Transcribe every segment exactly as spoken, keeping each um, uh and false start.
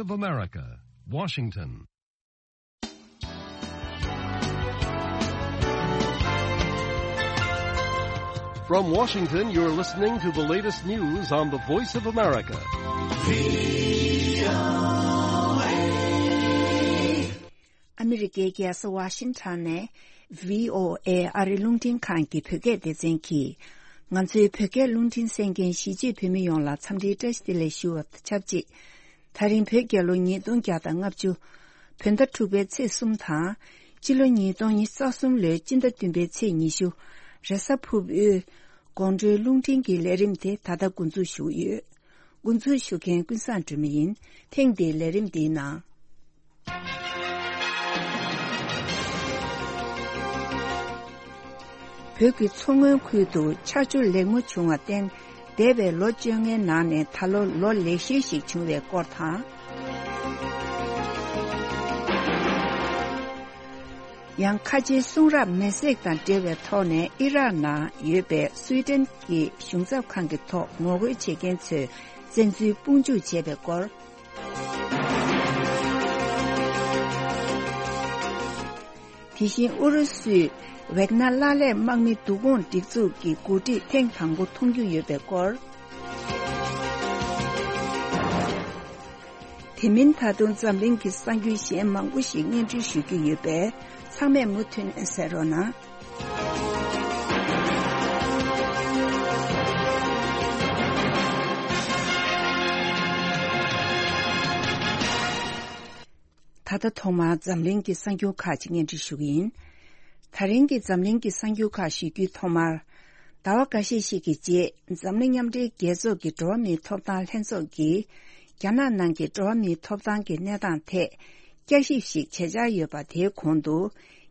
of America, Washington. From Washington, you're listening to the latest news on the Voice of America. ཨ་མི་རི་ཀའི་རྒྱལ་ས་ཝ་ཤིང་ཊོན་ནས་བྷི་ཨོ་ཨེ་ཨ་རི་རླུང་འཕྲིན་ཁང་གི་བོད་སྐད་སྡེ་ཚན་གྱིས། ང་ཚོའི་བོད་སྐད་རླུང་འཕྲིན་གསན་མཁན་གཞིས་བྱེས་བོད་མི་ཡོངས་ལ་འཚམས་འདྲིའི་བཀྲ་ཤིས་བདེ་ལེགས་ཞུ་བ་དང་ཆབས་ཅིག་ད་རིང་བོད་རྒྱལ་ལོ་ཉིས་སྟོང་བརྒྱ་དང་ལྔ་བཅུ། བོད་ཟླ་དྲུག་པའི་ཚེས་གསུམ་དང་། སྤྱི་ལོ་ཉིས་སྟོང་ཉི་ཤུ་རྩ་གསུམ་ལོའི་སྤྱི་ཟླ་བདུན་པའི་ཚེས་ཉི་ཤུ། རེས་གཟའ་ཕུར་བུའི་དགོང་དྲོའི་རླུང་འཕྲིན་གྱི་ལས་རིམ་དེ་ད་ལྟ་འགོ་འཛུགས་ཞུ་གི་ཡོད། འགོ་འཛུགས་ཞུ་མཁན་ཀུན་བཟང་སྒྲོལ་མ་ཡིན། ཐེངས་འདིའི་ལས་རིམ་འདིའི་ནང་། བོད་ཀྱི་མཚོ་སྔོན་ཁུལ་དུ་ཆར་ཆུ་ལེགས་མོ་བྱུང་བར་བརྟེན། འདས་པའི་ལོ་བཅོ་ལྔའི་ནང་ནས་ད་ལོ་ལོ་ལེགས་ཤོས་ཤིག་བྱུང་བའི་སྐོར་དང་། ཡང་ཁ་ཆེའི་གསུང་རབ་མེ་བསྲེགས་དང་འབྲེལ་བའི་ཐོག་ནས་ཨི་རག་ནང་ཡོད་པའི་སུའི་ཏན་གྱི་གཞུང་ཚབ་ཁང་གི་ཐོག་ངོ་རྒོལ་བྱེད་མཁན་ཚོས་བཙན་འཛུལ་དཔུང་འཇུག་བྱས་པའི་སྐོར། དེ་བཞིན་ཨུ་རུ་སུས་ཝེག་ན་ལག་ལེན་དམག་མི་བསྡུ་སྐོང་སྒྲིག་འཛུགས་ཀྱི་འགོ་ཁྲིད་ཐེངས་དང་པོ་མཐོང་རྒྱུ་ཡོད་པའི་སྐོར། དེ་མིན་ད་དུང་འཛམ་གླིང་གི་གསར་འགྱུར་གཞན་མང་པོ་ཞིག་སྙན་སྒྲོན་ཞུ་རྒྱུ་ཡོད་པས་ཚང་མས་མུ་མཐུད་ནས་གསན་རོགས་གནང་། ད་ལྟ་ཐོག་མར་འཛམ་གླིང་གི་གསར་འགྱུར་ཁག་ཅིག་སྙན་སྒྲོན་ཞུ་གི་ཡིན། ད་རིང་གི་འཛམ་གླིང་གི་གསར་འགྱུར་ཁག་ཞུ་རྒྱུའི་ཐོག་མར། ཟླ་བ་འགའ་ཤས་ཤིག་གི་རྗེས་འཛམ་གླིང་མཉམ་འབྲེལ་རྒྱལ་ཚོགས་ཀྱི་འགྲོ་བ་མིའི་ཐོབ་ཐང་ལྷན་ཚོགས་ཀྱིས། རྒྱ་ནག་ནང་གི་འགྲོ་བ་མིའི་ཐོབ་ཐང་གི་གནས་སྟངས་ཐད་བསྐྱར་ཞིབ་ཞིག་བྱེད་འཆར་ཡོད་པ་དེའི་གོང་དུ།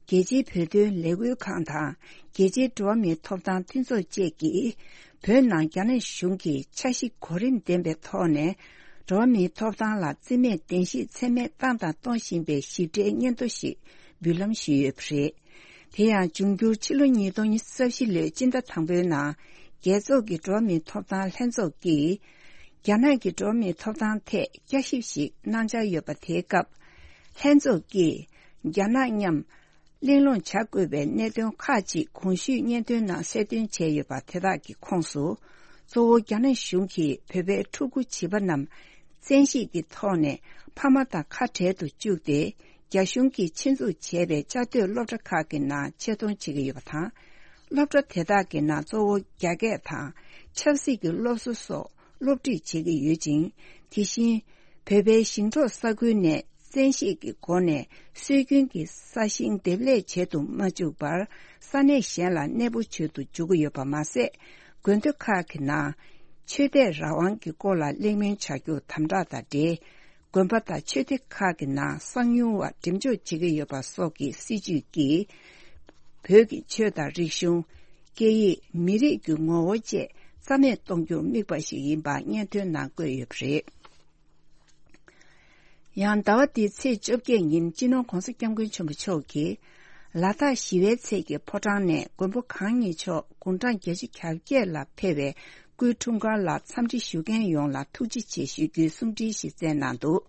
རྒྱལ་སྤྱིའི་བོད་དོན་ལས་འགུལ་ཁང་དང་རྒྱལ་སྤྱིའི་འགྲོ་བ་མིའི་ཐོབ་ཐང་མཐུན་ཚོགས་བཅས་ཀྱིས། བོད་ནང་རྒྱ་ནག་གཞུང་གིས་འཆར་གཞི་གོ་རིམ་ལྡན་པའི་ཐོག་ནས། འགྲོ་བ་མིའི་ཐོབ་ཐང་ལ་བརྩི་མེད་བདེན་བཞི་ཚད་མེད་བཏང་དང་གཏོང་བཞིན་པའི་ཞིབ་ཕྲའི་སྙན་ཐོ་ཞིག་འབུལ་ལམ་ཞུས་ཡོད་པ་རེད། དེ་ཡང་འབྱུང་འགྱུར་ཕྱི་ལོ་ཉིས་སྟོང་ཉི་ཤུ་རྩ་བཞི་ལོའི་སྤྱི་ཟླ་དང་པོའི་ནང་། རྒྱལ་ཚོགས་ཀྱི་འགྲོ་བ་མིའི་ཐོབ་ཐང་ལྷན་ཚོགས་ཀྱིས། རྒྱ་ནག་གི་འགྲོ་བ་མིའི་ཐོབ་ཐང་ཐད་བསྐྱར་ཞིབ་ཞིག་གནང་འཆར་ཡོད་པ་དེའི་སྐབས། ལྷན་ཚོགས་ཀྱིས། རྒྱ་ནག་མཉམ། གླེང་སློང་བྱ་དགོས་པའི་གནད་དོན་ཁག་ཅིག་གོང་ཞུས་སྙན་ཐོའི་ནང་གསལ་སྟོན་བྱས་ཡོད་པ་དེ་དག་གི་ཁོངས་སུ། གཙོ་བོ་རྒྱ་ནག་གཞུང་གིས་བོད་པའི་ཕྲུ་གུ་བྱིས་པ་རྣམས་བཙན་ཤེད་ཀྱི་ཐོག་ནས་ཕ་མ་དང་ཁ་བྲལ་དུ་བཅུག་སྟེ། རྒྱ་གཞུང་གིས་ཆེད་འཛུགས་བྱས་པའི་བཅའ་སྡོད་སློབ་གྲྭ་ཁག་གི་ནང་ཆེད་གཏོང་བྱེད་ཀྱི་ཡོད་པ་དང་། སློབ་གྲྭ་དེ་དག་གི་ནང་གཙོ་བོ་རྒྱ་སྐད་དང་ཆབ་སྲིད་ཀྱི་སློབ་གསོ་སོགས་སློབ་ཁྲིད་བྱེད་ཀྱི་ཡོད་ཅིང་། དེ་བཞིན། བོད་པའི་ཞིང་འབྲོག་ས་ཁུལ་ནས་བཙན་ཤེད་ཀྱི་སྒོ་ནས་སྲོལ་རྒྱུན་གྱི་ས་ཞིང་འདེབས་ལས་བྱེད་དུ་མ་བཅུག་པར་ས་གནས་གཞན་ལ་གནས་སྤོ་བྱེད་དུ་འཇུག་གི་ཡོད་པ་མ་ཟད། དགོན་སྡེ་ཁག་གི་ནང་ཆོས་དད་རང་དབང་གི་སྐོར་ལ་གླེང་མོལ་བྱ་རྒྱུ་དམ་དྲག་དང་འབྲེལ། དགོན་པ་དང་ཆོས་སྡེ་ཁག་གི་ནང་གསང་ཉུལ་བ་འགྲེམས་འཇོག་བྱེད་ཀྱི་ཡོད་པ་སོགས་ཀྱི་སྲིད་བྱུས་ཀྱིས། བོད་ཀྱི་ཆོས་དང་རིག་གཞུང་། སྐད་ཡིག་མི་རིགས་ཀྱི་ངོ་བོ་བཅས་རྩ་མེད་གཏོང་རྒྱུར་དམིགས་པ་ཞིག་ཡིན་པ་སྙན་ཐོའི་ནང་བཀོད་ཡོད་པ་རེད། ཡང་ཟླ་བ་འདིའི་ཚེས་བཅོ་བརྒྱད་ཉིན་སྤྱི་ནོར་༧གོང་ས་༧སྐྱབས་མགོན་ཆེན་པོ་མཆོག་གིས། ལ་དྭགས་ཞི་བའི་ཚལ་གྱི་ཕོ་བྲང་ནས་མགོན་པོ་གང་ཉིད་མཆོག་དགུང་གྲངས་བརྒྱད་ཅུ་གྱ་བརྒྱད་ལ་ཕེབས་པའི་སྐུའི་འཁྲུངས་སྐར་ལ་འཚམས་འདྲི་ཞུ་མཁན་ཡོངས་ལ་ཐུགས་རྗེ་ཆེ་ཞུ་རྒྱུའི་གསུང་འཕྲིན་ཞིག་བསྩལ་གནང་འདུག་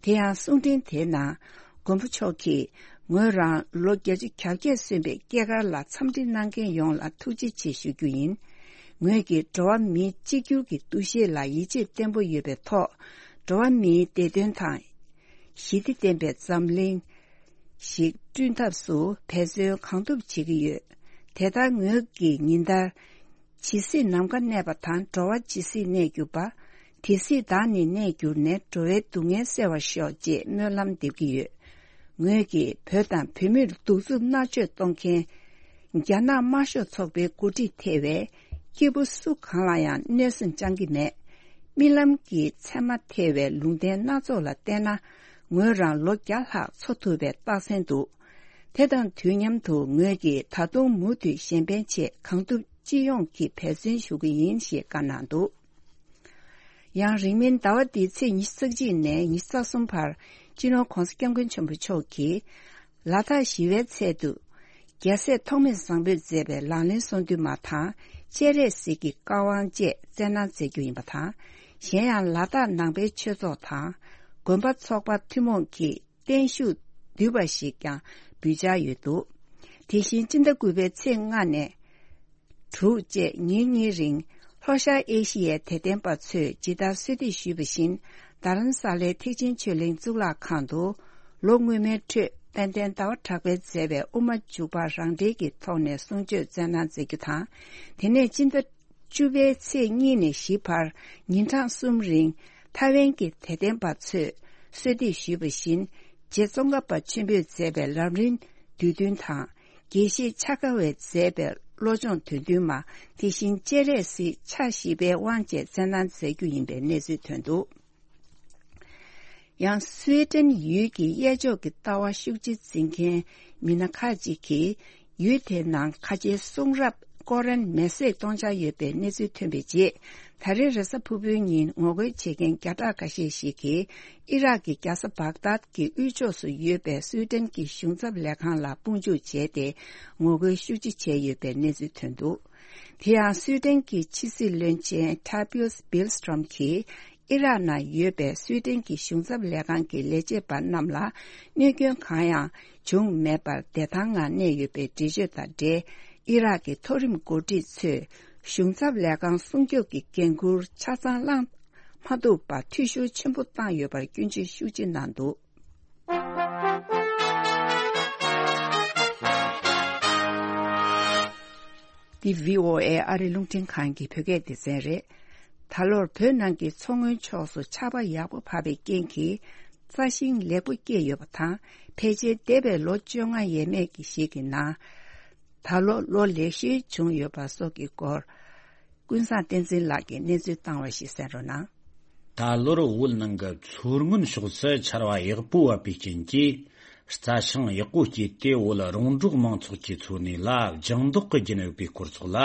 དེ་ཡང་གསུང་འཕྲིན་དེའི་ནང་། མགོན་པོ་མཆོག་གིས། ངོས་རང་ལོ་བརྒྱད་ཅུ་གྱ་བརྒྱད་སོན་པའི་སྐྱེས་སྐར་ལ་འཚམས་འདྲི་གནང་མཁན་ཡོངས་ལ་ཐུགས་རྗེ་ཆེ་ཞུ་རྒྱུ་ཡིན། ངོས་ཀྱིས་འགྲོ་བ་མིའི་གཅིག་གྱུར་གྱི་འདུ་ཤེས་ལ་ཡིད་ཆེས་བརྟན་པོ་ཡོད་པའི་ཐོག་འགྲོ་བ་མིའི་བདེ་དོན་དང་། ཞི་བདེ་ལྡན་པའི་འཛམ་གླིང་ཞིག་བསྐྲུན་ཐབས་སུ་འབད་བརྩོན་གང་ཐུབ་བྱེད་ཀྱི་ཡོད། དེ་ལྟར་ངོས་ཀྱིས་ཉིན་ལྟར། ཇི་སྲིད་ནམ་མཁའ་གནས་པ་དང་། འགྲོ་བ་ཇི་སྲིད་གནས་གྱུར་པ། དེ་སྲིད་བདག་ནི་གནས་གྱུར་ནས། འགྲོ་བའི་སྡུག་བསྔལ་སེལ་བར་ཤོག་ཅེས་སྨོན་ལམ་འདེབས་ཀྱི་ཡོད། ངོས་ཀྱིས་བོད་དང་བོད་མིར་གདུག་རྩུབ་མནར་གཅོད་གཏོང་མཁན། རྒྱ་ནག་དམར་ཤོག་ཚོགས་པའི་འགོ་ཁྲིད་ཐེ་བའི་སྐྱེས་བུ་སུ་གང་ལ་ཡང་གནོད་སེམས་བཅང་གི་མེད། རྨི་ལམ་གྱི་མཚན་མ་ཐེ་བའི་ལུང་བསྟན་སྣ་ཚོགས་ལ་བལྟས་ན། ངོས་རང་ལོ་བརྒྱ་ལྷག་འཚོ་ཐུབ་པའི་རྟགས་མཚན་འདུག་དེ་དང་དུས་མཉམ་དུ་ངོས་ཀྱིས་ད་དུང་མུ་མཐུད་གཞན་ཕན་ཆེད་གང་ཐུབ་ཅི་ཡོང་གིས་འབད་བརྩོན་ཞུ་གི་ཡིན་ཞེས་བཀའ་གནང་འདུག་ཡང་རིང་མིན་ཟླ་བ་འདིའི་ཚེས་ཉི་ཤུ་རྩ་གཅིག་ནས་ཉི་ཤུ་རྩ་གསུམ་བར་སྤྱི་ནོར་༧གོང་ས་༧སྐྱབས་མགོན་ཆེན་པོ་མཆོག་གིས་ལ་དྭགས་ཞི་བའི་ཚལ་དུ་རྒྱལ་སྲས་ཐོགས་མེད་བཟང་པོས་མཛད་པའི་ལག་ལེན་གསུང་འདུས་མ་དང་སྤྱན་རས་གཟིགས་ཀྱི་བཀའ་དབང་བཅས་སྩལ་གནང་མཛད་རྒྱུ་ཡིན་པ་དང་། གཞན་ཡང་ལ་དྭགས་ནང་པའི་ཆོས་ཚོགས་དང་ དགོན་པ་ཚོགས་པ་ཐུན་མོང་གི་བརྟན་བཞུགས་བསྡུས་པ་ཞིག་ཀྱང་འབུལ་འཆར་ཡོད་འདུག་དེ་བཞིན་སྤྱི་ཟླ་དགུ་པའི་ཚེས་ལྔ་ནས་དྲུག་བཅས་ཉིན་གཉིས་རིང་ལྷོ་ཤར་ཨེ་ཤི་ཡའི་དད་ལྡན་པ་ཚོས་ཇི་ལྟར་གསོལ་འདེབས་ཞུས་པ་བཞིན། རྡ་རམ་ས་ལའི་ཐེག་ཆེན་ཆོས་གླིང་གཙུག་ལག་ཁང་དུ་ལོ་སྔོན་མའི་འཕྲོད་དཔལ་ལྡན་ཟླ་བ་གྲགས་པས་མཛད་པའི་དབུ་མ་འཇུག་པ་རང་འགྲེལ་གྱི་ཐོག་ནས་གསུང་ཆོས་སྩལ་གནང་མཛད་རྒྱུ་དང་། དེ་ནས་སྤྱི་ཟླ་བཅུ་པའི་ཚེས་གཉིས་ནས་བཞི་བར་ཉིན་གྲངས་གསུམ་རིང་ཐའེ་ཝན་གྱི་དད་ལྡན་པ་ཚོས་གསོལ་འདེབས་ཞུས་པ་བཞིན། རྗེ་ཙོང་ཁ་པ་ཆེན་པོས་མཛད་པའི་ལམ་རིམ་བསྡུས་འདོན་དང་། དགེ་བཤེས་ཕྱྭ་ཁ་པས་མཛད་པའི་བློ་སྦྱོང་འདོན་འདུན་མ། དེ་བཞིན་སྤྱན་རས་གཟིགས་ཕྱག་བཞི་པའི་དབང་བཅས་སྩལ་གནང་མཛད་རྒྱུ་ཡིན་པའི་གནས་ཚུལ་ཐོན་འདུག་ཡང་སུའེ་ཏེན་ཡུལ་གྱི་གཡས་ཕྱོགས་ཀྱི་ལྟ་བ་ཤུགས་ཆེ་འཛིན་མཁན་མི་སྣ་ཁག་ཅིག་གིས་ཡུལ་དེའི་ནང་ཁ་ཆེའི་གསུང་རབ་ཀོ་རན་མེ་བསྲེགས་གཏོང་འཆར་ཡོད་པའི་གནས་ཚུལ་ཐོན་པའི་རྗེས། ད་རེས་རེས་གཟའ་ཕུར་བུའི་ཉིན་ངོ་རྒོལ་བྱེད་མཁན་བརྒྱ་ཕྲག་འགའ་ཤས་ཤིག་གིས་ཨི་རག་གི་རྒྱལ་ས་བག་དཱད་ཀྱི་དབུས་ཕྱོགས་སུ་ཡོད་པའི་སུའེ་ཏེན་གྱི་གཞུང་ཚབ་ལས་ཁང་ལ་དཔུང་འཇུག་བྱས་ཏེ་ངོ་རྒོལ་ཤུགས་ཆེ་བྱས་ཡོད་པའི་གནས་ཚུལ་ཐོན་འདུག་དེ་ཡང་སུའེ་ཏེན་གྱི་ཕྱི་སྲིད་བློན་ཆེན་ཊ་བིའུ་སི་བིལ་སི་ཊོམ་གྱིས་ཨི་རག་ནང་ཡོད་པའི་སུའེ་ཏེན་གྱི་གཞུང་ཚབ་ལས་ཁང་གི་ལས་བྱེད་པ་རྣམས་ལ་གནོད་སྐྱོན་གང་ཡང་བྱུང་མེད་པར་བདེ་ཐང་ངང་གནས་ཡོད་པའི་འགྲེལ་བརྗོད་དང་འབྲེལ། ཨི་རག་གི་མཐོ་རིམ་འགོ་ཁྲིད་ཚོས་གཞུང་ཚབ་ལས་ཁང་སྲུང་སྐྱོབ་ཀྱི་འགན་འཁུར་ཆ་ཚང་བླངས་མ་ཐུབ་པར་འཐུས་ཤོར་ཆེན་པོ་བཏང་ཡོད་པར་སྐྱོན་བརྗོད་ཤུགས་ཆེ་གནང་འདུག་འདི་བྷི་ཨོ་ཨེ་ཨ་རི་རླུང་འཕྲིན་ཁང་གི་བོད་སྐད་སྡེ་ཚན་རེད། ད་ལོར་བོད་ནང་གི་མཚོ་སྔོན་ཕྱོགས་སུ་ཆར་པ་ཡག་པོ་བབས་པའི་རྐྱེན་གྱིས་རྩྭ་ཤིང་ལེགས་པོ་སྐྱེས་ཡོད་པ་དང་། ཕལ་ཆེར་འདས་པའི་ལོ་བཅོ་ལྔ་ཡས་མས་ཀྱི་ཞིག་གི་ནང་ད་ལོ་ལོ་ལེགས་ཤོས་བྱུང་ཡོད་པ་སོགས་ཀྱི་སྐོར། ཀུན་བཟང་བསྟན་འཛིན་ལགས་ཀྱིས་གནས་ཚུལ་བཏང་བ་ཞིག་གསན་རོགས་གནང་། ད་ལོར་བོད་ནང་གི་མཚོ་སྔོན་ཕྱོགས་སུ་ཆར་བ་ཡག་པོ་བབས་པའི་རྐྱེན་གྱིས། རྩྭ་ཤིང་ཡག་པོ་སྐྱེས་ཏེ། བོད་རོང་འབྲོག་མང་ཚོགས་ཀྱི་འཚོ་གནས་ལ་ལྗང་མདོག་གི་རྒྱུན་ཡོད་པའི་སྐོར་སོགས་ལ།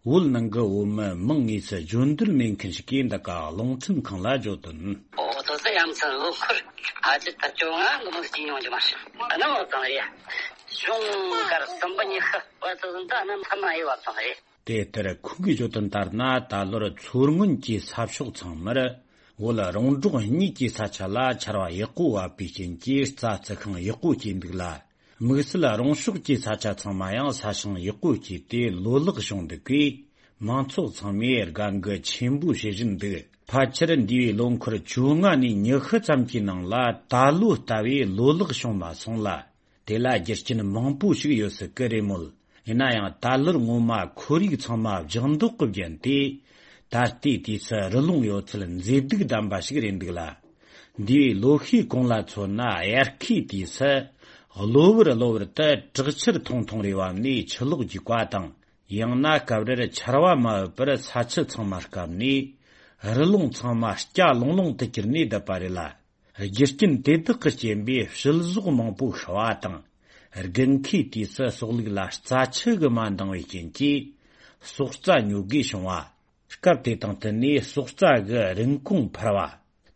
བོད་ནང་གི་བོད་མི་མང་ངོས་སུ་བརྗོད་འདོད་མེད་མཁན་ཞིག་གིས་འདི་ག་རླུང་འཕྲིན་ཁང་ལ་བརྗོད་དོན། ཨོ་ཏོ་ཙི་ཡ་མཚན་ལོ་འཁོར་ཨ་ཅི་ད་བཅོ་ལྔ་ལོ་མ་སྐྱིད་ཡོང་རྒྱུ་མ་རེད། ཨ་ན་འོ་ཙང་རེད། གཞུང་སྒར་གསུམ་པ་ཉི་ཤུ་བ་ཙི་ཟིན་ད་ཨ་ན་མཐའ་མ་ཡི་བ་ཙང་རེད། དེ་ལྟར་ཁོང་གིས་བརྗོད་དོན་ལྟར་ན། ད་ལོར་མཚོ་སྔོན་གྱི་ས་ཕྱོགས་ཚང་མར་བོད་རོང་འབྲོག་གཉིས་ཀྱི་ས་ཆ་ལ་ཆར་བ་ཡག་པོ་བབས་པའི་རྐྱེན་གྱིས། རྩྭ་རྩི་ཤིང་ཡག་པོ་སྐྱེས་འདུག་ལ། དམིགས་བསལ་རོང་ཕྱོགས་ཀྱི་ས་ཆ་ཚང་མ་ཡང་ས་ཞིང་ཡག་པོ་སྐྱེས་ཏེ་ལོ་ལེགས་བྱུང་འདུག་གས། མང་ཚོགས་ཚང་མས་དགའ་མགུ་ཆེན་པོ་བྱེད་བཞིན་འདུག་ཕལ་ཆེར་འདས་པའི་ལོ་འཁོར་བཅོ་ལྔ་ནས་ཉི་ཤུ་ཙམ་གྱི་ནང་ལ་ད་ལོ་ལྟ་བུའི་ལོ་ལེགས་བྱུང་མ་སོང་ལ། དེ་ལ་རྒྱུ་རྐྱེན་མང་པོ་ཞིག་ཡོད་སྲིད་ཀྱི་རེད་མོད། ཡིན་ན་ཡང་ད་ལོར་སྔོན་མ་ཁོར་ཡུག་ཚང་མ་ལྗང་མདོག་གིས་བརྒྱན་ཏེ། ད་ལྟའི་དུས་སུ་རི་ཀླུང་ཡོད་ཚད་མཛེས་སྡུག་ལྡན་པ་ཞིག་རེད་འདུག་ལ། འདས་པའི་ལོ་ཤས་གོང་ལ་མཚོན་ན། དབྱར་ཁའི་དུས་སུ་གློ་བུར་གློ་བུར་དུ་དྲག་ཆར་ཐུང་ཐུང་རེ་བབས་ནས་ཆུ་ལོག་རྒྱུག་པ་དང་། ཡང་ན་སྐབས་རེར་ཆར་པ་མ་བབས་པར་ས་ཆུ་ཚང་མ་སྐམ་ནས། རི་ཀླུང་ཚང་མ་སྐྱ་ལོང་ལོང་དུ་གྱུར་ནས་བསྡད་པ་རེད་ལ། རྒྱུ་རྐྱེན་དེ་དག་གི་རྐྱེན་པས་བྱི་ཟོག་མང་པོ་ཤི་བ་དང་། དགུན་ཁའི་དུས་སུ་སོག་ལུག་ལ་རྩྭ་ཆུ་གིས་མ་འདང་བའི་རྐྱེན་གྱིས་སོག་རྩྭ་ཉོ་དགོས་བྱུང་བ། སྐབས་དེ་དང་བསྟུན་ནས་སོག་རྩྭ་གི་རིན་གོང་འཕར་བ།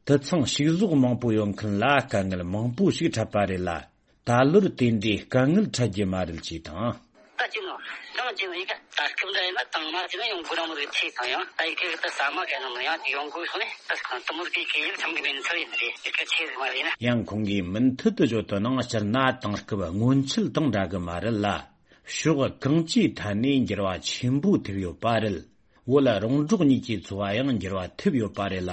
དུད་ཚང་ཕྱུགས་ཟོག་མང་པོ་ཡོད་མཁན་ལ་དཀའ་ངལ་མང་པོ་ཞིག་འཕྲད་པ་རེད་ལ། ད་ལོར་དེ་འདྲའི་དཀའ་ངལ་འཕྲད་རྒྱུ་མ་རེད་ཅེས་དང་། ད་ཅི་ནོ། ཡང་ཅི་ནོ་ཡི་གེ་ད་སྐབས་འདྲ་ཡིན་ན་དང་མ་ཅི་ན་ཡང་གུ་ར་མོ་རེ་ཆེ་དང་ཡང་ད་ཡི་གེ་ད་ས་མ་ག་ནང་ཡང་ཡོང་དགོས་སོང་ནས་ད་དང་དུ་མོ་གི་གི་ཡིན་ཚང་གི་མིན་ཚོ་ཡིན་རེད། ཡི་གེ་ཆེ་ཟིག་མ་རེད་ན། ཡང་ཁོང་གིས་མུ་མཐུད་དུ་བརྗོད་དོན་ནང་། སྤྱིར་ན་དེང་སྐབས་སྔོན་ཆད་དང་འདྲ་གི་མ་རེད་ལ། ཕྱོགས་གང་ཅིའི་ཐད་ནས་འགྱུར་བ་ཆེན་པོ་ཐེབས་ཡོད་པ་རེད། བོད་རོང་འབྲོག་གཉིས་ཀྱི་འཚོ་བ་ཡང་འགྱུར་བ་ཐེབས་ཡོད་པ་རེད་ལ།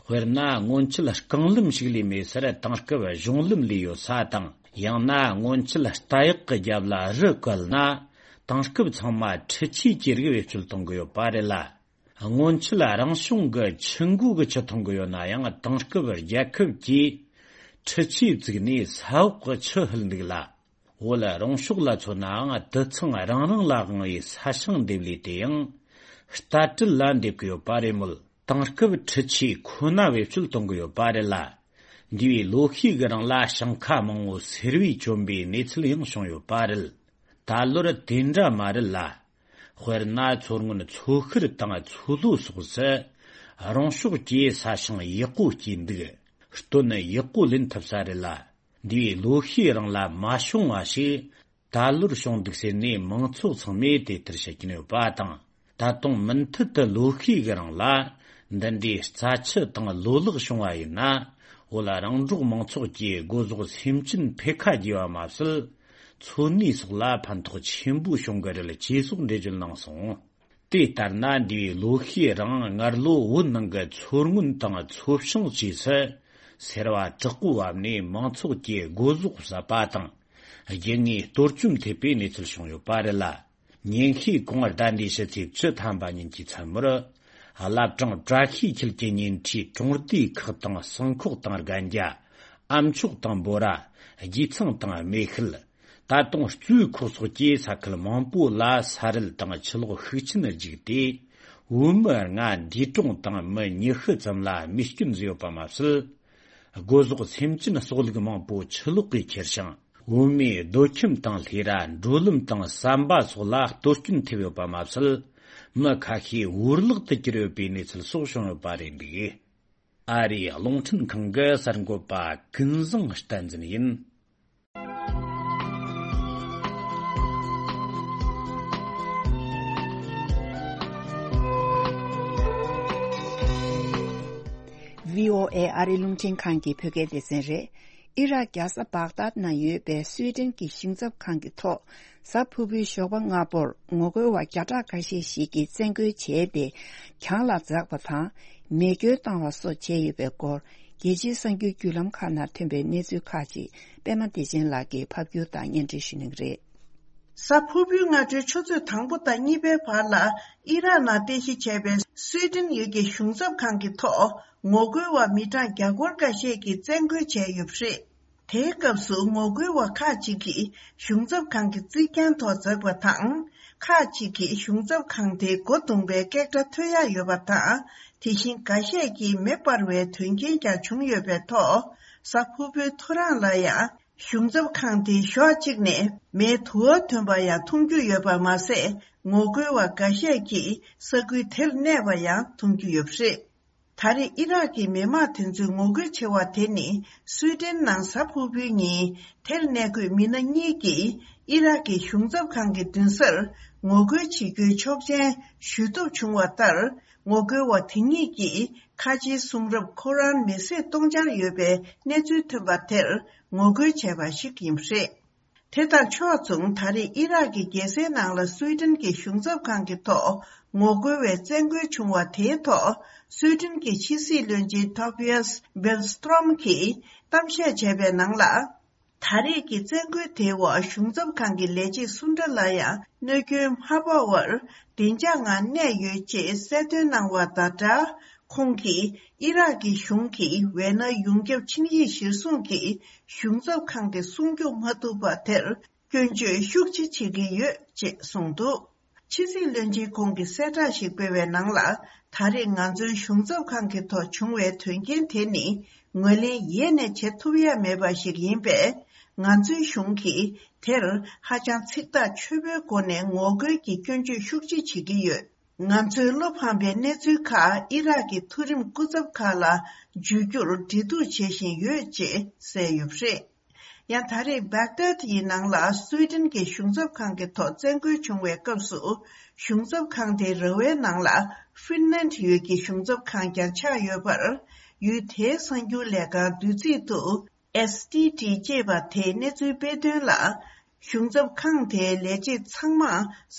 དཔེར་ན་སྔོན་ཆད་རྐང་ལམ་ཞིག་ལས་མེད་སར་དེང་སྐབས་གཞུང་ལམ་ལས་ཡོད་ས་དང་། ཡང་ན་སྔོན་ཆད་རྟ་གཡག་གི་རྒྱབ་ལ་རི་བཀལ་ན། དེང་སྐབས་ཚང་མ་འཕྲུལ་ཆས་ཀྱི་རིགས་བེད་སྤྱོད་གཏོང་གི་ཡོད་པ་རེད་ལ། སྔོན་ཆད་རང་བྱུང་གི་ཆུ་མགོ་གི་ཆུ་འཐུང་གི་ཡོད་ན་ཡང་། དེང་སྐབས་རྒྱལ་ཁབ་ཀྱིས་འཕྲུལ་ཆས་བཙུགས་ནས་ས་འོག་གི་ཆུ་ཧུལ་འདུག་ལ། བོད་རོང་ཕྱོགས་ལ་མཚོན་ནའང་། དུད་ཚང་རང་རང་ལ་དབང་བའི་ས་ཞིང་འདེབས་ལས་དེ་ཡང་རྟ་དྲེལ་ལ་འདེབས་ཀྱི་ཡོད་པ་རེད་མོད། དེང་སྐབས་འཕྲུལ་ཆས་ཁོ་ན་བེད་སྤྱོད་གཏོང་གི་ཡོད་པ་རེད་ལ། འདས་པའི་ལོ་ཤས་ཀྱི་རིང་ལ་ཞིང་ཁ་མང་བོ་སེར་བས་བཅོམ་པའི་གནས་ཚུལ་ཡང་བྱུང་ཡོད་པ་རེད། ད་ལོར་དེ་འདྲ་མ་རེད་ལ། དཔེར་ན་མཚོ་སྔོན་མཚོ་ཤར་དང་མཚོ་ལྷོ་སོགས་སུ་རོང་ཕྱོགས་ཀྱི་ས་ཞིང་ཡག་པོ་སྐྱེས་འདུག་སྟོན་ཡག་པོ་ལེན་ཐུབ་ས་རེད་ལ། འདས་པའི་ལོ་ཤས་རིང་ལ་མ་བྱུང་བ་ཞིག་ད་ལོར་བྱུང་འདུག་ཟེར་ནས་མང་ཚོགས་ཚང་མས་དེ་ལྟར་བཤད་ཀྱིན་ཡོད་པ་དང་། ད་དུང་མུ་མཐུད་དུ་ལོ་ཤས་ཀྱི་རིང་ལ་འདི་འདྲའི་རྩྭ་ཆུ་དང་ལོ་ལེགས་བྱུང་བ་ཡིན་ན། བོད་རང་འབྲོག་མང་ཚོགས་ཀྱི་སྒོ་ཟོག་སེམས་ཅན་འཕེལ་ཁ་རྒྱས་པ་མ་ཟད། འཚོ་གནས་སོགས་ལ་ཕན་ཐོགས་ཆེན་པོ་བྱུང་གི་རེད། ཅེས་སོགས་འགྲེལ་བརྗོད་གནང་སོང་། དེ་ལྟར་ན་འདིའི་ལོ་ཤས་རིང་སྔར་ལོ་བོད་ནང་གི་མཚོ་སྔོན་དང་མཚོ་བྱང་བཅས་སུ་སེར་བ་དྲག་པོ་བབས་ནས་མང་ཚོགས་ཀྱི་སྒོ་ཟོག་ཟད་པ་དང་། རྒྱུ་དངོས་གཏོར་སྐྱོན་ཐེབས་པའི་གནས་ཚུལ་བྱུང་ཡོད་པ་རེད་ལ། ཉིན་ཤས་གོང་ཟླ་འདིའི་ཕྱི་ཚེས་བཅུ་ཐམ་པ་ཉིན་གྱི་མཚན་མོར། བླ་བྲང་བཀྲ་ཤིས་འཁྱིལ་གྱི་ཉེ་འཁྲིས་གྲོང་སྡེ་ཁག་དང་སྲུང་ཁོག་དང་རྒན་རྒྱ། ཨ་མཆོག་དང་འབོ་ར། རྒྱུད་ཚང་དང་སྨེ་ཤུལ། ད་དུང་གཙོས་ཁོག་སོགས་ཀྱི་ས་ཁུལ་མང་པོ་ལ་ས་རུད་དང་ཆུ་ལོག་ཤུགས་ཆེན་རྒྱུག་སྟེ། བོད་མི་ལྔ་འདས་གྲོངས་དང་མི་ཉི་ཤུ་ཙམ་ལ་རྨས་སྐྱོན་བཟོས་ཡོད་པ་མ་ཟད། སྒོ་ཟོག་སེམས་ཅན་གསོག་ལུགས་མང་པོ་ཆུ་ལོག་གིས་ཁྱེར་ཞིང་། བོད་མིའི་སྡོད་ཁྱིམ་དང་ལྷས་ར་འགྲོ་ལམ་དང་ཟམ་པ་སོགས་ལ་གཏོར་སྐྱོན་ཐེབས་ཡོད་པ་མ་ཟད། མི་ཁ་ཤས་བོར་བརླག་ཏུ་གྱུར་ཡོད་པའི་གནས་ཚུལ་སོགས་བྱུང་ཡོད་པ་རེད་འདུག། ཨ་རིའི་རླུང་འཕྲིན་ཁང་གི་གསར་འགོད་པ་ཀུན་བཟང་བསྟན་འཛིན་ཡིན། བྷི་ཨོ་ཨེ་ཨ་རིའི་རླུང་འཕྲིན་ཁང་གི་བོད་སྐད་སྡེ་ཚན་རེད། ཨི་རག་རྒྱལ་ས་བག་དཱད་ན་ཡོད་པའི་སུའེ་ཏེན་གྱི་གཞུང་ཚབ་ཁང་གི་ཐོག་གཟའ་ཕུར་བུའི་ཞོགས་པ་སྔ་པོར་ངོ་རྒོལ་བ་བརྒྱ་ཕྲག་འགའ་ཤས་ཤིག་གིས་བཙན་རྒོལ་བྱས་ཏེ་གྱང་ལ་འཛེགས་པ་དང་མེ་སྐྱོན་བཏང་བ་སོགས་བྱས་ཡོད་པའི་སྐོར། རྒྱལ་སྤྱིའི་གསར་འགྱུར་བརྒྱུད་ལམ་ཁག་ནང་ཐོན་པའི་གནས་ཚུལ་ཁག་ཅིག་པད་མ་བདེ་ཆེན་ལགས་ཀྱིས་ཕབ་སྒྱུར་དང་སྙན་སྒྲོན་ཞུ་གནང་གི་རེད། གཟའ་ཕུར་བུའི་སྔ་དྲོའི་ཆུ་ཚོད་དང་པོ་དང་གཉིས་པའི་བར་ལ་ཨི་རག་ནང་རྟེན་གཞི་བྱས་པའི་སུའེ་ཏེན་ཡུལ་གྱི་གཞུང་ཚབ་ཁང་གི་ཐོག་ངོ་རྒོལ་བ་མི་གྲངས་བརྒྱ་སྐོར་འགའ་ཤས་ཀྱིས་བཙན་རྒོལ་བྱས་ཡོད་པ་རེད། དེའི་སྐབས་སུ་ངོ་རྒོལ་བ་ཁག་ཅིག་གིས་གཞུང་ཚབ་ཁང་གི་རྩིག་གྱང་ཐོག་འཛེགས་པ་དང་། ཁག་ཅིག་གིས་གཞུང་ཚབ་ཁང་དེའི་སྒོ་བརྡུངས་པའི་སྐད་སྒྲ་ཐོས་ཡག་ཡོད་པ་དང་། དེ་བཞིན་འགའ་ཤས་ཀྱིས་མེ་སྤར་བའི་དོན་རྐྱེན་ཀྱང་བྱུང་ཡོད་པའི་ཐོག་གཟའ་ཕུར་བུའི་ཐོ་རངས་ལ་ཡང་གཞུང་ཚབ་ཁང་དེའི་ཕྱོགས་གཅིག་ནས་མེའི་དུ་བ་ཐོན་པ་ཡང་མཐོང་རྒྱུ་ཡོད་པ་མ་ཟད། ངོ་རྒོལ་བ་འགའ་ཤས་ཀྱིས་ས་ཁུལ་དེར་གནས་པ་ཡང་མཐོང་རྒྱུ་ཡོད་པ་རེད། ད་རེས་ཨི་རག་གི་མི་དམངས་དེ་ཚོའི་ངོ་རྒོལ་ཆེ་བ་དེ་ནི་སུའེ་ཏེན་ནང་གཟའ་ཕུར་བུའི་ཉིན་དེར་གནས་འཁོད་མི་སྣ་གཉིས་ཀྱིས་ཨི་རག་གི་གཞུང་ཚབ་ཁང་གི་མདུན་སར་ངོ་རྒོལ་བྱེད་རྒྱུའི་ཆོག་མཆན་ཞུ་ཐབས་བྱུང་བ་ལྟར། ངོ་རྒོལ་བ་དེ་གཉིས་ཀྱིས་ཁ་ཆེའི་གསུང་རབ་ཁོ་རཱན་མེ་བསྲེགས་གཏོང་འཆར་ཡོད་པའི་གནས་ཚུལ་ཐོན་པ་དེར་ངོ་རྒོལ་བྱས་པ་ཞིག་ཡིན་པ་རེད། དེ་དང་ཕྱོགས་མཚུངས། ད་རེས་ཨི་རག་གི་རྒྱལ་སའི་ནང་ལ་སུའེ་ཏེན་གྱི་གཞུང་ཚབ་ཁང་གི་ཐོག་ངོ་རྒོལ་བའི་བཙན་རྒོལ་བྱུང་བ་དེའི་ཐོག་སུའེ་ཏེན་གྱི་ཕྱི་སྲིད་བློན་ཆེན་ཐོ་བྷི་ཡཱས་བྷེལ་སི་ཏྲོམ་གྱིས་གཏམ་བཤད་བྱས་པའི་ནང་ལ། ད་རེས་ཀྱི་བཙན་རྒོལ་དེའི་འོག་གཞུང་ཚབ་ཁང་གི་ལས་བྱེད་སུ་འདྲ་ལ་ཡང་གནོད་སྐྱོན་མ་ཕོག་པར་བདེ་འཇགས་ངང་གནས་ཡོད་ཅེས་གསལ་སྟོན་གནང་བ་དང་སྦྲགས། ཁོང་གིས་ཨི་རག་གི་གཞུང་གིས་ཝེ་ནའི་ཡོངས་ཁྱབ་ཆིངས་ཡིག་གཞིར་བཟུང་གིས་གཞུང་ཚབ་ཁང་དེ་སྲུང་སྐྱོབ་མ་ཐུབ་པ་དེར་སྐྱོན་བརྗོད་ཤུགས་ཆེ་བྱེད་ཀྱི་ཡོད་ཅེས་གསུངས་འདུག། ཕྱི་སྲིད་བློན་ཆེན་ཁོང་གིས་གསལ་བསྒྲགས་ཤིག་སྤེལ་བའི་ནང་ལ། ད་རེས་ང་ཚོའི་གཞུང་ཚབ་ཁང་གི་ཐོག་བྱུང་བའི་དོན་རྐྱེན་དེ་ནི་ངོས་ལེན་ཡེ་ནས་བྱེད་ཐུབ་ཡ་མེད་པ་ཞིག་ཡིན་པས། ང་ཚོའི་གཞུང་གིས་དེར་ཧ་ཅང་ཚིག་ཐག་ཆོད་པོའི་སྒོ་ནས་ངོ་རྒོལ་གྱི་སྐྱོན་བརྗོད་ཤུགས་ཆེ་བྱེད་ཀྱི་ཡོད། ང་ཚོས་བློ་ཕམ་པའི་གནས་ཚུལ་ཁག་ཨི་རག་གི་མཐོ་རིམ་སྐུ་ཚབ་ཁག་ལ་བརྗོད་རྒྱུར་འབྲེལ་གཏུག་བྱེད་བཞིན་ཡོད་ཅེས་གསལ་ཡོད་པ་རེད། ཡང་ད་རེས་བྷག་དཱད་ཡི་ནང་ལ་སུའེ་ཏེན་གྱི་གཞུང་ཚབ་ཁང་གི་ཐོག་བཙན་རྒོལ་བྱུང་བའི་སྐབས་སུ། གཞུང་ཚབ་ཁང་དེའི་ར་བའི་ནང་ལ་ཧྥིན་ལན་ཡུལ་གྱི་གཞུང་ཚབ་ཁང་ཀྱང་ཆགས་ཡོད་པར། ཡུལ་དེའི་གསར་འགྱུར་ལས་ཁང་བདུད་རྩིས་དུ། ཨེས་ཊི་ཊི་ཅེས་པ་དེས་གནས་ཚུལ་སྤེལ་དོན་ལ། གཞུང་ཚབ་ཁང་དེའི་ལས་བྱེད་ཚང་མ་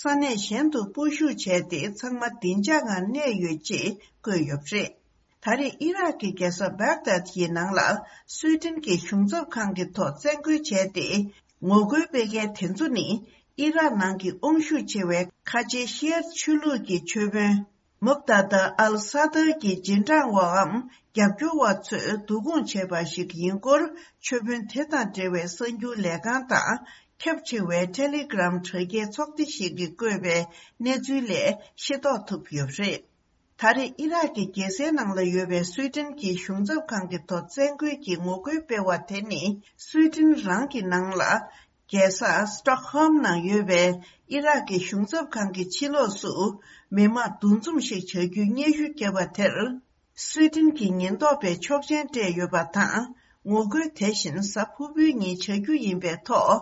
ས་གནས་གཞན་དུ་སྤོ་བཞུད་བྱས་ཏེ། ཚང་མ་བདེ་འཇགས་ངང་གནས་ཡོད་ཅེས་བཀོད་ཡོད་པ་རེད། ད་རེས་ཨི་རག་གི་རྒྱལ་ས་བྷག་དཱད་ཡི་ནང་ལ་སུའེ་ཏེན་གྱི་གཞུང་ཚབ་ཁང་གི་ཐོག་བཙན་རྒོལ་བྱས་ཏེ། ངོ་རྒོལ་སྤེལ་མཁན་དེ་ཚོ་ནི་ཨི་རག་ནང་གི་དབང་ཤུགས་ཆེ་བའི་ཁ་ཆེའི་ཤི་ཨར་ཆོས་ལུགས་ཀྱི་ཆོས་དཔོན། མུག་ཏཱ་ཏཱ་ཨལ་ས་དར་གྱི་རྗེས་འབྲང་བའམ་རྒྱབ་སྐྱོར་བ་ཚོས་བསྡུ་སྐོང་བྱས་པ་ཞིག་ཡིན་སྐོར། ཆོས་དཔོན་དེ་དང་འབྲེལ་བའི་གསར་འགྱུར་ལས་ཁང་དང་ཁྱབ་ཆེ་བའི་ཊེ་ལི་གྷི་རམ་དྲ་རྒྱའི་ཚོགས་སྡེ་ཞིག་གིས་བཀོད་པའི་གནས་ཚུལ་ལས་ཤེས་རྟོགས་ཐུབ་ཡོད་པ་རེད། ད་རེས་ཨི་རག་གི་རྒྱལ་སའི་ནང་ལ་ཡོད་པའི་སུའེ་ཏེན་གྱི་གཞུང་ཚབ་ཁང་གི་ཐོག་བཙན་རྒོལ་གྱི་ངོ་རྒོལ་སྤེལ་བ་དེ་ནི། སུའེ་ཏེན་རང་གི་ནང་ལ། རྒྱལ་ས་སི་ཊོག་ཧོམ་ནང་ཡོད་པའི་ཨི་རག་གི་གཞུང་ཚབ་ཁང་གི་ཕྱི་ལོགས་སུ། མི་མང་འདུ་འཛོམས་ཤིག་བྱ་རྒྱུའི་སྙན་ཞུ་བརྒྱབ་པ་དེར། སུའེ་ཏེན་གྱི་ཉེན་རྟོག་པས་ཆོག་མཆན་སྤྲད་ཡོད་པ་དང་། ངོ་རྒོལ་དེ་བཞིན་གཟའ་ཕུར་བུའི་ཉིན་བྱ་རྒྱུ་ཡིན་པའི་ཐོག་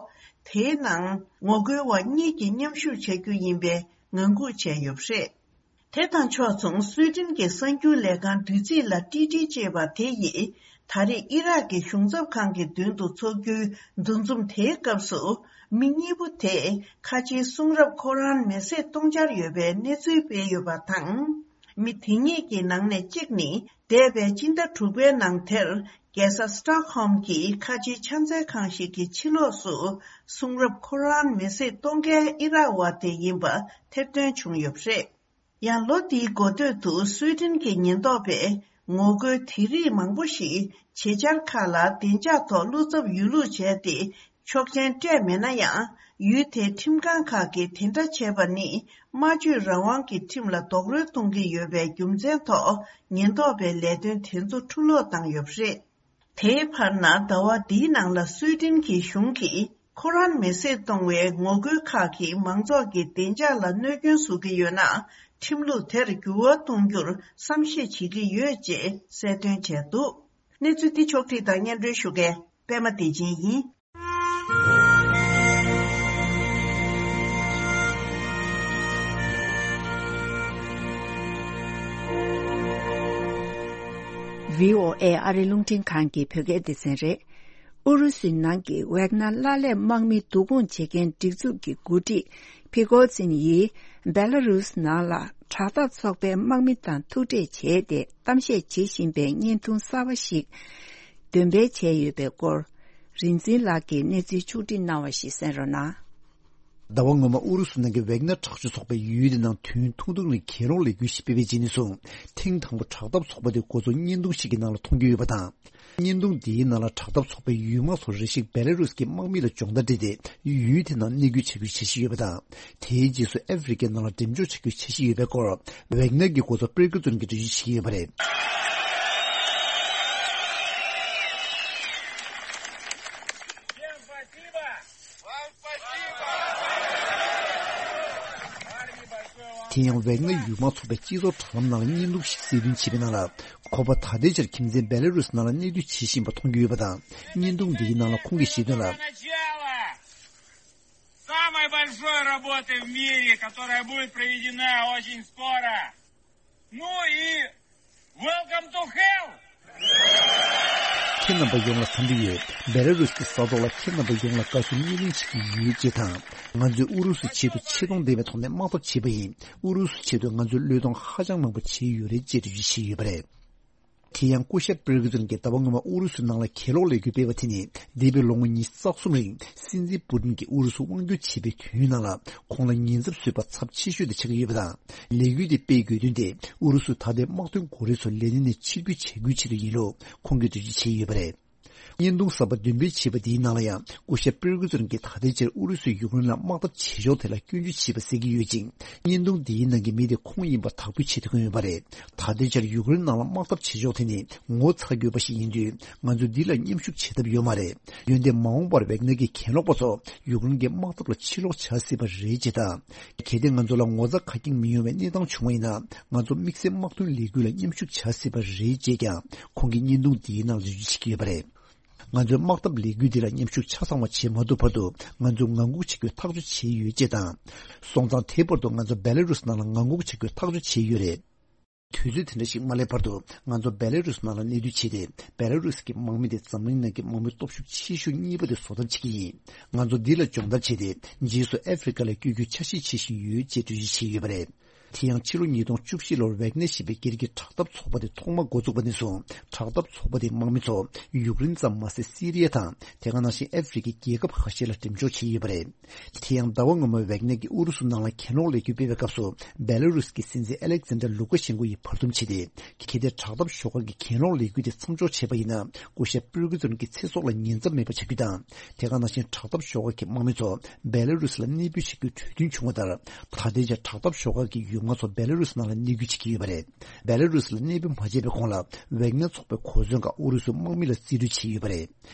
དེའི་ནང་ངོ་རྒོལ་བ་གཉིས་ཀྱིས་མཉམ་ཞུགས་བྱ་རྒྱུ་ཡིན་པའི་ངང་སྒུག་བྱས་ཡོད་པ་རེད། དེ་དང་ཕྱོགས་མཚུངས། སུའེ་ཏེན་གྱི་གསར་འགྱུར་ལས་ཁང་བདུད་རྩིས་ལ་ཊི་ཊི་ཅེས་པ་དེ་ཡིས། ད་རེས་ཨི་རག་གི་གཞུང་ཚབ་ཁང་གི་མདུན་དུ་འཚོགས་རྒྱུའི་འདུ་འཛོམས་དེའི་སྐབས་སུ། མི་གཉིས་པོ་དེས་ཁ་ཆེའི་གསུང་རབ་ཁོ་རན་མེ་བསྲེགས་གཏོང་འཆར་ཡོད་པའི་གནས་ཚུལ་སྤེལ་ཡོད་པ་དང་། མི་དེ་གཉིས་ཀྱི་ནང་ནས་གཅིག་ནི། འདས་པའི་སྤྱི་ཟླ་དྲུག་པའི་ནང་དེར། རྒྱལ་ས་སི་ཊོག་ཧོམ་གྱི་ཁ་ཆེའི་ཕྱག་འཚལ་ཁང་ཞིག་གི་ཕྱི་ལོགས་སུ། གསུང་རབ་ཁོ་རན་མེ་བསྲེགས་གཏོང་མཁན་ཨི་རག་བ་དེ་ཡིན་པ་ཐེར་འདོན་བྱུང་ཡོད་པ་རེད། ཡང་ལོ་འདིའི་འགོ་སྟོད་དུ་སུའེ་ཏེན་གྱི་ཉེན་རྟོག་པས་ངོ་རྒོལ་དེ་རིགས་མང་པོ་ཞིག་བྱེད་འཆར་ཁག་ལ་བདེ་འཇགས་ཐོག་བློ་འཚབ་ཡོད་ལུགས་བྱས་ཏེ། ཆོག་མཆན་སྤྲད་མེད་ན་ཡང་། ཡུལ་དེའི་ཁྲིམས་ཁང་ཁག་གིས་དེ་འདྲ་བྱས་པ་ནི། སྨྲ་བརྗོད་རང་དབང་གི་ཁྲིམས་ལ་རྡོག་རོལ་གཏོང་གི་ཡོད་པའི་རྒྱུ་མཚན་ཐོག་ཉེན་རྟོག་པའི་ལས་དོན་དེ་ཚོ་འཁྲུ་སློག་བཏང་ཡོད་པ་རེད། དེའི་བར་ན་ཟླ་བ་འདིའི་ནང་ལ་སུའེ་ཏེན་གྱི་གཞུང་གིས་ཁོ་རན་མེ་བསྲེགས་གཏོང་བའི་ངོ་རྒོལ་ཁག་གིས་མང་ཚོགས་ཀྱི་བདེ་འཇགས་ལ་གནོད་སྐྱོན་བཟོ་གི་ཡོད་ན། ཁྲིམས་ལུགས་དེར་འགྱུར་བ་གཏོང་རྒྱུར་བསམ་ཤེས་བྱེད་ཀྱི་ཡོད་ཅེས་གསལ་སྟོན་བྱས་འདུག། གནས་ཚུལ་འདི་ཕྱོགས་བསྒྲིགས་དང་སྙན་སྒྲོན་ཞུ་མཁན་པད་མ་བདེ་ཆེན་ཡིན། བྷི་ཨོ་ཨེ་ཨ་རི་རླུང་འཕྲིན་ཁང་གི་བོད་སྐད་སྡེ་ཚན་རེད། ཨུ་རུ་སུའི་ནང་གི་ཝེག་ནར་གླ་ལས་དམག་མི་བསྡུ་སྐོང་བྱེད་མཁན་སྒྲིག་འཛུགས་ཀྱི་འགོ་ཁྲིད་ཕི་གོ་ཛིན་ཡིས་བེ་ལ་རུས་ནང་ལ་དྲག་འཐབ་ཚོགས་པའི་དམག་མི་དང་ཐུག་འཕྲད་བྱས་ཏེ་གཏམ་བཤད་བྱེད་བཞིན་པའི་བརྙན་ཐུང་གསར་པ་ཞིག་འདོན་སྤེལ་བྱས་ཡོད་པའི་སྐོར། རིག་འཛིན་ལགས་ཀྱིས་གནས་ཚུལ་ཕྱོགས་སྒྲིག་གནང་བ་ཞིག་གསན་རོགས་གནང་། ཟླ་བ་སྔོན་མ་ཨུ་རུ་སུ་ནང་གི་ཝེག་ནར་དྲག་སྤྱོད་ཚོགས་པས་ཡུལ་དེ་ནང་དུས་ཡུན་ཐུང་ཐུང་རིང་གྱེན་ལོག་ལས་འགུལ་ཞིག་སྤེལ་བའི་རྗེས་ནས་བཟུང་ཐེངས་དང་པོ་དྲག་འཐབ་ཚོགས་པ་དེ་འགོ་ཚུགས་བརྙན་ཐུང་ཞིག་གི་ནང་ལ་མཐོང་རྒྱུ་ཡོད་པ་དང་། བརྙན་ཐུང་འདིའི་ནང་ལ་དྲག་འཐབ་ཚོགས་པའི་ཡུལ་དམག་ཚོ་རེ་ཞིག་བེ་ལ་རུས་ཀྱི་དམག་མི་ལ་སྦྱོང་བརྡར་སྤྲད་དེ་ཡུལ་དེ་ནང་གནས་སྐུལ་བྱ་རྒྱུའི་འཆར་གཞི་ཡོད་པ་དང་། དེའི་རྗེས་སུ་ཨ་ཧྥེ་རི་ཁའི་ནང་ལ་འགྲེམས་འཇོག་བྱ་རྒྱུའི་འཆར་གཞི་ཡོད་པའི་སྐོར་ཝེག་ནར་གྱི་འགོ་གཙོ་པིར་ཀི་ཙུན་གྱིས་འགྲེལ་བརྗོད་བྱེད་ཀྱི་ཡོད་པ་རེད། དེ་ཡང་ཝེག་ནར་ཡུལ་དམག་ཚོགས་པའི་སྤྱི་ཚོགས་དྲ་ལམ་ནང་ལ་བརྙན་ཐུང་ཞིག་གསལ་སྟོན་བྱས་པའི་ནང་ལ། ཁོ་པ་ད་ལྟའི་ཆར་ཁྱིམ་མཚེས་བེ་ལ་རུས་ནང་ལ་གནས་སྡོད་བྱེད་བཞིན་པ་མཐོང་རྒྱུ་ཡོད་པ་དང་། བརྙན་ཐུང་འདིའི་ནང་ལ་ཁོང་གིས་བཤད་དོན་ལ། Самой большой работы в мире, которая будет проведена очень скоро. Ну и welcome to hell! ཁྱེད་རྣམ་པ་ཡོངས་ལ་འཚམས་འདྲི་ཡོད། བེ་ལ་རུས་ཀྱི་ས་ཐོག་ལ་ཁྱེད་རྣམ་པ་ཡོངས་ལ་དགའ་བསུ་བརྙན་ལེན་བྱེད་ཀྱི་ཡོད་ཅེས་དང་། ང་ཚོས་ཨུ་རུ་སུའི་ཆེད་དུ་ཆེ་མཐོང་ལྡན་པའི་ཐོག་ནས་དམག་འཐབ་བྱས་པ་ཡིན། ཨུ་རུ་སུའི་ཆེད་དུ་ང་ཚོས་བློས་གཏོང་ཧ་ཅང་མང་པོ་བྱས་ཡོད་རེད་ཅེས་འགྲེལ་བརྗོད་བྱས་ཡོད་པ་རེད། དེ་ཡང་སྐུ་ཞབས་པིར་ཀི་ཙུན་གྱིས་ཟླ་བ་སྔོན་མ་ཨུ་རུ་སུའི་ནང་ལ་གྱེན་ལོག་ལས་འགུལ་སྤེལ་བ་དེ་ནི་འདས་པའི་ལོ་ངོ་ཉི་ཤུ་རྩ་གསུམ་རིང་སྲིད་འཛིན་པུ་ཏིན་གྱིས་ཨུ་རུ་སུ་དབང་སྒྱུར་བྱེད་པའི་དུས་ཡུན་ནང་ལ་ཁོང་ལ་ཉེན་ཚབས་བཟོས་པ་ཚབས་ཆེ་ཤོས་དེ་ཆགས་ཀྱི་ཡོད་པ་དང་། ལས་འགུལ་དེ་སྤེལ་དགོས་དོན་དེ་ཨུ་རུ་སུ་ད་ལྟའི་དམག་དོན་འགོ་ཁྲིད་ཚོ་ལས་གནས་ནས་ཕྱིར་འབུད་བྱ་རྒྱུའི་ཆེད་དུ་ཡིན་ལུགས་ཁོང་གིས་འགྲེལ་བརྗོད་བྱས་ཡོད་པ་རེད། བརྙན་ཐུང་གསར་པ་འདོན་སྤེལ་བྱས་པ་འདིའི་ནང་ལ་ཡང་སྐུ་ཞབས་པིར་ཀི་ཙུན་གྱིས་ད་ལྟའི་ཆར་ཨུ་རུ་སུས་ཡུཀ་རེན་ལ་དམག་འཐབ་བྱེད་ཕྱོགས་དེ་ལ་སྐྱོན་བརྗོད་བྱས་པ་གསལ་གྱི་ཡོད་ཅིང་། བརྙན་ཐུང་འདིའི་ནང་གི་མི་དེ་ཁོང་ཡིན་པ་དག་འབུད་བྱེད་ཐུབ་ཀྱི་ཡོད་པ་རེད། ད་ལྟའི་ཆར་ཡུཀ་རེན་ནང་ལ་དམག་འཐབ་བྱེད་ཕྱོགས་དེ་ནི་ངོ་ཚ་དགོས་པ་ཞིག་ཡིན་དུས། ང་ཚོས་འདི་ལ་མཉམ་ཞུགས་བྱེད་ཐབས་ཡོད་མ་རེད། འོན་ཏེ་མ་འོངས་པར་ཝེག་ནར་གྱི་གྱེན་ལོག་པ་ཚོ་ཡུཀ་རེན་གྱི་དམག་འཐབ་ལ་ཕྱིར་ལོག་བྱ་སྲིད་པ་རེད་ཅེས་དང་། གལ་ཏེ་ང་ཚོ་ལ་ངོ་ཚ་ཁ་སྐྱེངས་མི་ཡོང་བའི་གནས་སྟངས་བྱུང་བ་ཡིན་ན། ང་ཚོ་དམིགས་བསལ་དམག་དོན་ལས་འགུལ་ལ་མཉམ་ཞུགས་བྱ་སྲིད་པ་རེད་ཅེས་ཀྱང་ཁོང་གིས་བརྙན་ཐུང་འདིའི་ནང་ལ་འགྲེལ་བརྗོད་བྱེད་ཀྱི་ཡོད་པ་རེད། ང་ཚོས་དམག་འཐབ་ལས་འགུལ་འདི་ལ་མཉམ་ཞུགས་ཆ་ཚང་བ་བྱེད་མ་ཐུབ་བར་དུ། ང་ཚོས་ངང་སྒུག་བྱེད་རྒྱུའི་ཐག་གཅོད་བྱས་ཡོད་ཅེས་དང་། སོང་ཙང་དེ་བར་དུ་ང་ཚོ་བེ་ལ་རུས་ནང་ལ་ངང་སྒུག་བྱེད་རྒྱུའི་ཐག་གཅོད་བྱས་ཡོད་རེད། དུས་ཚོད་དེ་འདྲ་ཞིག་མ་སླེབས་བར་དུ། ང་ཚོ་བེ་ལ་རུས་ནང་ལ་གནས་སྡོད་བྱས་ཏེ། བེ་ལ་རུས་ཀྱི་དམག་མི་དེ་འཛམ་གླིང་ནང་གི་དམག་མི་སྟོབས་ཤུགས་ཆེ་ཤོས་གཉིས་པ་དེ་བཟོ་ཐབས་བྱེད་ཀྱི་ཡིན། ང་ཚོ་འདི་ལ་སྦྱོང་བརྡར་བྱས་ཏེ། རྗེས་སུ་ཨ་ཧྥེ་རི་ཁ་ལ་བསྐྱོད་རྒྱུའི་འཆར་གཞི་བྱེད་བཞིན་ཡོད་ཅེས་འགྲེལ་བརྗོད་བྱས་ཡོད་པ་རེད། དེ་ཡང་ཕྱི་ལོ་ཉིས་སྟོང་བཅུ་བཞི་ལོར་ཝེག་ནེ་ཞེས་པའི་སྒེར་གྱི་དྲག་འཐབ་ཚོགས་པ་དེ་ཐོག་མར་འགོ་བཙུགས་པ་ནས་བཟུང་། དྲག་འཐབ་ཚོགས་པ་དེའི་དམག་མི་ཚོ་ཡུཀ་རེན་ཙམ་མ་ཟད་སི་རི་ཡ་དང་། དེ་ག་ནང་བཞིན་ཨ་ཧྥེ་རི་ཁའི་རྒྱལ་ཁབ་ཁ་ཤས་ལ་འགྲེམས་འཇོག་བྱས་ཡོད་པ་རེད། དེ་ཡང་ཟླ་བ་སྔོན་མར་ཝེག་ནེ་གིས་ཨུ་རུ་སུ་ནང་ལ་གྱེན་ལོག་ལས་འགུལ་སྤེལ་བའི་སྐབས་སུ། བེ་ལ་རུས་ཀྱི་སྲིད་འཛིན་ཨ་ལེག་ཛན་ཌར་ལུ་ཀ་ཤན་ཀོ་ཡིས་བར་འདུམ་བྱས་ཏེ། གལ་ཏེ་དྲག་འཐབ་ཤོག་ཁག་གིས་གྱེན་ལོག་ལས་འགུལ་དེ་མཚམས་འཇོག་བྱས་པ་ཡིན་ན། སྐུ་ཞབས་པིར་ཀི་ཙུན་གྱི་ཚེ་སྲོག་ལ་ཉེན་ཚབས་མེད་པ་ཆགས་རྒྱུ་དང་། དེ་ག་ནང་བཞིན་དྲག་འཐབ་ཤོག་ཁག་གི་དམག་མི་ཚོ་བེ་ལ་རུས་ལ་གནས་སྤོས་བྱེད་རྒྱུའི་གྲོས་མཐུན་བྱུང་བ་ལྟར། ད་ལྟའི་ཆར་དྲག་འཐབ་ཤོག་ཁག་གི་ཡུལ་དམག་ཚོ་བེ་ལ་རུས་ནང་ལ་གནས་སྤོས་བྱེད་ཀྱི་ཡོད་པ་རེད། བེ་ལ་རུས་ལ་གནས་སྤོས་མ་བྱས་པའི་གོང་ལ། ཝེག་ནེ་ཚོགས་པའི་གོ་མཚོན་ཁག་ཨུ་རུ་སུའི་དམག་མི་ལ་རྩིས་སྤྲོད་བྱས་ཡོད་པ་རེད།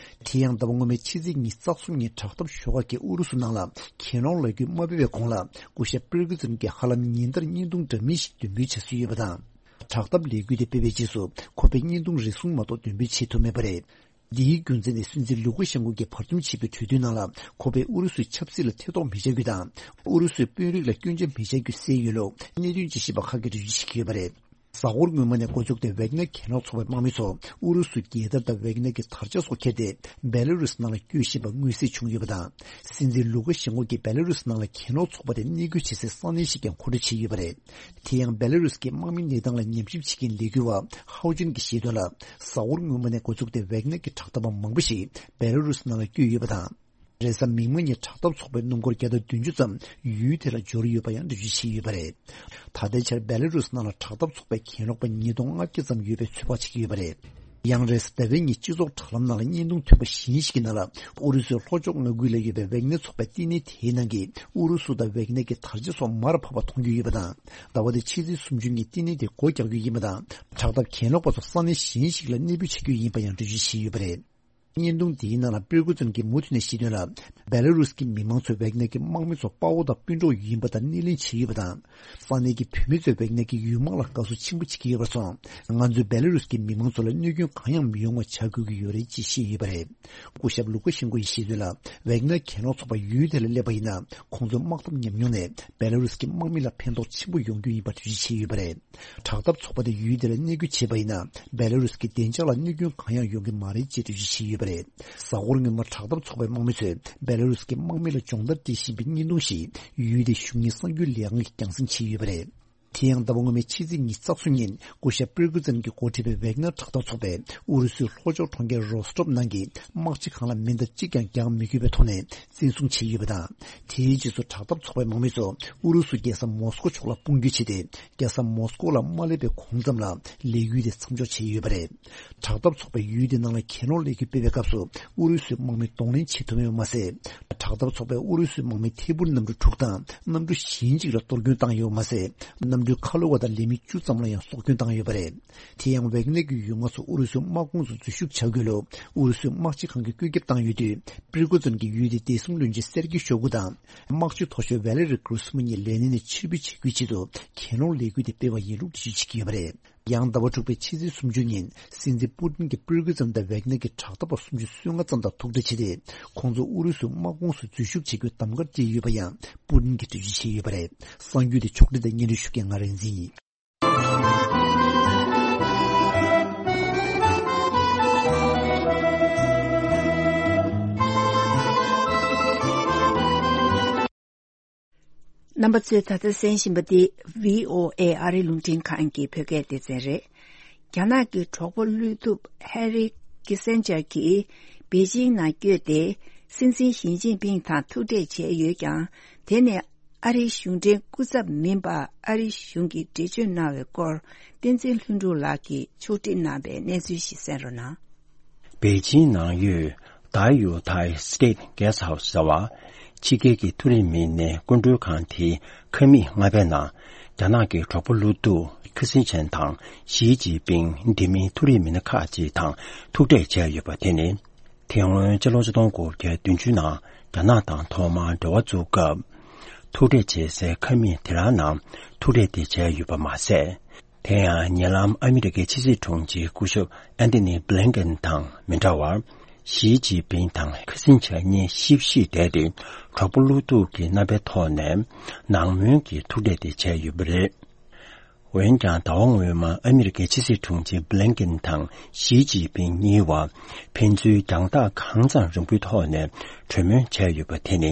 དེ་ཡང་ཟླ་བ་སྔོན་མའི་ཕྱི་ཚེས་ཉི་ཤུ་རྩ་གསུམ་ཉིན་དྲག་འཐབ་ཤོག་ཁག་གིས་ཨུ་རུ་སུ་ནང་ལ་གྱེན་ལོག་ལས་འགུལ་མ་སྤེལ་བའི་གོང་ལ། སྐུ་ཞབས་པིར་ཀི་ཙུན་གྱིས་ཧ་ལམ་ཉིན་ལྟར་བརྙན་ཐུང་འདྲ་མིན་ཞིག་འདོན་སྤེལ་བྱ་སྲོལ་ཡོད་པ་དང་། དྲག་འཐབ་ལས་འགུལ་དེ་སྤེལ་བའི་རྗེས་སུ། ཁོ་པས་བརྙན་ཐུང་རེ་ཟུང་མ་གཏོགས་འདོན་སྤེལ་བྱེད་ཐུབ་མེད་པ་རེད། འདིའི་རྒྱུ་མཚན་ནི། སྲིད་འཛིན་ལུ་ཀ་ཤན་ཀོ་གིས་བར་འདུམ་བྱས་པའི་གྲོས་མཐུན་ནང་ལ། ཁོ་པས་ཨུ་རུ་སུའི་ཆབ་སྲིད་ལ་ཐེ་གཏོགས་མི་བྱ་རྒྱུ་དང་། ཨུ་རུ་སུའི་དཔོན་རིགས་ལ་སྐྱོན་ཆ་མི་བྱ་རྒྱུ་གསལ་ཡོད་ལུགས། གནད་དོན་དཔྱད་ཞིབ་པ་ཁག་གིས་འགྲེལ་བརྗོད་བྱེད་ཀྱི་ཡོད་པ་རེད། གཟའ་འཁོར་སྔོན་མ་ནས་འགོ་བཙུགས་ཏེ་ཝེག་ནར་གྱེན་ལོག་ཚོགས་པའི་དམག་མི་ཚོ་ཨུ་རུ་སུ་རྒྱལ་དར་དང་ཝེག་ནར་གྱི་དར་ཆ་སོགས་ཁྱེར་ཏེ་བེ་ལ་རུས་ནང་ལ་བསྐྱོད་བཞིན་པ་མངོན་གསལ་བྱུང་ཡོད་པ་དང་། སྲིད་འཛིན་ལུ་ཀ་ཤེན་ཀོ་གིས་བེ་ལ་རུས་ནང་ལ་གྱེན་ལོག་ཚོགས་པ་དེ་གནས་སྐུལ་བྱེད་སའི་ས་གནས་ཤིག་ཀྱང་མཁོ་སྤྲོད་བྱས་ཡོད་པ་རེད། དེ་ཡང་བེ་ལ་རུས་ཀྱི་དམག་མིའི་གནས་སྟངས་ལ་ཉམས་ཞིབ་བྱེད་མཁན་ལས་འགུལ་བ་ཧའོ་ཅུན་གྱིས་བཤད་དོན་ལ། གཟའ་འཁོར་སྔོན་མ་ནས་འགོ་བཙུགས་ཏེ་ཝེག་ནར་གྱི་དྲག་འཐབ་པ་མང་པོ་ཞིག་བེ་ལ་རུས་ནང་ལ་བསྐྱོད་ཡོད་པ་དང་། རེས་གཟའ་མིག་དམར་ཉིན་དྲག་འཐབ་ཚོགས་པའི་སྣུམ་འཁོར་བརྒྱ་དང་བདུན་ཅུ་ཙམ་ཡུལ་དེ་ལ་འབྱོར་ཡོད་པ་ཡང་འགྲེལ་བརྗོད་བྱས་ཡོད་པ་རེད། ད་ལྟའི་ཆར་བེ་ལ་རུས་ནང་ལ་དྲག་འཐབ་ཚོགས་པའི་གྱེན་ལོག་པ་ཉིས་སྟོང་ལྔ་བརྒྱ་ཙམ་ཡོད་པའི་ཚོད་དཔག་བྱེད་ཀྱི་ཡོད་པ་རེད། ཡང་རེས་གཟའ་ཟླ་བའི་ཉིན་སྤྱི་ཚོགས་དྲ་ལམ་ནང་ལ་བརྙན་ཐུང་ཐོན་པ་གཞན་ཞིག་གི་ནང་ལ་ཨུ་རུ་སུའི་ལྷོ་ཕྱོགས་མངའ་ཁུལ་ལ་ཡོད་པའི་ཝེག་ནར་ཚོགས་པའི་བསྟི་གནས་དེའི་ནང་གི་ཨུ་རུ་སུ་དང་ཝེག་ནར་གྱི་དར་ཆ་སོགས་མར་ཕབ་པ་མཐོང་རྒྱུ་ཡོད་པ་དང་། ཟླ་བ་འདིའི་ཕྱི་ཚེས་སུམ་ཅུ་ཉིན་བསྟི་གནས་དེ་སྒོ་རྒྱག་རྒྱུ་ཡིན་པ་དང་། དྲག་འཐབ་གྱེན་ལོག་པ་ཚོ་ས་གནས་གཞན་ཞིག་ལ་གནས་སྤོས་བྱ་རྒྱུ་ཡིན་པ་ཡང་འགྲེལ་བརྗོད་བྱས་ཡོད་པ་རེད། བརྙན་ཐུང་འདིའི་ནང་ལ་པིར་ཀུ་ཙན་གྱིས་མུ་མཐུད་ནས་བཤད་དོན་ལ། བེ་ལ་རུས་ཀྱི་མི་མང་ཚོས་ཝེག་ནར་གྱི་དམག་མི་ཚོ་དཔའ་བོ་དང་སྤུན་གྲོགས་ཡིན་པ་དང་སྣེ་ལེན་བྱས་ཡོད་པ་དང་། ས་གནས་ཀྱི་བུད་མེད་ཚོས་ཝེག་ནར་གྱི་ཡུལ་དམག་ལ་དགའ་བསུ་ཆེན་པོ་བྱེད་ཀྱི་ཡོད་པར་སོང་། ང་ཚོས་བེ་ལ་རུས་ཀྱི་མི་མང་ཚོ་ལ་གནོད་སྐྱོན་གང་ཡང་མི་ཡོང་བ་བྱ་དགོས་ཀྱི་ཡོད་རེད་ཅེས་བཤད་ཡོད་པ་རེད། སྐུ་ཞབས་ལུ་ཀ་ཤེན་ཀོ་ཡིས་བཤད་དོན་ལ། ཝེག་ནར་གྱེན་ལོག་ཚོགས་པ་ཡུལ་དེ་ལ་སླེབས་པ་ཡིན་ན། ཁོང་ཚོའི་དམག་འཐབ་ཉམས་མྱོང་ནས་བེ་ལ་རུས་ཀྱི་དམག་མི་ལ་ཕན་ཐོགས་ཆེན་པོ་ཡོང་རྒྱུ་ཡིན་པ་འགྲེལ་བརྗོད་བྱས་ཡོད་པ་རེད། དྲག་འཐབ་ཚོགས་པ་དེ་ཡུལ་དེ་ལ་གནས་སྐུལ་བྱས་པ་ཡིན་ན། བེ་ལ་རུས་ཀྱི་བདེ་འཇགས་ལ་གནོད་སྐྱོན་གང་ཡང་ཡོང་གི་མ་རེད་ཅེས་འགྲེལ་བརྗོད་བྱས་ཡོད་པ་རེད། གཟའ་འཁོར་སྔོན་མ་དྲག་འཐབ་ཚོགས་པའི་དམག་མི་ཚོས་བེ་ལ་རུས་ཀྱི་དམག་མི་ལ་སྦྱོང་བརྡར་སྤྲད་བཞིན་པའི་བརྙན་ཐུང་ཞིག་ཡུལ་དེའི་གཞུང་གཉེར་གསར་འགྱུར་ལས་ཁང་གིས་རྒྱང་སྲིང་བྱས་ཡོད་པ་རེད། དེ་ཡང་ཟླ་བ་སྔོན་མའི་ཕྱི་ཚེས་ཉི་ཤུ་རྩ་གསུམ་ཉིན་སྐུ་ཞབས་པིར་ཀུ་ཙན་གྱིས་འགོ་ཁྲིད་པའི་ཝེག་ནར་དྲག་འཐབ་ཚོགས་པས་ཨུ་རུ་སུའི་ལྷོ་ཕྱོགས་གྲོང་ཁྱེར་རོ་སི་ཊོབ་ནང་གི་དམག་སྤྱི་ཁང་ལ་མེ་མདའ་གཅིག་ཀྱང་རྒྱག་མི་དགོས་པའི་ཐོག་ནས་བཙན་བཟུང་བྱས་ཡོད་པ་དང་། དེའི་རྗེས་སུ་དྲག་འཐབ་ཚོགས་པའི་དམག་མི་ཚོ་ཨུ་རུ་སུ་རྒྱལ་ས་མོ་སི་ཀོ་ཕྱོགས་ལ་དཔུང་སྐྱོད་བྱས་ཏེ། རྒྱལ་ས་མོ་སི་ཀོ་ལ་མ་སླེབས་པའི་གོང་ཙམ་ལ་ལས་འགུལ་དེ་མཚམས་འཇོག་བྱས་ཡོད་པ་རེད། དྲག་འཐབ་ཚོགས་པས་ཡུལ་དེ་ནང་ལ་གྱེན་ལོག་ལས་འགུལ་སྤེལ་བའི་སྐབས་སུ་ཨུ་རུ་སུའི་དམག་མི་གདོང་ལེན་བྱེད་ཐུབ་མེད་པ་མ་ཟད། དྲག་འཐབ་ཚོགས་པས་ཨུ་རུ་སུའི་དམག་མི་ཐད་འཕུར་གནམ་གྲུ་དྲུག་དང་གནམ་གྲུ་གཞན་གཅིག་ལ་གཏོར་སྐྱོན་བཏང་ཡོད་པ་མ་ཟད། གནམ་གྲུའི་ཁ་ལོ་བ་དང་ལས་མི་བཅུ་ཙམ་ལ་ཡང་སྲོག་སྐྱོན་བཏང་ཡོད་པ་རེད། དེ་ཡང་ཝེག་ནར་གྱི་ཡུལ་དམག་ཚོ་ཨུ་རུ་སུའི་དམག་ཁོངས་སུ་འཛུལ་ཞུགས་བྱ་དགོས་ལུགས་ཨུ་རུ་སུའི་དམག་སྤྱི་ཁང་གིས་བཀོད་ཁྱབ་བཏང་ཡོད་དུས། པིར་ཀུ་ཙུན་གྱིས་ཡུལ་དེའི་བདེ་སྲུང་བློན་ཆེན་སེར་གྱི་ཤོ་གུ་དང་། དམག་སྤྱི་མཐོ་ཤོས་ཝེ་ལེ་རི་གྷི་རུ་སི་མ་གཉིས་ལས་གནས་ནས་ཕྱིར་འབུད་བྱེད་རྒྱུའི་ཆེད་དུ་གྱེན་ལོག་ལས་འགུལ་དེ་སྤེལ་བ་ཡིན་ལུགས་འགྲེལ་བརྗོད་བྱེད་ཀྱི་ཡོད་པ་རེད། ཡང་ཟླ་བ་དྲུག་པའི་ཕྱི་ཚེས་སུམ་ཅུ་ཉིན་སྲིད་འཛིན་པུ་ཏིན་གྱིས་པིར་ཀུ་ཙུན་དང་ཝེག་ནར་གྱི་དྲག་འཐབ་པ་སུམ་ཅུ་སོ་ལྔ་ཙམ་དང་ཐུག་འཕྲད་བྱས་ཏེ། ཁོང་ཚོ་ཨུ་རུ་སུའི་དམག་ཁོངས་སུ་འཛུལ་ཞུགས་བྱེད་རྒྱུའི་གདམ་ག་སྤྲད་ཡོད་པ་ཡང་པུ་ཏིན་གྱིས་འགྲེལ་བརྗོད་བྱས་ཡོད་པ་རེད། གསར་འགྱུར་དེ་ཕྱོགས་སྒྲིག་དང་སྙན་སྒྲོན་ཞུ་མཁན་ང་རིག་འཛིན་ཡིན། རྣམ་པ་ཚོས་ད་ལྟ་གསན་བཞིན་པ་འདི་བྷི་ཨོ་ཨེ་ཨ་རིའི་རླུང་འཕྲིན་ཁང་གི་བོད་སྐད་སྡེ་ཚན་རེད། རྒྱ་ནག་གི་གྲོགས་པོ་བློས་ཐུབ་ཧེ་རི་ཀི་སན་ཇར་གྱིས་པེ་ཅིང་ནང་བསྐྱོད་དེ། སྲིད་འཛིན་ཞི་ཅིན་ཕིང་དང་ཐུག་འཕྲད་བྱས་ཡོད་ཀྱང་། དེ་ནི་ཨ་རིའི་གཞུང་འབྲེལ་སྐུ་ཚབ་མིན་པར་ཨ་རིའི་གཞུང་གིས་འགྲེལ་བརྗོད་གནང་བའི་སྐོར་བསྟན་འཛིན་ལྷུན་གྲུབ་ལགས་ཀྱིས་ཕྱོགས་སྒྲིག་གནང་བའི་གནས་ཚུལ་ཞིག་གསན་རོགས་གནང་། པེ་ཅིང་ནང་ཡོད་Diaoyu Thai State Guest House ཟེར་བ། ཕྱི་རྒྱལ་གྱི་མཐོ་རིམ་མི་སྣའི་སྐུ་མགྲོན་ཁང་དེའི་ཁང་མིག་ལྔ་པའི་ནང་། རྒྱ་ནག་གི་གྲོགས་པོ་བློ་སྟོབས་ཁི་སིན་ཆན་དང་ཞི་ཅིན་ཕིང་། དེ་མིན་མཐོ་རིམ་མི་སྣ་ཁག་ཅིག་དང་ཐུག་འཕྲད་བྱས་ཡོད་པ་དེ་ནི། དེ་སྔོན་ཕྱི་ལོ་ཆིག་སྟོང་དགུ་བརྒྱ་བདུན་ཅུ་ནང་རྒྱ་ནག་དང་ཐོག་མར་འབྲེལ་བ་བཙུགས་སྐབས། ཐུག་འཕྲད་བྱེད་སའི་ཁང་མིག་དེ་རང་ནང་ཐུག་འཕྲད་དེ་བྱས་ཡོད་པ་མ་ཟད། དེ་ཡང་ཉེ་ལམ་ཨ་མི་རི་ཀའི་ཕྱི་སྲིད་དྲུང་ཆེ་སྐུ་ཞབས་ཨན་ཐོ་ནི་བྷི་ལིན་ཀེན་དང་མི་འདྲ་བར། ཞི་ཅིན་ཕིང་དང་ཁི་སིན་ཆན་གཉིས་ཞིབ་ཞིབ་བསྡད་དེ། གྲོགས་པོ་བློ་སྟོབས་ཀྱི་རྣམ་པའི་ཐོག་ནས་ནང་མོལ་གྱི་ཐུག་འཕྲད་དེ་བྱས་ཡོད་པ་རེད། འོན་ཀྱང་ཟླ་བ་སྔོན་མ་ཨ་མི་རི་ཀའི་ཕྱི་སྲིད་དྲུང་ཆེ་བྷི་ལིན་ཀེན་དང་ཞི་ཅིན་ཕིང་གཉིས་བར་ཕན་ཚུན་རྒྱང་ཐག་གང་ཙམ་རིང་པོའི་ཐོག་ནས་གྲོས་མོལ་བྱས་ཡོད་པ་དེ་ནི།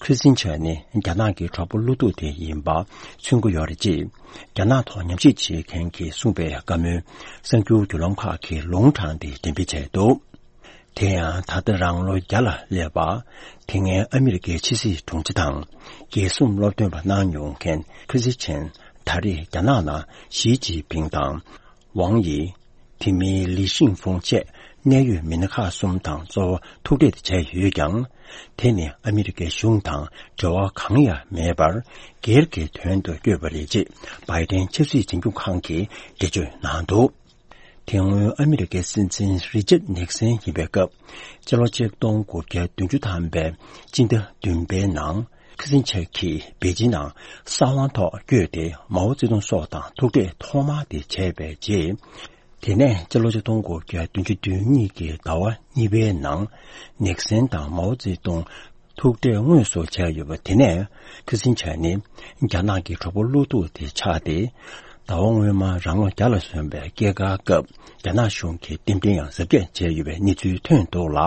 ཁི་སིན་ཆན་ནི་རྒྱ་ནག་གི་གྲོགས་པོ་བློ་སྟོབས་དེ་ཡིན་པ་མཚོན་གྱི་ཡོད་རེད་ཅེས། རྒྱ་ནག་ཐོག་ཉམས་ཞིབ་བྱེད་མཁན་གྱིས་གསུངས་པའི་བཀའ་མོལ་གསར་འགྱུར་བརྒྱུད་ལམ་ཁག་གིས་ལུང་དྲངས་ཏེ་འགྲེམས་སྤེལ་བྱས་འདུག་དེ་ཡང་ད་ལྟ་རང་ལོ་བརྒྱ་ལ་སླེབས་པ། དེ་སྔའི་ཨ་མི་རི་ཀའི་ཕྱི་སྲིད་དྲུང་ཆེ་དང་། རྒྱལ་སྲུང་སློབ་སྟོན་པ་གནང་མྱོང་མཁན་ཁི་སིན་ཆན་ད་རེས་རྒྱ་ནག་ནང་ཞི་ཅིན་ཕིང་དང་། ཝང་ཡི། དེ་མིན་ལི་ཤིང་ཧྥུང་བཅས་གནད་ཡོད་མི་སྣ་ཁག་གསུམ་དང་གཙོ་བོ་ཐུག་འཕྲད་བྱས་ཡོད་ཀྱང་། དེ་ནི་ཨ་མི་རི་ཀའི་གཞུང་དང་འབྲེལ་བ་གང་ཡང་མེད་པར་སྒེར་གྱི་དོན་དུ་བསྐྱོད་པ་རེད་ཅེས་བྷའི་ཏན་ཆབ་སྲིད་འཛིན་སྐྱོང་ཁང་གིས་འགྲེལ་བརྗོད་གནང་འདུག་དེ་སྔོན་ཨ་མི་རི་ཀའི་སྲིད་འཛིན་རི་ཅར་ནིག་སན་ཡིན་པའི་སྐབས། སྤྱི་ལོ་ཆིག་སྟོང་དགུ་བརྒྱ་བདུན་ཅུ་ཐམ་པའི་སྤྱི་ཟླ་བདུན་པའི་ནང་ཁི་སིན་ཆན་གྱིས་པེ་ཅིན་ནང་གསང་བའི་ཐོག་བསྐྱོད་དེ་མའོ་ཙེ་ཏུང་སོགས་དང་ཐུག་འཕྲད་ཐོག་མ་དེ་བྱས་པའི་རྗེས། དེ་ནས་སྤྱི་ལོ་ཆིག་སྟོང་དགུ་བརྒྱ་བདུན་ཅུ་དོན་གཉིས་ཀྱི་ཟླ་བ་གཉིས་པའི་ནང་ནིག་སན་དང་མའོ་ཙེ་ཏུང་ཐུག་འཕྲད་དངོས་སུ་བྱས་ཡོད་པ་དེ་ནས་ཁི་སིན་ཆན་ནི་རྒྱ་ནག་གི་གྲོགས་པོ་བློ་སྟོབས་དེ་ཆགས་ཏེ། ཟླ་བ་སྔོན་མ་རང་ལོ་བརྒྱ་ལ་སོན་པའི་སྐྱེས་སྐར་སྐབས་རྒྱ་ནག་གཞུང་གིས་རྟེན་འབྲེལ་ཡང་གཟབ་རྒྱས་བྱས་ཡོད་པའི་གནས་ཚུལ་ཐོན་འདུག་ལ།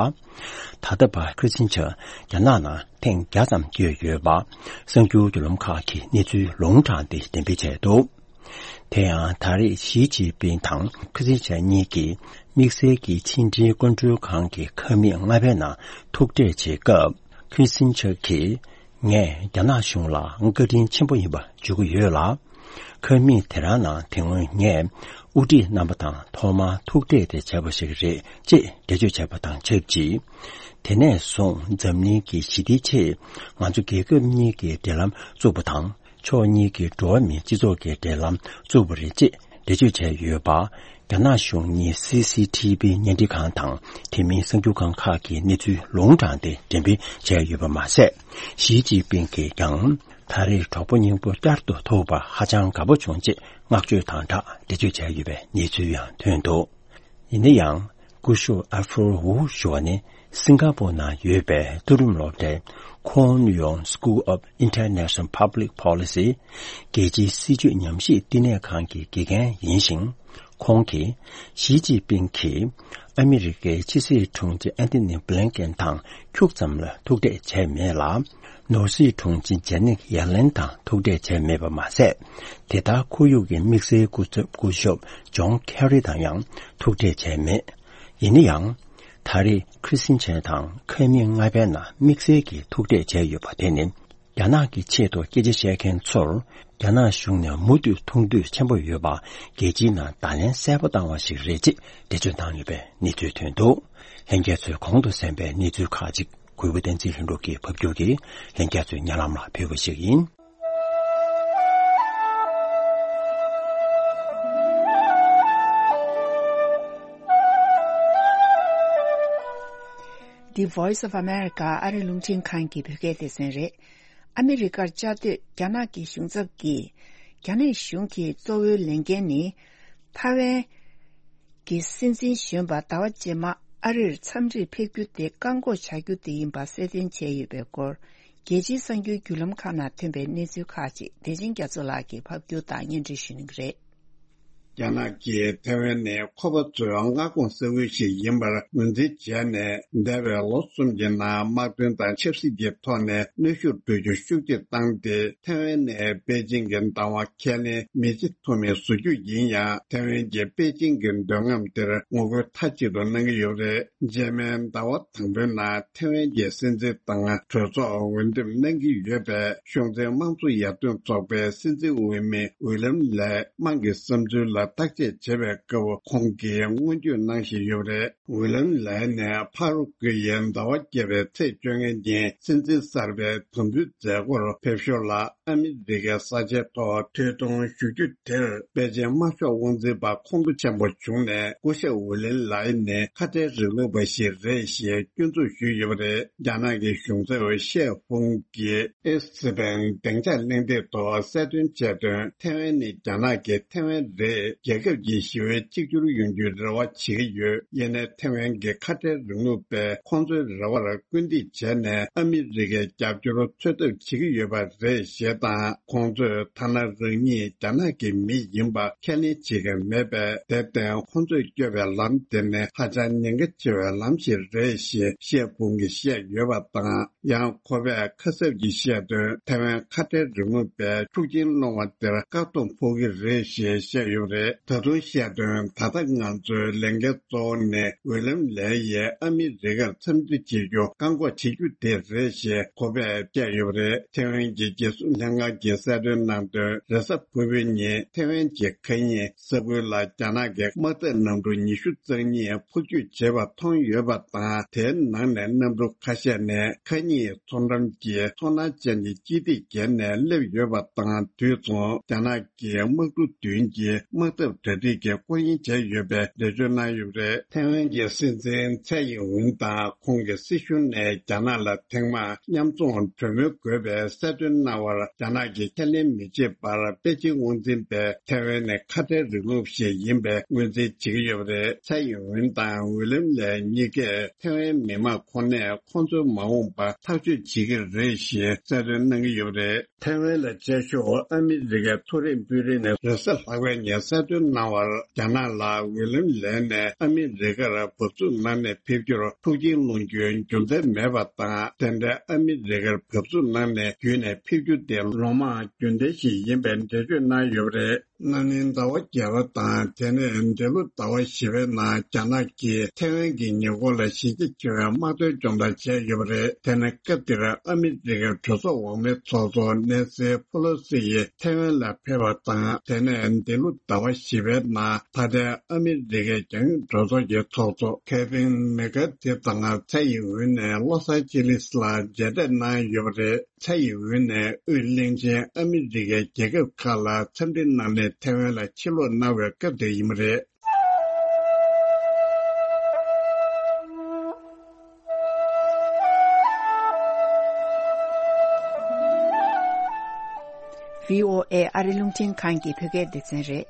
ད་ལྟ་བར་ཁི་སིན་ཆར་རྒྱ་ནག་ནང་ཐེངས་བརྒྱ་ཙམ་བསྐྱོད་ཡོད་པ་གསར་འགྱུར་བརྒྱུད་ལམ་ཁག་གིས་གནས་ཚུལ་ལུང་དྲངས་ཏེ་འགྲེམས་སྤེལ་བྱས་འདུག་དེ་ཡང་ད་རེས་ཞི་ཅིན་ཕིང་དང་ཁི་སིན་ཆར་གཉིས་ཀྱིས་དམིགས་བསལ་གྱི་ཕྱི་འབྲེལ་སྐུ་མགྲོན་ཁང་གི་ཁང་མིག་ལྔ་པའི་ནང་ཐུག་འཕྲད་བྱེད་སྐབས། ཁི་སིན་ཆར་གྱིས། ངས་རྒྱ་ནག་གཞུང་ལ་བཀའ་དྲིན་ཆེན་པོ་ཡིན་པ་བརྗོད་ཀྱི་ཡོད་ལ། ཁང་མིག་དེ་རང་ནང་དེ་སྔོན་ངས་དབུ་ཁྲིད་རྣམ་པ་དང་ཐོག་མར་ཐུག་འཕྲད་དེ་བྱས་པ་ཞིག་རེད་ཅེས་འགྲེལ་བརྗོད་བྱས་པ་དང་ཆབས་ཅིག་དེ་ནས་བཟུང་འཛམ་གླིང་གི་ཞི་བདེའི་ཆེད་ང་ཚོ་རྒྱལ་ཁབ་གཉིས་ཀྱི་འབྲེལ་ལམ་བཙུགས་པ་དང་། ཕྱོགས་གཉིས་ཀྱི་འགྲོ་བ་མིའི་སྤྱི་ཚོགས་ཀྱི་འབྲེལ་ལམ་བཙུགས་པ་རེད་ཅེས་འགྲེལ་བརྗོད་བྱས་ཡོད་པ། རྒྱ་ནག་གཞུང་གཉིས་སི་སི་ཐི་བི་བརྙན་འཕྲིན་ཁང་དང་དེ་མིན་གསར་འགྱུར་ཁང་ཁག་གིས་གནས་ཚུལ་ལུང་དྲངས་ཏེ་འགྲེམས་སྤེལ་བྱས་ཡོད་པ་མ་ཟད། ཞི་ཅིན་ཕིང་གིས་ཀྱང་ད་རེས་གྲོགས་པོ་སྙིང་པོ་བསྐྱར་དུ་ཐུག་པར་ཧ་ཅང་དགའ་པོ་བྱུང་ཅེས་བསྔགས་བརྗོད་དང་སྦྲགས་འགྲེལ་བརྗོད་བྱས་ཡོད་པའི་གནས་ཚུལ་ཡང་ཐོན་འདུག་ཡིན་ན་ཡང་། སྐུ་ཞབས་ཨལ་ཧྥོར་ཝུ་ཞུ་བ་ནི་སིང་ག་པོར་ནང་ཡོད་པའི་མཐོ་རིམ་སློབ་གྲྭའི་Cornell School of International Public Policy རྒྱལ་སྤྱིའི་སྲིད་བྱུས་ཉམས་ཞིབ་བསྟི་གནས་ཁང་གི་དགེ་རྒན་ཡིན་ཞིང་། ཁོང་གིས་ཞི་ཅིན་ཕིང་གིས་ཨ་མི་རི་ཀའི་ཕྱི་སྲིད་དྲུང་ཆེ་ཨན་ཐོ་ནི་བྷི་ལིན་ཀེན་དང་ཁྱུག་ཙམ་ལ་ཐུག་འཕྲད་བྱས་མེད་ལ། ནོར་སྲིད་དྲུང་ཆེ་ཇེ་ནེད་ཡེ་ལེན་དང་ཐུག་འཕྲད་བྱས་མེད་པ་མ་ཟད། དེ་ལྟར་ཁོར་ཡུག་གི་དམིགས་བསལ་སྐུ་ཚབ་སྐུ་ཞབས་ཇོན་ཁེ་རི་དང་ཡང་ཐུག་འཕྲད་བྱས་མེད། ཡིན་ན་ཡང་། ད་རེས་ཁི་སིན་ཆར་དང་ཁང་མིག་ལྔ་པའི་ནང་དམིགས་བསལ་གྱི་ཐུག་འཕྲད་བྱས་ཡོད་པ་དེ་ནི། རྒྱ་ནག་གི་ཆེད་དུ་སྐད་ཆ་བཤད་མཁན་ཚོར་རྒྱ་ནག་གཞུང་ནས་མུ་མཐུད་མཐོང་འདོད་ཆེན་པོ་ཡོད་པ་རྒྱལ་སྤྱིའི་ནང་བརྡ་ལན་གསལ་པོ་བཏང་བ་ཞིག་རེད་ཅེས་འགྲེལ་བརྗོད་བཏང་ཡོད་པའི་གནས་ཚུལ་ཐོན་འདུག་ལྷན་རྒྱས་ཚོས་གོང་དུ་གསན་པའི་གནས་ཚུལ་ཁག་ཅིག་གུས་པ་བསྟན་འཛིན་ལྷུན་གྲུབ་ཀྱིས་ཕབ་སྒྱུར་གྱིས་ལྷན་རྒྱས་ཚོའི་སྙན་ལམ་ལ་ཕུལ་བ་ཞིག་ཡིན། The Voice of America ཨ་རི་རླུང་འཕྲིན་ཁང་གི་བོད་སྐད་སྡེ་ཚན་རེད། ཨ་མི་རི་ཀར་བཅའ་སྡོད་རྒྱ་ནག་གི་གཞུང་ཚབ་ཀྱིས། རྒྱ་ནག་གཞུང་གི་གཙོ་བོའི་ལས་འགན་ནི། ཐའེ་ཝན་གྱི་སྲིད་འཛིན་གཞོན་པ་ཟླ་བ་རྗེས་མ་ཨ་རིར་འཚམས་འདྲིར་ཕེབས་རྒྱུ་དེ་བཀག་འགོག་བྱ་རྒྱུ་དེ་ཡིན་པ་གསལ་སྟོན་བྱས་ཡོད་པའི་སྐོར། རྒྱལ་སྤྱིའི་གསར་འགྱུར་བརྒྱུད་ལམ་ཁག་ནང་ཐོན་པའི་གནས་ཚུལ་ཁག་ཅིག་བདེ་ཆེན་རྒྱ་མཚོ་ལགས་ཀྱིས་ཕབ་སྒྱུར་དང་སྙན་སྒྲོན་ཞུ་གནང་གི་རེད། རྒྱ་ནག་གིས་ཐའེ་ཝན་ནི་ཁོ་པ་ཚོའི་མངའ་ཁོངས་ས་ཁུལ་ཞིག་ཡིན་པར་ངོས་འཛིན་བྱས་ནས། འདས་པའི་ལོ་གསུམ་གྱི་ནང་དམག་དོན་དང་ཆབ་སྲིད་ཀྱི་ཐོག་ནས་གནོན་ཤུགས་འདོན་རྒྱུ་ཤུགས་ཆེ་བཏང་སྟེ། ཐའེ་ཝན་ནི་པེ་ཅིང་གི་བདག་དབང་ཁས་ལེན་མི་བྱེད་ཐུབ་མིན་བཟོ་རྒྱུ་ཡིན་ཡང་། ཐའེ་ཝན་གྱིས་པེ་ཅིང་གི་འདོད་རྔམ་དེར་ངོ་རྒོལ་མཐའ་གཅིག་ཏུ་གནང་གི་ཡོད་པ་རེད། རྗེས་མའི་ཟླ་བ་དང་པོའི་ནང་ཐའེ་ཝན་གྱི་སྲིད་འཛིན་དང་གྲོས་ཚོགས་འོས་འདེམས་གནང་གི་ཡོད་པའི་གཞུང་འཛིན་དམངས་གཙོ་ཡར་ཐོན་ཚོགས་པའི་སྲིད་འཛིན་འོས་མི་ཝི་ལམ་ལའི་དམངས་ཀྱི་བསམ་ཚུལ་ལ་བརྟག་དཔྱད་བྱེད་པའི་སྐབས། ཁོང་གིས་སྔོན་བརྗོད་གནང་བཞིན་ཡོད་པ་རེད། ཝི་ལམ་ལའི་ནས་ཕ་རུ་ཀུའི་ཡའི་ཟླ་བ་བརྒྱད་པའི་ཚེས་བཅོ་ལྔ་ཉིན་སྲིད་འཛིན་གསར་པའི་དམ་འབུལ་མཛད་སྒོར་ཕེབས་ཞོར་ལ། ཨ་མི་རི་ཀའི་ས་ཆའི་ཐོག་ཐོས་གཏོང་ཞུ་རྒྱུ་དེར། པེ་ཅིན་དམར་ཤོག་དབང་འཛིན་པ་ཁོང་ཁྲོ་ཆེན་པོ་བྱུང་ནས། སྐུ་ཞབས་ཝི་ལིན་ལའི་ནི་ཁ་བྲལ་རིང་ལུགས་པ་ཞིག་རེད་ཞེས་སྐྱོན་འཛུགས་ཞུས་ཡོད་པ་རེད། རྒྱ་ནག་གི་གཞུང་ཚབ་ཤེ་ཧྥུང་གིས་ཨེ་སི་པན་བདེ་འཇགས་གླེང་སྟེགས་ཐོག་གསལ་སྟོན་བྱས་དོན། ཐའེ་ཝན་ནི་རྒྱ་ནག་གི་ཐའེ་ཝན་རེད། རྒྱལ་ཁབ་ཀྱི་ཞི་བའི་གཅིག་གྱུར་ཡོང་རྒྱུའི་རེ་བ་བྱེད་ཀྱི་ཡོད། ཡིན་ནའི་ཐའེ་ཝན་གྱི་ཁ་བྲལ་རིང་ལུགས་པས་ཁོང་ཚོའི་རེ་བར་སྐུལ་འདེད་བྱས་ནས། ཨ་མི་རི་ཀའི་རྒྱབ་སྐྱོར་འཚོལ་ཐབས་བྱེད་ཀྱི་ཡོད་པ་རེད་ཞེས་དང་། ཁོང་ཚོས་ཐ་ན་རང་ཉིད་རྒྱ་ནག་གི་མི་ཡིན་པ་ཁས་ལེན་བྱེད་ཀྱི་མེད་པས། དེར་བརྟེན་ཁོང་ཚོས་བསྐྱོད་པའི་ལམ་དེ་ནི་ཧ་ཅང་ཉེན་ཁ་ཆེ་བའི་ལམ་ཞིག་རེད་ཞེས་ཤེ་ཧྥུང་གིས་བཤད་ཡོད་པ་དང་། ཡང་ཁོ་པས་ཁ་གསབ་ཀྱིས་བཤད་དོན། ཐའེ་ཝན་ཁ་བྲལ་རིང་ལུགས་པས་ཤུགས་རྐྱེན་སློང་བ་དེར་བཀག་སྡོམ་ཕོག་གི་རེད་ཞེས་བཤད་ཡོད་པ་རེད། ད་དུང་བཤད་དོན། ད་ལྟ་ང་ཚོའི་ལས་འགན་གཙོ་བོ་ནི་ཝི་ལམ་ལའི་ཡིས་ཨ་མི་རི་ཀར་འཚམས་འདྲི་བྱེད་རྒྱུ་བཀག་འགོག་བྱེད་རྒྱུ་དེ་རེད་ཞེས་ཁོ་པས་བཤད་ཡོད་པ་རེད། ཐའེ་ཝན་གྱི་རྒྱལ་སྲུང་ལྷན་ཁང་གིས་གསལ་སྟོན་གནང་དོན། རེས་གཟའ་ཕུར་བུའི་ཉིན་ཐའེ་ཝན་གྱི་མཁའ་དབྱིངས་ས་ཁུལ་ལ་རྒྱ་ནག་གི་དམག་འཐབ་གནམ་གྲུ་ཉི་ཤུ་རྩ་གཉིས་འཕུར་སྐྱོད་བྱེད་པ་མཐོང་ཡོད་པ་དང་། དེའི་ནང་ནས་གནམ་གྲུ་ཁ་ཤས་ནས་མཁའ་དབྱིངས་མཚོ་འགྲམ་གྱི་མཚོ་ནག་ཅན་གྱི་སྤྱི་སྟེགས་བརྒལ་ནས་སླེབས་ཡོད་པ་དང་། དུས་མཚུངས་རྒྱ་ནག་གི་དམག་གྲུ་བདུན་གྱི་དམག་ ཐབས་གྲ་སྒྲིག་གི་སྐོར་གཡེང་བྱས་ཡོད་པའི་འགྲེལ་བརྗོད་གནང་ཡོད་པ་རེད། ཐའེ་ཝན་གྱི་སྲིད་འཛིན་ཚའེ་ཡིན་ཝུན་དང་ཁོང་གི་སྲིད་གཞུང་ནས་རྒྱ་ནག་ལ་ཐེངས་མང་མཉམ་འཛོམས་གྲོས་མོལ་དགོས་པའི་གསལ་སྟོན་གནང་བར་རྒྱ་ནག་གིས་ཁས་ལེན་མི་བྱེད་པར། པེ་ཅིང་དབང་འཛིན་པས་ཐའེ་ཝན་ནི་ཁ་བྲལ་རིང་ལུགས་ཤིག་ཡིན་པའི་ངོས་འཛིན་བྱེད་ཀྱི་ཡོད་པ་རེད། ཚའེ་ཡིན་ཝུན་དང་ཝི་ལིམ་ལེ་གཉིས་ཀས་ཐའེ་ཝན་མི་མང་ཁོ་ནས་ཁོང་ཚོའི་མ་འོངས་པ་ཐག་གཅོད་བྱེད་ཀྱི་རེད་ཞེས་གསལ་སྟོན་གནང་གི་ཡོད་པ་རེད། ཐའེ་ཝན་ལ་བཅའ་ཤོག་ཨ་མི་རི་ཀའི་མཐོ་རིམ་དཔོན་རིགས་ནས་རེས་གཟའ་ལྷག་པའི་ཉིན་གསལ་སྟོན་གནང་བར། རྒྱ་ནག་ལ་ཝི་ལིམ་ལེ་ནས་ཨ་མི་རི་ཀར་འབབ་ཚུགས་གནང་ནས་ཕེབས་རྒྱུར་ཐུགས་རྗེ་གནང་རྒྱུའི་རྒྱུ་མཚན་མེད་པ་དང་། དེ་འདྲའི་ཨ་མི་རི་ཀར་འབབ་ཚུགས་གནང་ནས་བརྒྱུད་ནས་ཕེབས་རྒྱུ་དེ་ལོ་མང་རྒྱུན་ལྡན་ཞིག་ཡིན་པའི་འགྲེལ་བརྗོད་གནང་ཡོད་པ་རེད། ན་ནིང་ཟླ་བ་བརྒྱད་པ་དང་། དེ་ནས་འདས་ལོ་ཟླ་བ་བཞི་པའི་ནང་རྒྱ་ནག་གིས་ཐའེ་ཝན་གྱི་ཉེ་འཁོར་ལ་གཞི་རྒྱ་ཆེ་བའི་དམག་དོན་སྦྱོང་བརྡར་བྱས་ཡོད་པ་རེད། དེ་ནི་སྐབས་དེར་ཨ་མི་རི་ཀའི་གྲོས་ཚོགས་འོག་མའི་ཚོགས་གཙོ་ནེན་སི་ཕེ་ལོ་སི་ཡིས་ཐའེ་ཝན་ལ་ཕེབས་པ་དང་། དེ་ནས་འདས་ལོ་ཟླ་བ་བཞི་པའི་ནང་ད་ལྟའི་ཨ་མི་རི་ཀའི་རྒྱང་སྲིང་གྲོས་ཚོགས་ཀྱི་ཚོགས་གཙོ་ཁེ་ཝིན་མེ་ཀ་ཐི་དང་ཚའེ་ཡིན་ཝུན་ནས་ལོ་སཱན་ཅི་ལིས་ལ་མཇལ་འཕྲད་གནང་ཡོད་པ་རེད། ཚའེ་ཡིན་ཝུན་ནས་དབུས་གླིང་ཆེན་ཨ་མི་རི་ཀའི་རྒྱལ་ཁབ་ཁག་ལ་འཚམས་འདྲི་གནང་ནས་ཐའེ་ཝན་ལ་ཕྱིར་ལོག་གནང་བའི་སྐབས་དེ་ཡིན་པ་རེད། བྷི་ཨོ་ཨེ་ཨ་རི་རླུང་འཕྲིན་ཁང་གི་བོད་སྐད་སྡེ་ཚན་རེད།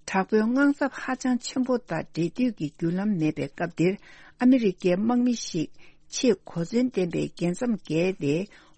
དྲག་པོའི་དངངས་འཚབ་ཧ་ཅང་ཆེན་པོ་དང་འབྲེལ་མཐུད་ཀྱི་བརྒྱུད་ལམ་མེད་པའི་སྐབས་འདིར། ཨ་མི་རི་ཀའི་དམག་མི་ཞིག་ཆེས་གོ་མཚོན་ལྡན་པའི་རྒྱལ་མཚམས་བརྒལ་ཏེ།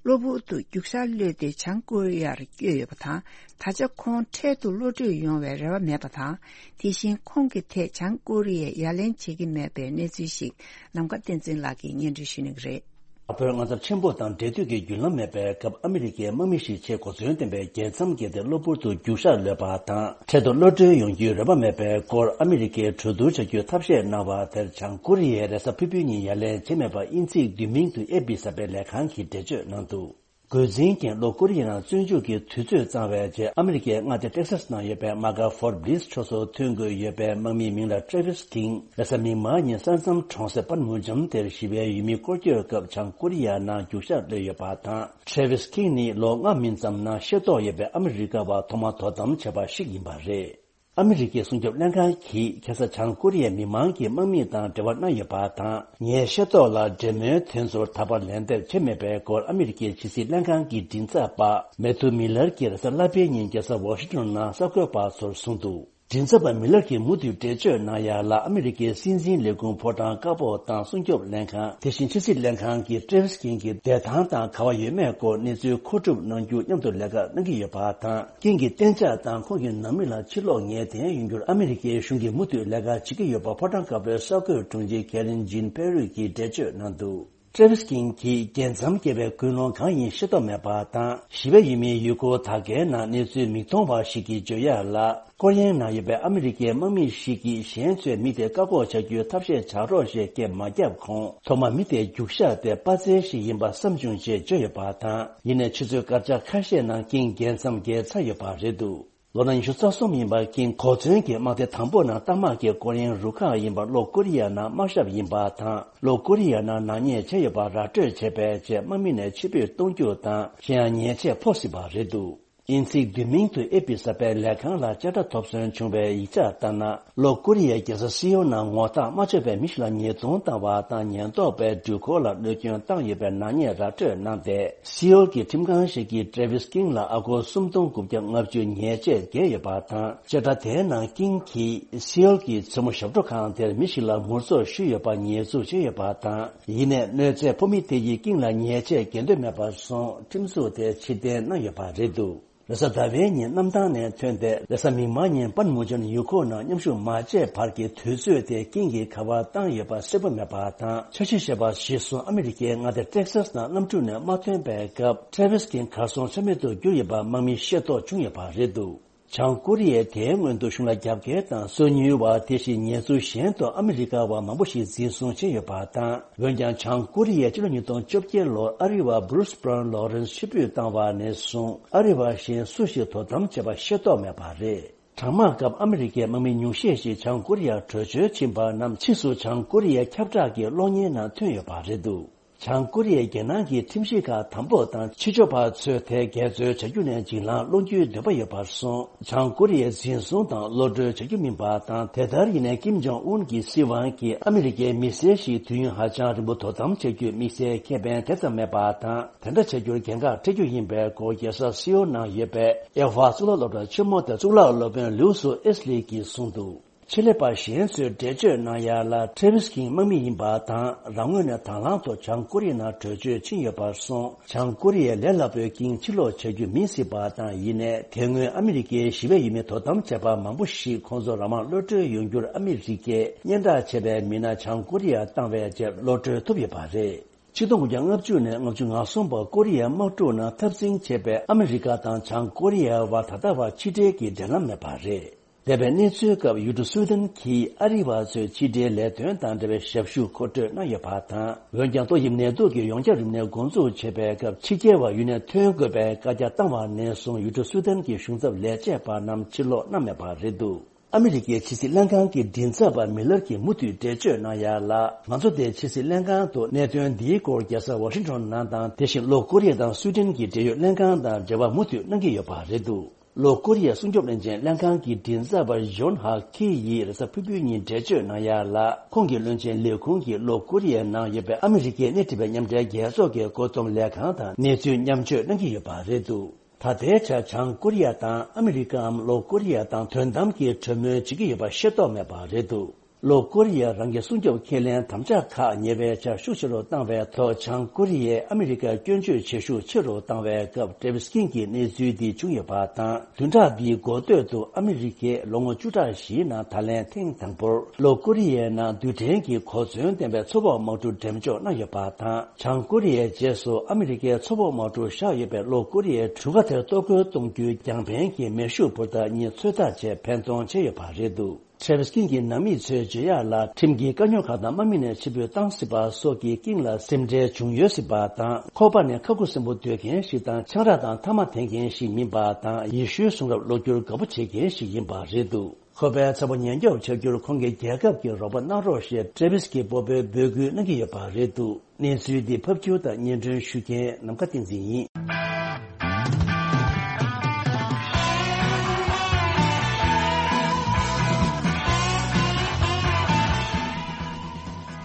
གློ་བུར་དུ་རྒྱུག་ཤར་གློད་དེ་བྱང་ཀོ་རི་ཡར་བསྐྱོད་ཡོད་པ་དང་། ད་ཆ་ཁོང་འཕྲལ་དུ་གློད་བཀྲོལ་ཡོང་བའི་རེ་བ་མེད་པ་དང་། དེ་བཞིན་ཁོང་གི་ཐད་བྱང་ཀོ་རི་ཡས་ཡ་ལན་བྱེད་ཀྱི་མེད་པའི་གནས་ཚུལ་ཞིག་ནམ་མཁའ་བསྟན་འཛིན་ལགས་ཀྱིས་སྙན་སྒྲོན་ཞུ་གནང་གི་རེད། དྲག་པོའི་དངངས་འཚབ་ཆེན་པོ་དང་འབྲེལ་མཐུད་ཀྱི་བརྒྱུད་ལམ་མེད་པའི་སྐབས། ཨ་མི་རི་ཀའི་དམག་མི་ཞིག་ཆེས་གོ་མཚོན་ལྡན་པའི་རྒྱལ་མཚམས་བརྒལ་ཏེ་གློ་བུར་དུ་རྒྱུག་ཤར་གློད་པ་དང་། འཕྲལ་དུ་གློད་བཀྲོལ་ཡོང་རྒྱུའི་རེ་བ་མེད་པའི་སྐོར། ཨ་མི་རི་ཀས་གྲོས་བསྡུར་བྱ་རྒྱུའི་ཐབས་ཤེས་གནང་བ་དེར། བྱང་ཀོ་རི་ཡས་རེས་གཟའ་ཕུར་བུའི་ཉིན་ཡ་ལན་བྱས་མེད་པ། དབྱིན་ཚིག་བསྡུས་མིང་དུ་ཨེ་པི་གསར་པའི་ལས་ཁང་གིས་འགྲེལ་བརྗོད་གནང་འདུག། འགོ་འཛིན་རྐྱེན། ལྷོ་ཀོ་རི་ཡའི་ནང་བཙོན་འཇུག་གི་དུས་ཚོད་གཙང་བའི་རྗེས། ཨ་མི་རི་ཀའི་མངའ་སྡེ་ཏེག་སཱས་ནང་ཡོད་པའི་མ་གྷ་ཕོར་ཏ་བྷི་ལིས་ཁྲོམ་སོགས་ཐོན་དགོས་ཡོད་པའི་དམག་མིའི་མིང་ལ་ཏྲེ་ཝིས་ཀིང་རེས་གཟའ་མིག་དམར་ཉིན་ས་མཚམས་གྲོང་གསེབ་པན་མུ་ཇམ་དེར་ཞི་བའི་ཡུལ་མི་སྐོར་སྐྱོད་སྐབས། བྱང་ཀོ་རི་ཡ་ནང་རྒྱུག་ཤར་གློད་ཡོད་པ་དང་། ཏྲེ་ཝིས་ཀིང་ནི་ལོ་ལྔ་མིན་ཙམ་ནང་ཤེས་རྟོགས་ཡོད་པའི་ཨ་མི་རི་ཀ་བ་ཐོག་མ་དོ་དམ་བྱས་པ་ཞིག་ཡིན་པ་རེད། ཨ་མི་རི་ཀའི་སྲུང་སྐྱོབ་ལྷན་ཁང་གིས་ཁ་སང་བྱང་ཀོ་རི་ཡའི་མི་མང་གི་དམག་མི་དང་འབྲེལ་བ་གནང་ཡོད་པ་དང་། ངའི་ཤེས་རྟོགས་ལ་འབྲེལ་མོལ་དེ་ཚོར་ད་བར་ལན་འདེབས་བྱས་མེད་པའི་སྐོར། ཨ་མི་རི་ཀའི་ཕྱི་སྲིད་ལྷན་ཁང་གི་མགྲིན་ཚབ་པ་མེ་ཐུ་མི་ལར་གྱིས་རེས་གཟའ་ལྷག་པའི་ཉིན་རྒྱལ་ས་ཝ་ཤིང་ཊོན་ནང་གསར་འགོད་པ་ཚོར་གསུངས་འདུག། མགྲིན་ཚབ་པ་མི་ལར་གྱིས་མུ་མཐུད་འགྲེལ་བརྗོད་གནང་ཡ་ལ། ཨ་མི་རི་ཀའི་སྲིད་འཛིན་ལས་ཁུངས་ཕོ་བྲང་དཀར་པོ་དང་སྲུང་སྐྱོབ་ལྷན་ཁང་། དེ་བཞིན་ཕྱི་སྲིད་ལྷན་ཁང་གིས་ཏྲེ་ཝིས་ཀིང་གི་བསྡད་ཐང་དང་ག་བ་ཡོད་མེད་སྐོར་གནས་ཚུལ་མཁོ་སྒྲུབ་གནང་རྒྱུ་མཉམ་དུ་ལས་ཀ་གནང་གི་ཡོད་པ་དང་། ཀིང་གི་གཏན་འཇགས་དང་ཁོང་གི་ནང་མི་ལ་ཕྱིར་ལོག་ངེས་གཏན་ཡོང་རྒྱུར་ཨ་མི་རི་ཀའི་གཞུང་གིས་མུ་མཐུད་ལས་ཀ་བྱེད་ཀྱི་ཡོད་པ་ཕོ་བྲང་དཀར་པོའི་གསར་འགོད་དྲུང་ཆེ་ཁེ་རིན་ཇིན་ཕེ་རུས་ཀྱིས་འགྲེལ་བརྗོད་གནང་འདུག། ཏྲེ་ཝིས་ཀིང་གིས་རྒྱལ་མཚམས་བརྒལ་བའི་ཀུན་སློང་གང་ཡིན་ཤེས་རྟོགས་མེད་པ་དང་། ཞི་བའི་ཡུལ་མིའི་ཡུལ་སྐོར་དག་གའི་ནང་གནས་ཚུལ་མིག་མཐོང་བ་ཞིག་གིས་བརྗོད་ཡ་ལ། ཀོ་རི་ཡའི་ནང་ཡོད་པའི་ཨ་མི་རི་ཀའི་དམག་མི་ཞིག་གིས་གཞན་ཚོས་མི་དེ་བཀག་འགོག་བྱ་རྒྱུའི་ཐབས་ཤེས་བྱ་རོགས་ཞེས་སྐད་མ་བརྒྱབ་གོང་། ཐོག་མ་མི་དེ་རྒྱུག་ཤར་དེ་དཔའ་རྩལ་ཞིག་ཡིན་པ་བསམ་བྱུང་ཞེས་བརྗོད་ཡོད་པ་དང་། ཡིན་ནའི་ཆུ་ཚོད་སྐར་ཆ་ཁ་ཤས་ནང་ཀིང་རྒྱལ་མཚམས་བརྒལ་ཚར་ཡོད་པ་རེད་འདུག། ལོ་ན་ཉི་ཤུ་རྩ་གསུམ་ཡིན་པ་ཀིང་གོ་མཚོན་གྱི་དམག་སྡེ་དང་པོ་ནང་རྟ་དམག་གི་སྐོར་གཡེང་རུ་ཁག་ཡིན་པ། ལྷོ་ཀོ་རི་ཡ་ནང་དམག་ཞབས་ཡིན་པ་དང་། ལྷོ་ཀོ་རི་ཡ་ནང་ནག་ཉེས་བྱས་ཡོད་པ་ར་སྤྲོད་བྱས་པའི་རྗེས། དམག་མི་ནས་ཕྱིར་འབུད་གཏོང་རྒྱུ་དང་། གཞན་ཡང་ཉེས་ཆད་ཕོག་སྲིད་པ་རེད་འདུག། དབྱིན་ཚིག་བསྡུས་མིང་དུ་ཨེ་པི་གསར་པའི་ལས་ཁང་ལ་བཅད་ཁྲ་ཐོབ་ཚུལ་བྱུང་བའི་ཡིག་ཆ་ལྟར་ན། ལྷོ་ཀོ་རི་ཡའི་རྒྱལ་ས་སི་ཨོལ་ནང་ངོ་རྟགས་མ་ཆོད་པའི་མི་ཞིག་ལ་ཉེས་རྡུང་བཏང་བ་དང་། ཉེན་རྟོག་པས་འགྲུལ་འཁོར་ལ་གནོད་སྐྱོན་བཏང་ཡོད་པའི་ནག་ཉེས་ར་སྤྲོད་གནང་སྟེ། སི་ཨོལ་གྱི་ཁྲིམས་ཁང་ཞིག་གིས་ཏྲེ་ཝིས་ཀིང་ལ་ཨ་སྒོར་སུམ་སྟོང་དགུ་བརྒྱ་ལྔ་བཅུ་ཉེས་ཆད་འགེལ་ཡོད་པ་དང་། བཅད་ཁྲ་དེའི་ནང་ཀིང་གིས་སི་ཨོལ་གྱི་མཚན་མོ་ཞབས་བྲོ་ཁང་དེར་མི་ཞིག་ལ་མུར་ཚོགས་ཞུས་ཡོད་པ་ཉེས་འཛུགས་བྱས་ཡོད་པ་དང་། ཡིན་ནའི་གནོད་འཚེ་ཕོག་མི་དེ་ཡིས་ཀིང་ལ་ཉེས་ཆད་འགེལ་འདོད་མེད་པར་སོང་། ཁྲིམས་འཛུགས་དེ་ཕྱིར་འཐེན་གནང་ཡོད་པ་རེད་འདུག། རེས་གཟའ་ཟླ་བའི་ཉིན་གནམ་ཐང་ནས་ཐོན་ཏེ། རེས་གཟའ་མིག་དམར་ཉིན་པན་མུ་ཇོན་ཡུལ་ཁོག་ནང་མཉམ་ཞུགས་མ་བྱས་བར་གྱི་དུས་ཚོད་དེ་ཀིང་གིས་ག་པར་བཏང་ཡོད་པ་གསལ་པོ་མེད་པ་དང་། འཆར་གཞི་བཞག་པ་གཞིར་བཟུང་ཨ་མི་རི་ཀའི་མངའ་སྡེ་ཏེག་སཱས་ནང་གནམ་གྲུ་ནས་མ་ཐོན་པའི་སྐབས། ཏྲེ་ཝིས་ཀིང་གར་སོང་ཆ་མེད་དུ་གྱུར་ཡོད་པ་དམག་མིས་ཤེས་རྟོགས་བྱུང་ཡོད་པ་རེད་འདུག། བྱང་ཀོ་རི་ཡས་དེའི་སྔོན་དུ་གཞུང་ལ་རྒྱབ་འགལ་དང་སོ་ཉུལ་བ། དེ་བཞིན་ཉེས་འཛུགས་གཞན་དུ་ཨ་མི་རི་ཀ་བ་མང་པོ་ཞིག་འཛིན་བཟུང་བྱས་ཡོད་པ་དང་། འོན་ཀྱང་། བྱང་ཀོ་རི་ཡས་ཕྱི་ལོ་ཉིས་སྟོང་བཅོ་བརྒྱད་ལོར་ཨ་རི་བ་བྷུ་རུས་བྷ་རོན་ལོ་རེན་ཕྱིར་འབུད་བཏང་བ་ནས་བཟུང་། ཨ་རི་བ་གཞན་སུ་ཞིག་དོ་དམ་བྱས་པ་ཤེས་རྟོགས་མེད་པ་རེད། གྲང་དམག་སྐབས་ཨ་མི་རི་ཀའི་དམག་མི་ཉུང་ཤས་ཤིག་བྱང་ཀོ་རི་ཡར་བྲོས་བྱོལ་ཕྱིན་པ་རྣམས་ཕྱིས་སུ་བྱང་ཀོ་རི་ཡའི་ཁྱབ་བསྒྲགས་ཀྱི་གློག་བརྙན་ནང་ཐོན་ཡོད་པ་རེད་འདུག། བྱང་ཀོ་རི་ཡའི་རྒྱལ་ནང་གི་ཁྲིམས་གཞི་ཁག་དམ་པོ་དང་ཕྱི་ཕྱོགས་པ་ཚོས་དེ་འགལ་འཛོལ་བྱ་རྒྱུ་ནས་འཇིགས་ལངས་སློང་རྒྱུའི་འདོད་པ་ཡོད་པར་སོང་། བྱང་ཀོ་རི་ཡས་འཛིན་བཟུང་དང་གློད་གྲོལ་བྱ་རྒྱུ་མིན་པ་དང་། དེ་ལྟར་ཡིན་ནའི་ཀིམ་ཇོང་ཨུན་གྱི་སྲིད་དབང་གིས་ཨ་མི་རི་ཀའི་མི་སེར་ཞིག་དུས་ཡུན་ཧ་ཅང་རིང་པོ་དོ་དམ་བྱ་རྒྱུའི་དམིགས་བསལ་ཁེ་ཕན་དེ་ཙམ་མེད་པ་དང་། དེ་འདྲ་བྱ་རྒྱུར་འགན་ཁག་འཁྲི་རྒྱུ་ཡིན་པའི་སྐོར་རྒྱལ་ས་སེའོ་ནང་ཡོད་པའི་ཨེ་ཧྥ་གཙུག་ལག་སློབ་གྲྭ་ཆེན་མོ་དེ་གཙུག་ལག་སློབ་དཔོན་ལིའུ་སུ་ཨེས་ལི་གིས་གསུངས་འདུག་ཆེད་ལས་པ་གཞན་ཚོས་འགྲེལ་བརྗོད་གནང་ཡ་ལ། ཊྲེ་ཝིས་ཀིང་དམག་མི་ཡིན་པ་དང་། རང་ངོས་ནས་དང་བླངས་ཐོག་བྱང་ཀོ་རི་ཡའི་ནང་བྲོས་བྱོལ་ཕྱིན་ཡོད་པར་སོང་། བྱང་ཀོ་རི་ཡས་ལས་སླ་པོའི་ཀིང་ཕྱིར་ལོག་བྱ་རྒྱུ་མིན་སྲིད་པ་དང་། ཡིན་ནའི་དེ་སྔོན་ཨ་མི་རི་ཀའི་ཞི་བའི་ཡུལ་མི་དོ་དམ་བྱེད་པ་མང་པོ་ཞིག་ཁོང་ཚོ་རང་དབང་གློད་གྲོལ་ཡོང་རྒྱུར་ཨ་མི་རི་ཀས་སྙན་གྲགས་ཆེ་བའི་མི་སྣ་བྱང་ཀོ་རི་ཡར་བཏང་བའི་རྗེས་གློད་གྲོལ་ཐུབ་ཡོད་པ་རེད། ཆིག་སྟོང་དགུ་བརྒྱ་ལྔ་བཅུ་ནས་ལྔ་བཅུ་ང་གསུམ་བར་ཀོ་རི་ཡའི་དམག་འཁྲུག་ནང་འཐབ་འཛིང་བྱས་པའི་ཨ་མི་རི་ཀ་དང་བྱང་ཀོ་རི་ཡའི་བར་ད་ལྟ་བར་ཕྱི་འབྲེལ་གྱི་འབྲེལ་ལམ་མེད་པ་རེད། འདས་པའི་གནས་ཚུལ་སྐབས་ཡུལ་གྲུ་སུའུ་ཏན་གྱིས་ཨ་རི་བ་ཚོའི་ཕྱི་འབྲེལ་ལས་དོན་དང་འབྲེལ་བའི་ཞབས་ཞུ་མཁོ་སྤྲོད་གནང་ཡོད་པ་དང་། འོན་ཀྱང་ཏོག་དབྱིབས་ནད་དུག་གི་ཡོངས་ཁྱབ་རིམས་ནད་འགོ་འཛུགས་བྱས་པའི་སྐབས་ཕྱི་རྒྱལ་བ་ཡུལ་ནས་ཐོན་དགོས་པའི་བཀའ་རྒྱ་བཏང་བ་ནས་བཟུང་ཡུལ་གྲུ་སུའུ་ཏན་གྱི་གཞུང་ཚབ་ལས་བྱེད་པ་རྣམས་ཕྱིར་ལོག་གནང་མེད་པ་རེད་འདུག་ཨ་མི་རི་ཀའི་ཕྱི་སྲིད་ལྷན་ཁང་གི་མགྲིན་ཚབ་པ་མི་ལར་གྱིས་མུ་མཐུད་འགྲེལ་བརྗོད་གནང་ཡ་ལ། ང་ཚོ་དེ་ཕྱི་སྲིད་ལྷན་ཁང་དུ་གནད་དོན་འདིའི་སྐོར་རྒྱལ་ས་ཝ་ཤིང་ཊོན་ནང་དང་། དེ་བཞིན་ལྷོ་ཀོ་རི་ཡ་དང་སུའི་ཏན་གྱི་འབྲེལ་ཡོད་ལྷན་ཁང་དང་འབྲེལ་བ་མུ་མཐུད་གནང་གི་ཡོད་པ་རེད་འདུག་ལྷོ་ཀོ་རི་ཡའི་སྲུང་སྐྱོབ་བློན་ཆེན་ལྷན་ཁང་གི་མགྲིན་ཚབ་པ་ཇོན་ཧ་ཁི་ཡིས་རེས་གཟའ་ཕུར་བུའི་ཉིན་འགྲེལ་བརྗོད་གནང་ཡ་ལ། ཁོང་གི་བློན་ཆེན་ལས་ཁུངས་ཀྱིས་ལྷོ་ཀོ་རི་ཡའི་ནང་ཡོད་པའི་ཨ་མི་རི་ཀའི་སྣེ་ཁྲིད་པའི་མཉམ་འབྲེལ་རྒྱལ་ཚོགས་ཀྱི་བཀོད་འདོམས་ལས་ཁང་དང་གནས་ཚུལ་མཉམ་སྤྱོད་གནང་གི་ཡོད་པ་རེད་འདུག་ད་ལྟའི་ཆར་བྱང་ཀོ་རི་ཡ་དང་ཨ་མི་རི་ཀའམ་ལྷོ་ཀོ་རི་ཡ་དང་དོན་དམ་གྱི་གྲོས་མོལ་བྱེད་ཀྱི་ཡོད་པ་ཤེས་རྟོགས་མེད་པ་རེད་འདུག་ལྷོ་ཀོ་རི་ཡས་རང་གི་སྲུང་སྐྱོབ་ཁས་ལེན་དམ་བཅའ་ཁག་ཉེ་བའི་ཆར་ཤུགས་ཆེ་རུ་བཏང་བའི་ཐོག་བྱང་ཀོ་རི་ཡས་ཨ་མི་རི་ཀར་སྐྱོན་བརྗོད་བྱེད་ཤུགས་ཆེ་རུ་བཏང་བའི་སྐབས་ཊྲེ་ཝིས་ཀིང་གིས་གནས་ཚུལ་འདི་བྱུང་ཡོད་པ་དང་། བདུན་ཕྲག་འདིའི་འགོ་སྟོད་དུ་ཨ་མི་རི་ཀས་ལོ་ངོ་བཅུ་ཕྲག་བཞིའི་ནང་ད་ལན་ཐེངས་དང་པོར་ལྷོ་ཀོ་རི་ཡའི་ནང་རྡུལ་ཕྲན་གྱི་གོ་མཚོན་ལྡན་པའི་མཚོ་འབོག་དམག་གྲུ་འགྲེམས་འཇོག་གནང་ཡོད་པ་དང་། བྱང་ཀོ་རི་ཡའི་རྗེས་སུ་ཨ་མི་རི་ཀའི་མཚོ་འབོག་དམག་གྲུ་བཞག་ཡོད་པའི་ལྷོ་ཀོ་རི་ཡའི་གྲུ་ཁ་དེར་གཏོར་རྒོལ་གཏོང་རྒྱུའི་རྒྱང་འཕེན་གྱི་མེ་ཤུགས་འཕུར་མདའ་གཉིས་ཚོད་ལྟ་བྱས་འཕེན་གཏོང་བྱས་ཡོད་པ་རེད་འདུག་ཊྲེ་ཝིས་ཀིང་གི་ནང་མི་ཚོས་བརྗོད་ཡག་ལ། ཁྲིམས་ཀྱི་དཀའ་རྙོག་ཁག་དང་དམག་མི་ནས་ཕྱིར་འབུད་བཏང་སྲིད་པ་སོགས་ཀྱིས་ཀིང་ལ་སེམས་ཁྲལ་བྱུང་ཡོད་སྲིད་པ་དང་། ཁོ་པ་ནི་ཁ་ཁུ་སིམ་པོ་སྡོད་མཁན་ཞིག་དང་། ཆང་རག་དང་ཐ་མག་འཐེན་མཁན་ཞིག་མིན་པ་དང་། ཡེ་ཤུའི་གསུང་རབ་ཀློག་རྒྱུར་དགའ་པོ་བྱེད་མཁན་ཞིག་ཡིན་པ་རེད་འདུག་ཁོ་པའི་ཚ་བོ་ཉེན་སྐྱོབ་བྱ་རྒྱུར་ཁོང་གི་རྒྱལ་ཁབ་ཀྱིས་རོགས་པ་གནང་རོགས་ཞེས་ཊྲེ་ཝིས་ཀྱིས་སྤོབས་པའི་འབོད་སྐུལ་གནང་གི་ཡོད་པ་རེད་འདུག་གནས་ཚུལ་འདི་ཕབ་སྒྱུར་དང་སྙན་སྒྲོན་ཞུ་མཁན་ནམ་མཁའ་བསྟན་འཛིན་ཡིན།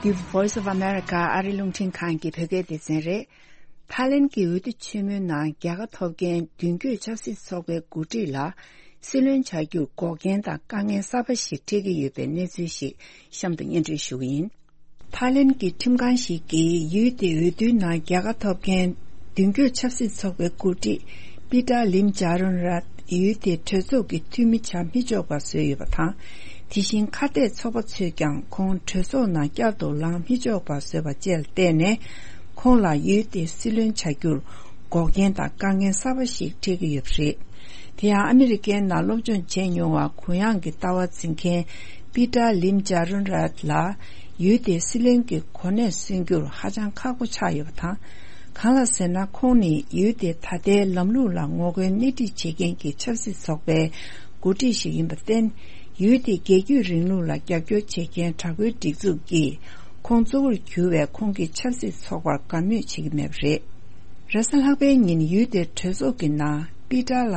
འདི་Voice of America ཨ་རི་རླུང་འཕྲིན་ཁང་གི་བོད་སྐད་སྡེ་ཚན་རེད། ཐའི་ལེན་གྱི་འོས་བསྡུ་ཆེན་མོའི་ནང་རྒྱལ་ཁ་ཐོབ་མཁན་མདུན་སྐྱོད་ཆབ་སྲིད་ཚོགས་པའི་འགོ་ཁྲིད་ལ་སྲིད་བློན་བྱ་རྒྱུར་འགོག་རྐྱེན་དང་དཀའ་ངལ་གསར་པ་ཞིག་འཕྲད་ཀྱི་ཡོད་པའི་གནས་ཚུལ་ཞིག་གཤམ་དུ་སྙན་སྒྲོན་ཞུ་གི་ཡིན། ཐའི་ལེན་གྱི་ཁྲིམས་ཁང་ཞིག་གིས་ཡུལ་དེའི་འོས་བསྡུའི་ནང་རྒྱལ་ཁ་ཐོབ་མཁན་མདུན་སྐྱོད་ཆབ་སྲིད་ཚོགས་པའི་འགོ་ཁྲིད་པི་ཏྲ་ལིམ་ཇཱ་རོན་རཱད་ཡུལ་དེའི་གྲོས་ཚོགས་ཀྱི་འཐུས་མི་བྱ་མི་ཆོག་པ་བཟོས་ཡོད་པ་དང་། དེ་བཞིན་ཁ་གཏད་ཚོགས་པ་ཚོས་ཀྱང་ཁོང་གྲོས་ཚོགས་ནང་བསྐྱར་དུ་ལངས་མི་ཆོག་པ་བཟོས་པ་བཅས་ལ་བརྟེན་ནས། ཁོང་ལ་ཡུལ་དེའི་སྲིད་བློན་བྱ་རྒྱུར་འགོག་རྐྱེན་དང་དཀའ་ངལ་གསར་པ་ཞིག་འཕྲད་ཀྱི་ཡོད་པ་རེད། དེ་ཡང་ཨ་མི་རི་ཀའི་ནང་སློབ་སྦྱོང་བྱས་མྱོང་བ་གུ་ཡངས་ཀྱི་ལྟ་བ་འཛིན་མཁན་པི་ཏྲ་ལིམ་ཇཱ་རུན་རཱད་ལ་ཡུལ་དེའི་སྲིད་བློན་གྱི་གོ་གནས་སོན་རྒྱུར་ཧ་ཅང་ཁག་པོ་ཆགས་ཡོད་པ་དང་། གང་ལ་ཟེར་ན། ཁོང་ནི་ཡུལ་དེའི་ད་ལྟའི་ལམ་ལུགས་ལ་ངོ་རྒོལ་སྣེ་ཁྲིད་བྱེད་མཁན་གྱི་ཆབ་སྲིད་ཚོགས་པའི་འགོ་ཁྲིད་ཞིག་ཡིན་པར་བརྟེན། ཡུལ་དེའི་རྒྱལ་རྒྱུད་རིང་ལུགས་ལ་རྒྱབ་སྐྱོར་བྱེད་མཁན་དྲག་པོའི་སྒྲིག་འཛུགས་ཀྱིས་ཁོང་གཙོ་བོར་གྱུར་བའི་ཁོང་གི་ཆབ་སྲིད་ཚོགས་པར་དགའ་མོས་བྱེད་ཀྱི་མེད་པ་རེད། རེས་གཟའ་ལྷག་པའི་ཉིན་ཡུལ་དེའི་གྲོས་ཚོགས་ཀྱི་ནང་པི་ཏྲ་ལ་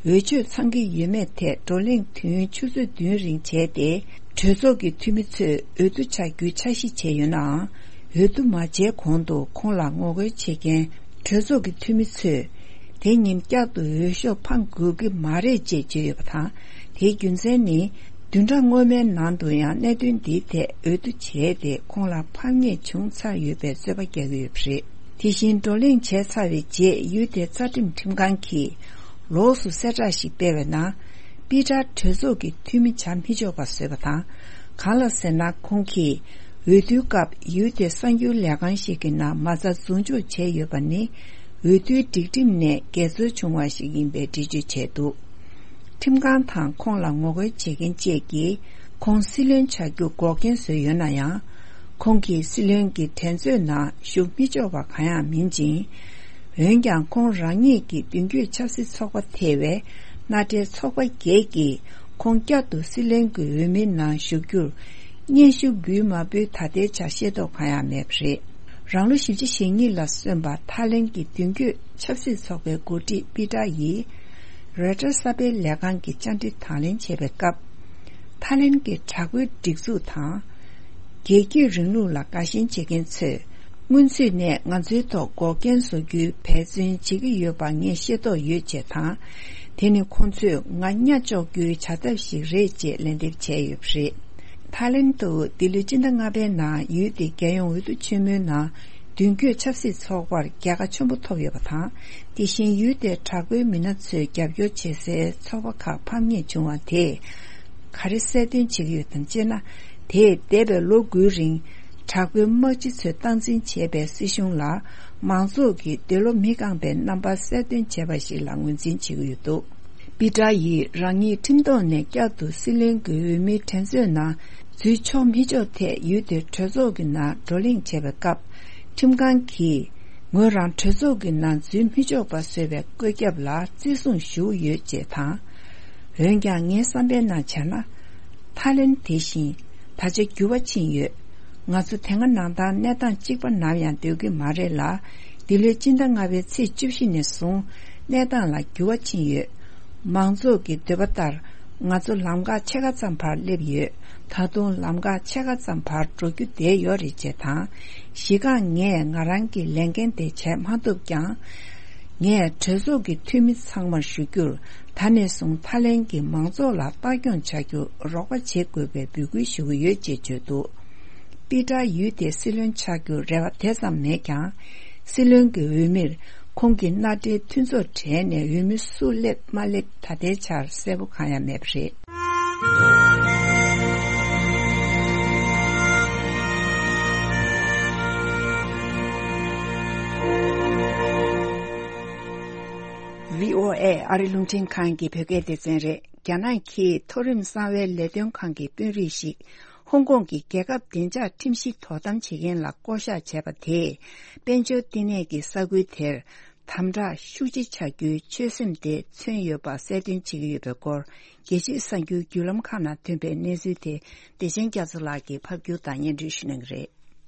འོས་ཆོས་ཚང་གི་ཡོད་མེད་ཐད་བགྲོ་གླེང་དུས་ཡུན་ཆུ་ཚོད་བདུན་རིང་བྱས་ཏེ། གྲོས་ཚོགས་ཀྱི་འཐུས་མི་ཚོས་འོས་བསྡུ་བྱ་རྒྱུའི་འཆར་གཞི་བྱས་ཡོད་ནའང་། འོས་བསྡུ་མ་བྱས་གོང་དུ་ཁོང་ལ་ངོ་རྒོལ་བྱེད་མཁན་གྲོས་ཚོགས་ཀྱི་འཐུས་མི་ཚོས། དེ་ཉིན་བསྐྱར་དུ་འོས་ཤོག་འཕང་དགོས་ཀྱི་མ་རེད་ཅེས་བརྗོད་ཡོད་པ་དང་། དེའི་རྒྱུ་མཚན་ནི། བདུན་ཕྲག་སྔོན་མའི་ནང་དུ་ཡང་གནད་དོན་འདིའི་ཐད་འོས་བསྡུ་བྱས་ཏེ། ཁོང་ལ་ཕམ་ཉེས་བྱུང་ཚར་ཡོད་པའི་རྩོད་པ་རྒྱག་གི་ཡོད་པ་རེད། དེ་བཞིན་བགྲོ་གླེང་བྱས་ཚར་བའི་རྗེས། ཡུལ་དེའི་རྩ་ཁྲིམས་ཁྲིམས་ཁང་གིས་ལོགས་སུ་གསལ་བསྒྲགས་ཤིག་སྤེལ་བའི་ནང་། པི་ཏྲ་གྲོས་ཚོགས་ཀྱི་འཐུས་མི་བྱ་མི་ཆོག་པ་བཟོས་པ་དང་། གང་ལ་ཟེར་ན། ཁོང་གིས་འོས་བསྡུའི་སྐབས་ཡུལ་དེའི་གསར་འགྱུར་ལས་ཁང་ཞིག་གི་ནང་མ་རྩ་འཛུལ་འཇུག་བྱས་ཡོད་པ་ནི། འོས་བསྡུའི་སྒྲིག་ཁྲིམས་ནས་འགལ་འཛོལ་བྱུང་བ་ཞིག་ཡིན་པའི་འགྲེལ་བརྗོད་བྱས་འདུག་ཁྲིམས་ཁང་དང་ཁོང་ལ་ངོ་རྒོལ་བྱེད་མཁན་བཅས་ཀྱིས། ཁོང་སྲིད་བློན་བྱ་རྒྱུ་འགོག་རྐྱེན་བཟོས་ཡོད་ན་ཡང་། ཁོང་གིས་སྲིད་བློན་གྱི་འགྲན་རྩོད་ནང་ཞུགས་མི་ཆོག་པ་གང་ཡང་མིན་ཅིང་། འོན་ཀྱང་། ཁོང་རང་ཉིད་ཀྱི་མདུན་སྐྱོད་ཆབ་སྲིད་ཚོགས་པ་ཐེ་བའི་མནའ་འབྲེལ་ཚོགས་པ་བརྒྱད་ཀྱིས། ཁོང་བསྐྱར་དུ་སྲིད་བློན་གྱི་འོས་མིའི་ནང་ཞུགས་རྒྱུར་སྙན་ཞུ་འབུལ་མ་འབུལ་ད་ལྟའི་ཆར་ཤེས་རྟོགས་གང་ཡང་མེད་པ་རེད། རང་ལོ་བཞི་བཅུ་ཞེ་གཉིས་ལ་སོན་པ་ཐའི་ལེན་གྱི་མདུན་སྐྱོད་ཆབ་སྲིད་ཚོགས་པའི་འགོ་ཁྲིད་པི་ཏྲ་ཡིས་རོའི་ཊར་གསར་སྤེལ་ལས་ཁང་གི་བཅར་འདྲི་དང་ལེན་བྱེད་པའི་སྐབས། ཐའི་ལེན་གྱི་དྲག་པོའི་སྒྲིག་འཛུགས་དང་། རྒྱལ་གཅེས་རིང་ལུགས་ལ་དགའ་ཞེན་བྱེད་མཁན་ཚོས་སྔོན་ཚུད་ནས་ང་ཚོའི་ཐོག་འགོག་རྐྱེན་བཟོ་རྒྱུའི་འབད་བརྩོན་བྱེད་ཀྱི་ཡོད་པ་ངས་ཤེས་རྟོགས་ཡོད་ཅེས་དང་། དེ་ནི་ཁོང་ཚོས་ང་གཉའ་གཅོག་རྒྱུའི་བྱ་ཐབས་ཤིག་རེད་ཅེས་ལན་འདེབས་བྱས་ཡོད་པ་རེད། ཐའི་ལེན་དུ་འདི་ལོའི་སྤྱི་ཟླ་ལྔ་པའི་ནང་ཡུལ་དེའི་རྒྱལ་ཡོངས་འོས་བསྡུ་ཆེན་མོའི་ནང་མདུན་སྐྱོད་ཆབ་སྲིད་ཚོགས་པར་རྒྱལ་ཁ་ཆེན་པོ་ཐོབ་ཡོད་པ་དང་། དེ་བཞིན་ཡུལ་དེའི་དྲག་པོའི་མི་སྣ་ཚོས་རྒྱབ་སྐྱོར་བྱེད་སའི་ཚོགས་པ་ཁག་ཕམ་ཉེས་བྱུང་བ་དེས་ག་རེ་གསལ་སྟོན་བྱེད་ཀྱི་ཡོད་དམ་ཅེ་ན། དེས་འདས་པའི་ལོ་དགུའི་རིང་དྲག་པོའི་དམག་སྤྱི་ཚོས་སྟངས་འཛིན་བྱས་པའི་སྲིད་གཞུང་ལ་མང་ཚོགས་ཀྱིས་འདོད་བློ་མི་ཁེངས་པའི་རྣམ་པ་གསལ་སྟོན་བྱས་པ་ཞིག་ལ་ངོས་འཛིན་བྱེད་ཀྱི་ཡོད་འདུག་པི་ཏྲ་ཡིས་རང་ཉིད་ཁྲིམས་ཐོག་ནས་བསྐྱར་དུ་སྲིད་བློན་གྱི་འོས་མིའི་འགྲན་རྩོད་ནང་འཛུལ་ཆོག་མི་ཆོག་ཐད་ཡུལ་དེའི་གྲོས་ཚོགས་ཀྱི་ནང་བགྲོ་གླེང་བྱེད་པའི་སྐབས། ཁྲིམས་ཁང་གིས་ངོས་རང་གྲོས་ཚོགས་ཀྱི་ནང་འཛུལ་མི་ཆོག་པ་བཟོས་པའི་བཀོད་ཁྱབ་ལ་བརྩི་སྲུང་ཞུ་ཡོད་ཅེས་དང་། འོན་ཀྱང་ངའི་བསམ་པའི་ནང་བྱས་ན། ཐའི་ལེན་དེ་བཞིན་ད་ཆ་འགྱུར་བ་ཕྱིན་ཡོད། ང་ཚོ་དེ་སྔ་ནང་ལྟར་གནས་སྟངས་གཅིག་པ་ནམ་ཡང་སྡོད་ཀྱི་མ་རེད་ལ། འདི་ལོའི་སྤྱི་ཟླ་ལྔ་པའི་ཚེས་བཅུ་བཞི་ནས་བཟུང་གནས་སྟངས་ལ་འགྱུར་བ་ཕྱིན་ཡོད། མང་ཚོགས་ཀྱི་འདོད་པ་ལྟར་ང་ཚོ་ལམ་ཁ་ཕྱེད་ཀ་ཙམ་བར་སླེབས་ཡོད། ད་དུང་ལམ་ཁ་ཕྱེད་ཀ་ཙམ་བར་འགྲོ་རྒྱུ་བསྡད་ཡོད་རེད་ཅེས་དང་། གཞི་རྐང་ངས་ང་རང་གི་ལས་འགན་དེ་བྱས་མ་ཐུབ་ཀྱང་། ངས་གྲོས་ཚོགས་ཀྱི་འཐུས་མི་ཚང་མར་ཞུ་རྒྱུར། ད་ནས་བཟུང་ཐའི་ལེན་གྱི་མང་ཚོགས་ལ་ལྟ་སྐྱོང་བྱ་རྒྱུར་རོགས་པ་བྱེད་དགོས་པའི་འབོད་སྐུལ་ཞུ་གི་ཡོད་ཅེས་བརྗོད་འདུག་པི་ཏྲ་ཡུལ་དེའི་སྲིད་བློན་ཆགས་རྒྱུར་རེ་བ་དེ་ཙམ་མེད་ཀྱང་། སྲིད་བློན་གྱི་འོས་མིར་ཁོང་གི་མནའ་འབྲེལ་མཐུན་ཚོགས་གྲས་ནས་འོས་མི་སུ་སླེབས་མ་སླེབས་ད་ལྟའི་ཆར་གསལ་པོ་གང་ཡང་མེད་པ་རེད། བྷི་ཨོ་ཨེ་ཨ་རི་རླུང་འཕྲིན་ཁང་གི་བོད་སྐད་སྡེ་ཚན་རེད། རྒྱ་ནག་གིས་མཐོ་རིམ་གསང་བའི་ལས་དོན་ཁང་གི་དཔོན་རིགས་ཤིག་ཧོང་ཀོང་གི་རྒྱལ་ཁབ་བདེ་འཇགས་ཁྲིམས་གཞི་དོ་དམ་བྱེད་མཁན་ལ་བསྐོ་གཞག་བྱས་པ་དེས། དཔལ་འབྱོར་བསྟི་གནས་ཀྱི་ས་ཁུལ་དེར་དམ་དྲག་ཤུགས་ཆེ་བྱ་རྒྱུའི་ཆོད་སེམས་དེ་མཚོན་ཡོད་པ་གསལ་སྟོན་བྱེད་ཀྱི་ཡོད་པའི་སྐོར། རྒྱལ་སྤྱིའི་གསར་འགྱུར་བརྒྱུད་ལམ་ཁག་ནང་ཐོན་པའི་གནས་ཚུལ་དེ་བདེ་ཆེན་རྒྱ་མཚོ་ལགས་ཀྱིས་ཕབ་སྒྱུར་དང་སྙན་སྒྲོན་ཞུ་གནང་གི་རེད།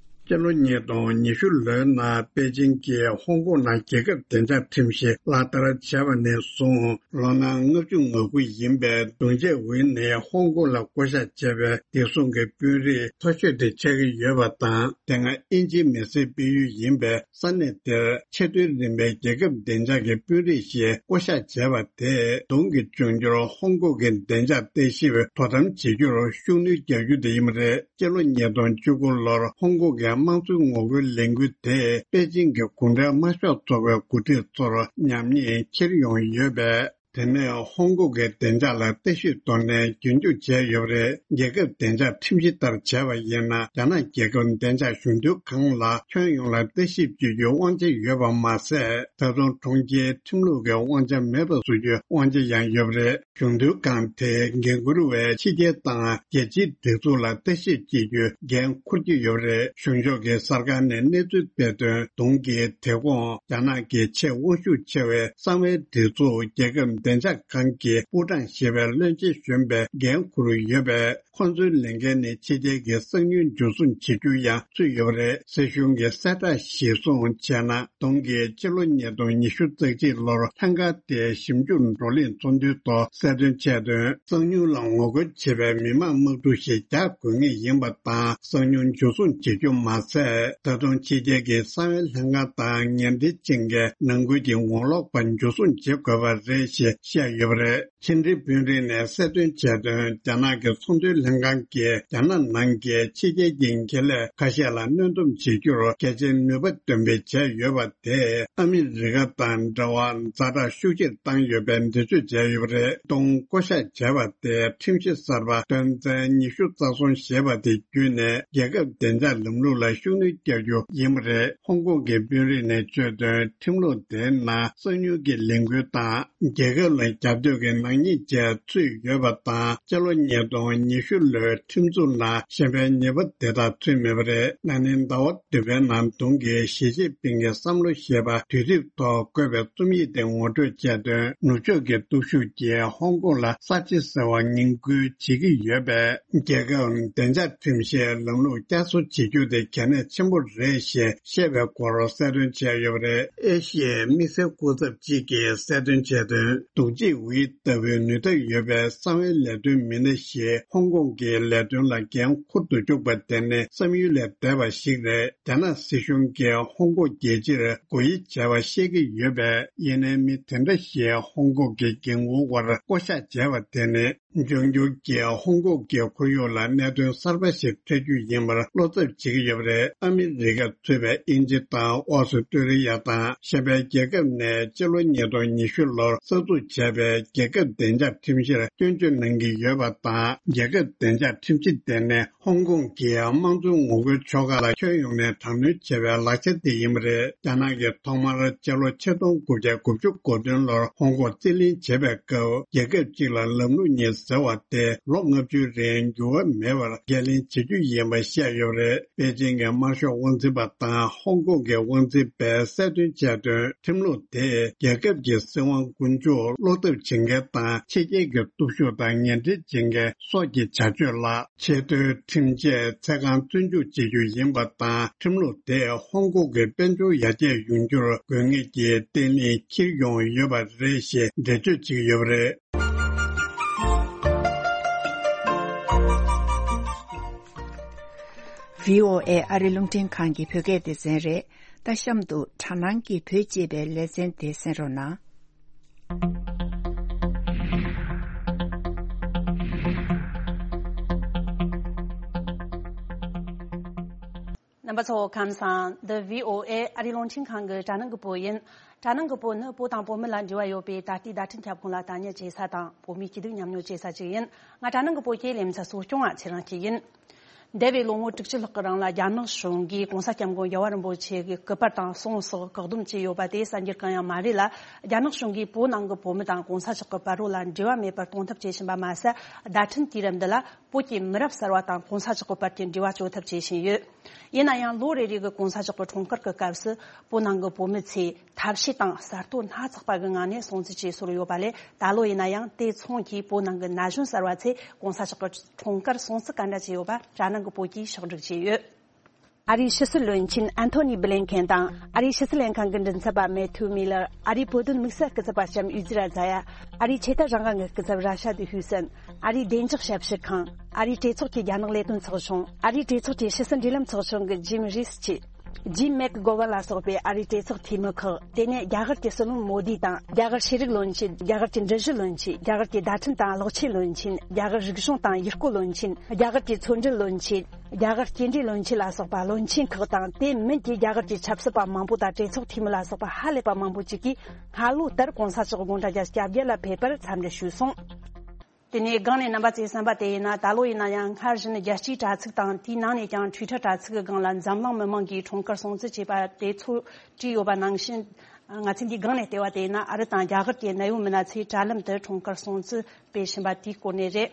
སྤྱི་ལོ་ཉིས་སྟོང་ཉི་ཤུ་ལོའི་ནང་པེ་ཅིང་གིས་ཧོང་ཀོང་ནང་རྒྱལ་ཁབ་བདེ་འཇགས་ཁྲིམས་གཞི་ལག་བསྟར་བྱས་པ་ནས་བཟུང་ལོ་ན་ལྔ་བཅུ་ང་དགུ་ཡིན་པའི་གདུང་བྱས་འོས་ནས་ཧོང་ཀོང་ལ་བསྐོ་གཞག་བྱས་པའི་བདེ་སྲུང་གི་དཔོན་རིགས་མཐོ་ཤོས་དེ་ཆགས་ཀྱི་ཡོད་པ་དང་། དེ་སྔ་དབྱིན་ཇིའི་མི་སེར་སྤེལ་ཡུལ་ཡིན་པའི་ས་གནས་དེར་ཆེས་མཐོའི་རིམ་པའི་རྒྱལ་ཁབ་བདེ་འཇགས་ཀྱི་དཔོན་རིགས་ཤིག་བསྐོ་གཞག་བྱས་པ་དེས་གདུང་གི་འབྱུང་འགྱུར་ཧོང་ཀོང་གི་བདེ་འཇགས་ལྟ་ཞིབ་དོ་དམ་བྱེད་རྒྱུར་ཤུགས་སྣོན་རྒྱག་རྒྱུ་དེ་ཡིན་པ་རེད། སྤྱི་ལོ་ཉིས་སྟོང་བཅུ་དགུ་ལོར་ཧོང་ཀོང་གི་དམངས་གཙོའི་ངོ་རྒོལ་ལས་འགུལ་དེས་པེ་ཅིང་གི་གུང་ཁྲན་དམར་ཤོག་ཚོགས་པའི་འགོ་ཁྲིད་ཚོར་ཉམས་ཉེས་འཁྱེར་ཡོང་ཡོད་པས། དེ་ནས་ཧོང་ཀོང་གི་བདེ་འཇགས་ལ་ལྟ་ཞིབ་ཐོག་ནས་རྒྱུན་འཁྱོངས་བྱས་ཡོད་པ་རེད། རྒྱལ་ཁབ་བདེ་འཇགས་ཁྲིམས་གཞི་ལྟར་བྱས་པ་ཡིན་ན། རྒྱ་ནག་རྒྱལ་ཁབ་བདེ་འཇགས་གཞུང་དོན་ཁང་ལ་ཁྱོན་ཡོངས་ལ་ལྟ་ཞིབ་བྱེད་རྒྱུའི་དབང་ཆ་ཡོད་པ་མ་ཟད། ད་དུང་གྲོང་ཁྱེར་ཁྲིམས་ལུགས་ཀྱི་དབང་ཆ་མེད་པ་བཟོ་རྒྱུའི་དབང་ཆ་ཡང་ཡོད་པ་རེད། གཞུང་དོན་ཁང་དེས་འགན་འཁུར་བའི་ཕྱི་རྒྱལ་དང་རྒྱལ་སྤྱིའི་སྒྲིག་འཛུགས་ལ་ལྟ་ཞིབ་བྱེད་རྒྱུའི་འགན་འཁུར་གྱི་ཡོད་པ་རེད། གཞུང་ཕྱོགས་ཀྱི་གསར་ཁང་ནས་གནས་ཚུལ་སྤེལ་དོན། གདུང་གིས་དེ་གོང་རྒྱ་ནག་གི་ཆེས་དབང་ཤུགས་ཆེ་བའི་གསང་བའི་སྒྲིག་འཛུགས་རྒྱལ་ཁབ་བདེ་འཇགས་ཁང་གི་པུའུ་ཀྲང་ཞེས་པའི་བློན་ཆེན་གཞོན་པའི་འགན་འཁུར་ཡོད་པས། ཁོ་ཚོའི་ལས་འགན་ནི་ཕྱི་རྒྱལ་གྱི་གསང་ཉུལ་འཇུ་བཟུང་བྱེད་རྒྱུ་ཡང་ཚུད་ཡོད་པ་རེད། སྲིད་གཞུང་གི་གསལ་བསྒྲགས་གཞིར་བཟུང་བྱས་ན། གདུང་གིས་ཕྱི་ལོ་ཉིས་སྟོང་ཉི་ཤུ་རྩ་གཅིག་ལོར་ལྷན་ཁང་དེའི་ཞིབ་འཇུག་བགྲོ་གླེང་ཚོགས་འདུའི་ཐོག་གསལ་སྟོན་བྱས་དོན། གསང་ཉུལ་ལ་ངོ་རྒོལ་བྱེད་པའི་མི་མང་དམག་འཁྲུག་ཞིག་རྒྱག་དགོས་ངེས་ཡིན་པ་དང་། གསང་ཉུལ་འཇུ་བཟུང་བྱེད་རྒྱུ་མ་ཟད། ད་དུང་ཕྱི་རྒྱལ་གྱི་གསང་བའི་ལྷན་ཁང་དང་ཉེ་འབྲེལ་ཅན་གྱི་ནང་ཁུལ་གྱི་ངོ་ལོག་པ་འཇུ་བཟུང་བྱེད་དགོས་པ་རེད་ཞེས་བཤད་ཡོད་པ་རེད། ཕྱི་འབྲེལ་དཔོན་རིགས་ནས་གསལ་སྟོན་བྱས་དོན། རྒྱ་ནག་གི་ཚོང་དོན་ལྷན་ཁང་གིས་རྒྱ་ནག་ནང་གི་ཕྱི་རྒྱལ་གྱི་ཁེ་ལས་ཁ་ཤས་ལ་གནོན་སྡོམ་བྱེད་རྒྱུར་གལ་ཆེའི་ནུས་པ་འདོན་སྤེལ་བྱས་ཡོད་པ་དེས་ཨ་མི་རི་ཀ་དང་འབྲེལ་བ་ཛ་དྲག་ཤུགས་ཆེར་བཏང་ཡོད་པའི་འགྲེལ་བརྗོད་བྱས་ཡོད་པ་རེད། གདུང་བསྐོ་གཞག་བྱས་པ་དེ་ཁྲིམས་གཞི་གསར་པ་དོན་ཚན་ཉི་ཤུ་རྩ་གསུམ་ཞེས་པ་དེ་བརྒྱུད་ནས་རྒྱལ་ཁབ་བདེ་འཇགས་ལམ་ལུགས་ལ་ཤུགས་སྣོན་རྒྱག་རྒྱུ་ཡིན་པ་རེད། ཧོང་ཀོང་གི་དཔོན་རིགས་ནས་བརྗོད་དོན། ཁྲིམས་ལུགས་དེའི་ནང་གསང་ཉུལ་གྱི་ལས་འགུལ་དང་རྒྱལ་ཁབ་ ཚོ་ལ་རྒྱབ་གཏོད་ཀྱི་ནག་ཉེས་བཅས་ཚུད་ཡོད་པ་དང་། སྤྱི་ལོ་ཉིས་སྟོང་ཉི་ཤུ་ལོའི་ཁྲིམས་འཛུགས་ནང་ཤེས་དཔལ་ཉེས་པ་དེ་དག་ཚུད་མེད་པ་རེད། ན་ནིང་ཟླ་བ་བདུན་པའི་ནང་གདོང་གི་ཞི་ཅིན་ཕིང་གི་བསམ་བློ་ཞེས་པ་དུས་དེབ་ཐོག་བཀོད་པའི་རྩོམ་ཡིག་དེ་ངོ་སྤྲོད་བྱས་དོན། ནུབ་ཕྱོགས་ཀྱི་སྟོབས་ཤུགས་ཀྱིས་ཧོང་ཀོང་ལ་གསར་བརྗེ་ཟེར་བ་ངན་སྐུལ་བྱེད་ཀྱི་ཡོད་པས། རྒྱལ་ཁབ་བདེ་འཇགས་ཁྲིམས་གཞིའི་ལམ་ལུགས་བསྐྱར་གསོ་བྱེད་རྒྱུ་དེ་གལ་གནད་ཆེན་པོ་རེད་ཞེས་བཤད་པའི་སྐོར་གསལ་སྟོན་བྱས་ཡོད་པ་རེད། ཨེ་ཤི་ཡའི་དམིགས་བསལ་སྐུ་ཚབ་ཅིག་གིས་གསལ་སྟོན་བྱས་དོན། རྡོག་རྫིས་ཝེ་ལྟ་བུའི་ནུས་སྟོབས་ཡོད་པའི་གསང་བའི་ལས་དོན་མི་སྣ་ཞིག་ཧོང་ཀོང་གི་ལས་དོན་ལ་འགན་འཁུར་དུ་བཅུག་པ་དེ་ནི་བསམ་ཡུལ་ལས་འདས་པ་ཞིག་རེད། རྒྱ་ནག་སྲིད་གཞུང་གིས་ཧོང་ཀོང་རྒྱལ་སྤྱིར་དགོས་ཡིད་བྱས་པ་བཤད་ཀྱི་ཡོད་པས། ཡིན་ནའི་མི་དེ་འདྲ་ཞིག་ཧོང་ཀོང་གི་འགན་འཁུར་བར་བསྐོ་གཞག་བྱས་པ་དེ་ནི། འབྱུང་འགྱུར་གྱི་ཧོང་ཀོང་གི་ཁོར་ཡུག་ལ་གནད་དོན་གསར་པ་ཞིག་འཕྲད་རྒྱུ་ཡིན་པར་བློ་འཚབ་བྱེད་ཀྱི་ཡོད་པ་རེད། ཨ་མི་རི་ཀ་ཚུད་པའི་དབྱིན་ཇི་དང་ཨོ་སི་ཀྲི་ལི་ཡ་དང་ཤེས་དཔལ་རྒྱལ་ཁབ་ནས་སྤྱི་ལོ་ཉིས་སྟོང་ཉི་ཤུ་ལོར་གསར་འཛུགས་བྱས་པའི་རྒྱལ་ཁབ་བདེ་འཇགས་ཁྲིམས་གཞིར་སྐྱོན་བརྗོད་གནང་གི་ཡོད་པ་དང་། རྒྱལ་ཁབ་བདེ་འཇགས་ཁྲིམས་གཞི་དེ་ནི་ཧོང་ཀོང་གི་དམངས་གཙོའི་ངོ་རྒོལ་ཕྱོགས་ཁག་ལ་ཁྱོན་ཡོངས་ནས་དྲག་གནོན་བྱས་པའི་ལག་ཆ་དེ་ཡིན་པ་རེད། རྒྱ་ནག་གིས་ཐོག་མར་སྤྱི་ལོ་ཆིག་སྟོང་དགུ་བརྒྱ་དགུ་བཅུ་གོ་བདུན་ལོར་ཧོང་ཀོང་རྩིས་ལེན་བྱེད་པའི་སྐབས། རྒྱལ་ཁབ་གཅིག་ལ་ལམ་ལུགས་གཉིས་ཟེར་བ་དེ་ལོ་ལྔ་བཅུའི་རིང་འགྱུར་བ་མེད་པར་འགན་ལེན་བྱེད་རྒྱུ་ཡིན་པ་བཤད་ཡོད་པ་རེད། པེ་ཅིང་གི་དམར་ཤོག་དབང་འཛིན་པ་དང་ཧོང་ཀོང་གི་དབང་འཛིན་པས་གསལ་སྟོན་བྱས་དོན། ཁྲིམས་ལུགས་དེས་རྒྱལ་ཁབ་ཀྱི་སྲིད་དབང་དཀོན་མཆོག་བློ་འཐབ་བྱེད་མཁན་དང་། ཕྱི་རྒྱལ་གྱི་སྟོབས་ཤུགས་དང་ངན་འབྲེལ་བྱེད་མཁན་སོགས་ཀྱི་བྱ་སྤྱོད་ལ། ཆེས་མཐོའི་ཁྲིམས་ཆད་ཚད་བཀག་བཙོན་འཇུག་བྱེད་རྒྱུ་ཡིན་པ་དང་། ཁྲིམས་ལུགས་དེས་ཧོང་ཀོང་གི་དཔལ་འབྱོར་ཡར་རྒྱས་ཡོང་རྒྱུར་དགོས་ངེས་ཀྱི་བརྟན་ལྷིང་འཁྱེར་ཡོང་ཡོད་པ་རེད་ཞེས་འགྲེལ་བརྗོད་བྱེད་ཀྱི་ཡོད་པ་རེད། བྷི་ཨོ་ཨེ་ཨ་རི་རླུང་འཕྲིན་ཁང་གི་བོད་སྐད་སྡེ་ཚན་རེད། ད་གཤམ་དུ་དྲ་སྣང་གི་བོད་ཅེས་པའི་ལེ་ཚན་དེ་གསན་རོགས་གནང་། རྣམ་པ་ཚོ་ཁམས་བཟང་། འདི་བྷི་ཨོ་ཨེ་ཨ་རིའི་རླུང་འཕྲིན་ཁང་གི་དྲ་སྣང་གི་པོ་ཡིན། དྲ་སྣང་གི་པོ་ནི་བོད་དང་བོད་མི་ལ་འབྲེལ་བ་ཡོད་པའི་ད་ལྟའི་བརྡ་འཕྲིན་ཁྱབ་ཁོངས་ལ་ལྟ་ཉན་བྱེད་ས་དང་། བོད་མིའི་སྐྱིད་སྡུག་མཉམ་མྱོང་བྱེད་ས་ཅིག་ཡིན། ང་དྲ་སྣང་གི་པོ་ཁྱེད་ལེ་མཚན་གསོ་སྐྱོང་བ་ཚེ་རིང་སྐྱིད་ཡིན། འདས་པའི་ལོ་ངོ་དྲུག་ཅུ་ལྷག་གི་རིང་ལ་རྒྱ་ནག་གཞུང་གིས་གོང་ས་སྐྱབས་མགོན་རྒྱལ་བ་རིན་པོ་ཆེ་གི་སྐུ་པར་དང་གསུང་སོགས་བཀག་སྡོམ་བྱས་ཡོད་པ་དེ་གསར་འགྱུར་གང་ཡང་མ་རེད་ལ། རྒྱ་ནག་གཞུང་གིས་བོད་ནང་གི་བོད་མི་དང་གོང་ས་མཆོག་གི་པར་རོ་ལ་འབྲེལ་བ་མེད་པར་གཏོང་ཐབས་བྱེད་བཞིན་པ་མ་ཟད། བརྡ་འཕྲིན་དུས་རབས་འདི་ལ་བོད་ཀྱི་མི་རབས་གསར་བ་དང་གོང་ས་མཆོག་གི་པར་གྱི་འབྲེལ་བ་གཅོད་ཐབས་བྱེད་བཞིན་ཡོད། ཡིན་ན་ཡང་ལོ་རེ་རེ་གི་གོང་ས་མཆོག་གི་འཁྲུངས་སྐར་གྱི་སྐབས་སུ་བོད་ནང་གི་བོད་མི་ཚོས་ཐབས་ཤེས་དང་གསར་གཏོད་སྣ་ཚོགས་པ་གི་ངང་ནས་སྲུང་བརྩི་བྱས་སྲོལ་ཡོད་པ་ལས། ད་ལོ་ཡིན་ན་ཡང་དེ་མཚུངས་ཀྱིས་བོད་ནང་གི་ན་གཞོན་གསར་བ་ཚོས་གོང་ས་མཆོག་གི་འཁྲུངས་སྐར་སྲུང་བརྩི་ག་འདྲ་བྱས་ཡོད་པ་དྲ་སྣང་གི་པོ་གིས་ཕྱོགས་བསྒྲིགས་བྱས་ཡོད། ཨ་རིའི་ཕྱི་སྲིད་བློན་ཆེན་ཨན་ཐོ་ནི་བྷི་ལིན་ཁེན་དང་། ཨ་རིའི་ཕྱི་སྲིད་ལྷན་ཁང་གི་མགྲིན་ཚབ་པ་མེ་ཐུ་མི་ལར། ཨ་རིའི་བོད་དོན་དམིགས་བསལ་སྐུ་ཚབ་པ་ལྕམ་ཡུ་ཛི་ར་ཛ་ཡ། ཨ་རིའི་ཆོས་དད་རང་དབང་གི་སྐུ་ཚབ་ར་ཤ་དི་ཧུ་སན། ཨ་རིའི་བདེ་འཇགས་ཞབས་ཞུ་ཁང་། ཨ་རིའི་གྲོས་ཚོགས་ཀྱི་རྒྱ་ནག་ལས་དོན་ཚོགས་ཆུང་། ཨ་རིའི་གྲོས་ཚོགས་ཀྱི་ཕྱི་སྲིད་འབྲེལ་ལམ་ཚོགས་ཆུང་གི་ཇིམ་རིས་ཆི། ཇིམ་མེག་གྷོ་ཝན་ལ་སོགས་པའི་ཨ་རིའི་གྲོས་ཚོགས་འཐུས་མི་ཁག། དེ་ནས་རྒྱ་གར་གྱི་སྲིད་བློན་མོ་དི་དང་། རྒྱ་གར་ཤེས་རིག་བློན་ཆེན། རྒྱ་གར་གྱི་འབྲི་གཞི་བློན་ཆེན། རྒྱ་གར་གྱི་བརྡ་འཕྲིན་དང་གློག་ཆས་བློན་ཆེན། རྒྱ་གར་རིག་གཞུང་དང་ཡུལ་སྐོར་བློན་ཆེན། རྒྱ་གར་གྱི་མཚོ་འབྲེལ་བློན་ཆེན། རྒྱ་གར་སྐྱེལ་འདྲེན་བློན་ཆེན་ལ་སོགས་པ་བློན་ཆེན་ཁག་དང་། དེ་མིན་གྱི་རྒྱ་གར་གྱི་ཆབ་སྲིད་པ་མང་པོ་དང་། གྲོས་ཚོགས་འཐུས་མི་ལ་སོགས་པ་ཧ་ལས་པ་མང་པོ་ཅིག་གིས་སྔ་ལོ་ལྟར་གོང་ས་མཆོག་དགུང་གྲངས་བརྒྱད་ཅུ་གྱ་བརྒྱད་ལ་ཕེབས་པར་འཚམས་འདྲི་ཞུས་སོང་། དེ་ནས་སྒང་ནས་རྣམ་པ་ཚོས་གསན་པ་དེ་ཡིན་ན། ད་ལོ་ཡིན་ན་ཡང་སྔར་བཞིན་རྒྱལ་སྤྱིའི་དྲ་ཚིགས་དང་། དེའི་ནང་ནས་ཀྱང་Twitter་དྲ་ཚིགས་ཀྱི་སྒང་ལ་འཛམ་གླིང་མི་མང་གིས་འཁྲུངས་སྐར་སྲུང་བརྩི་བྱས་པ་དེ་ཚོ་བྲིས་ཡོད་པ་ནང་བཞིན། ང་ཚོས་འདིའི་སྒང་ནས་བལྟས་པ་དེ་ཡིན་ན། ཨ་རི་དང་རྒྱ་གར་གྱི་གནད་ཡོད་མི་སྣ་ཚོས་དྲ་ལམ་དུ་འཁྲུངས་སྐར་སྲུང་བརྩི་སྤེལ་བཞིན་པ་དེའི་སྐོར་ནས་རེད།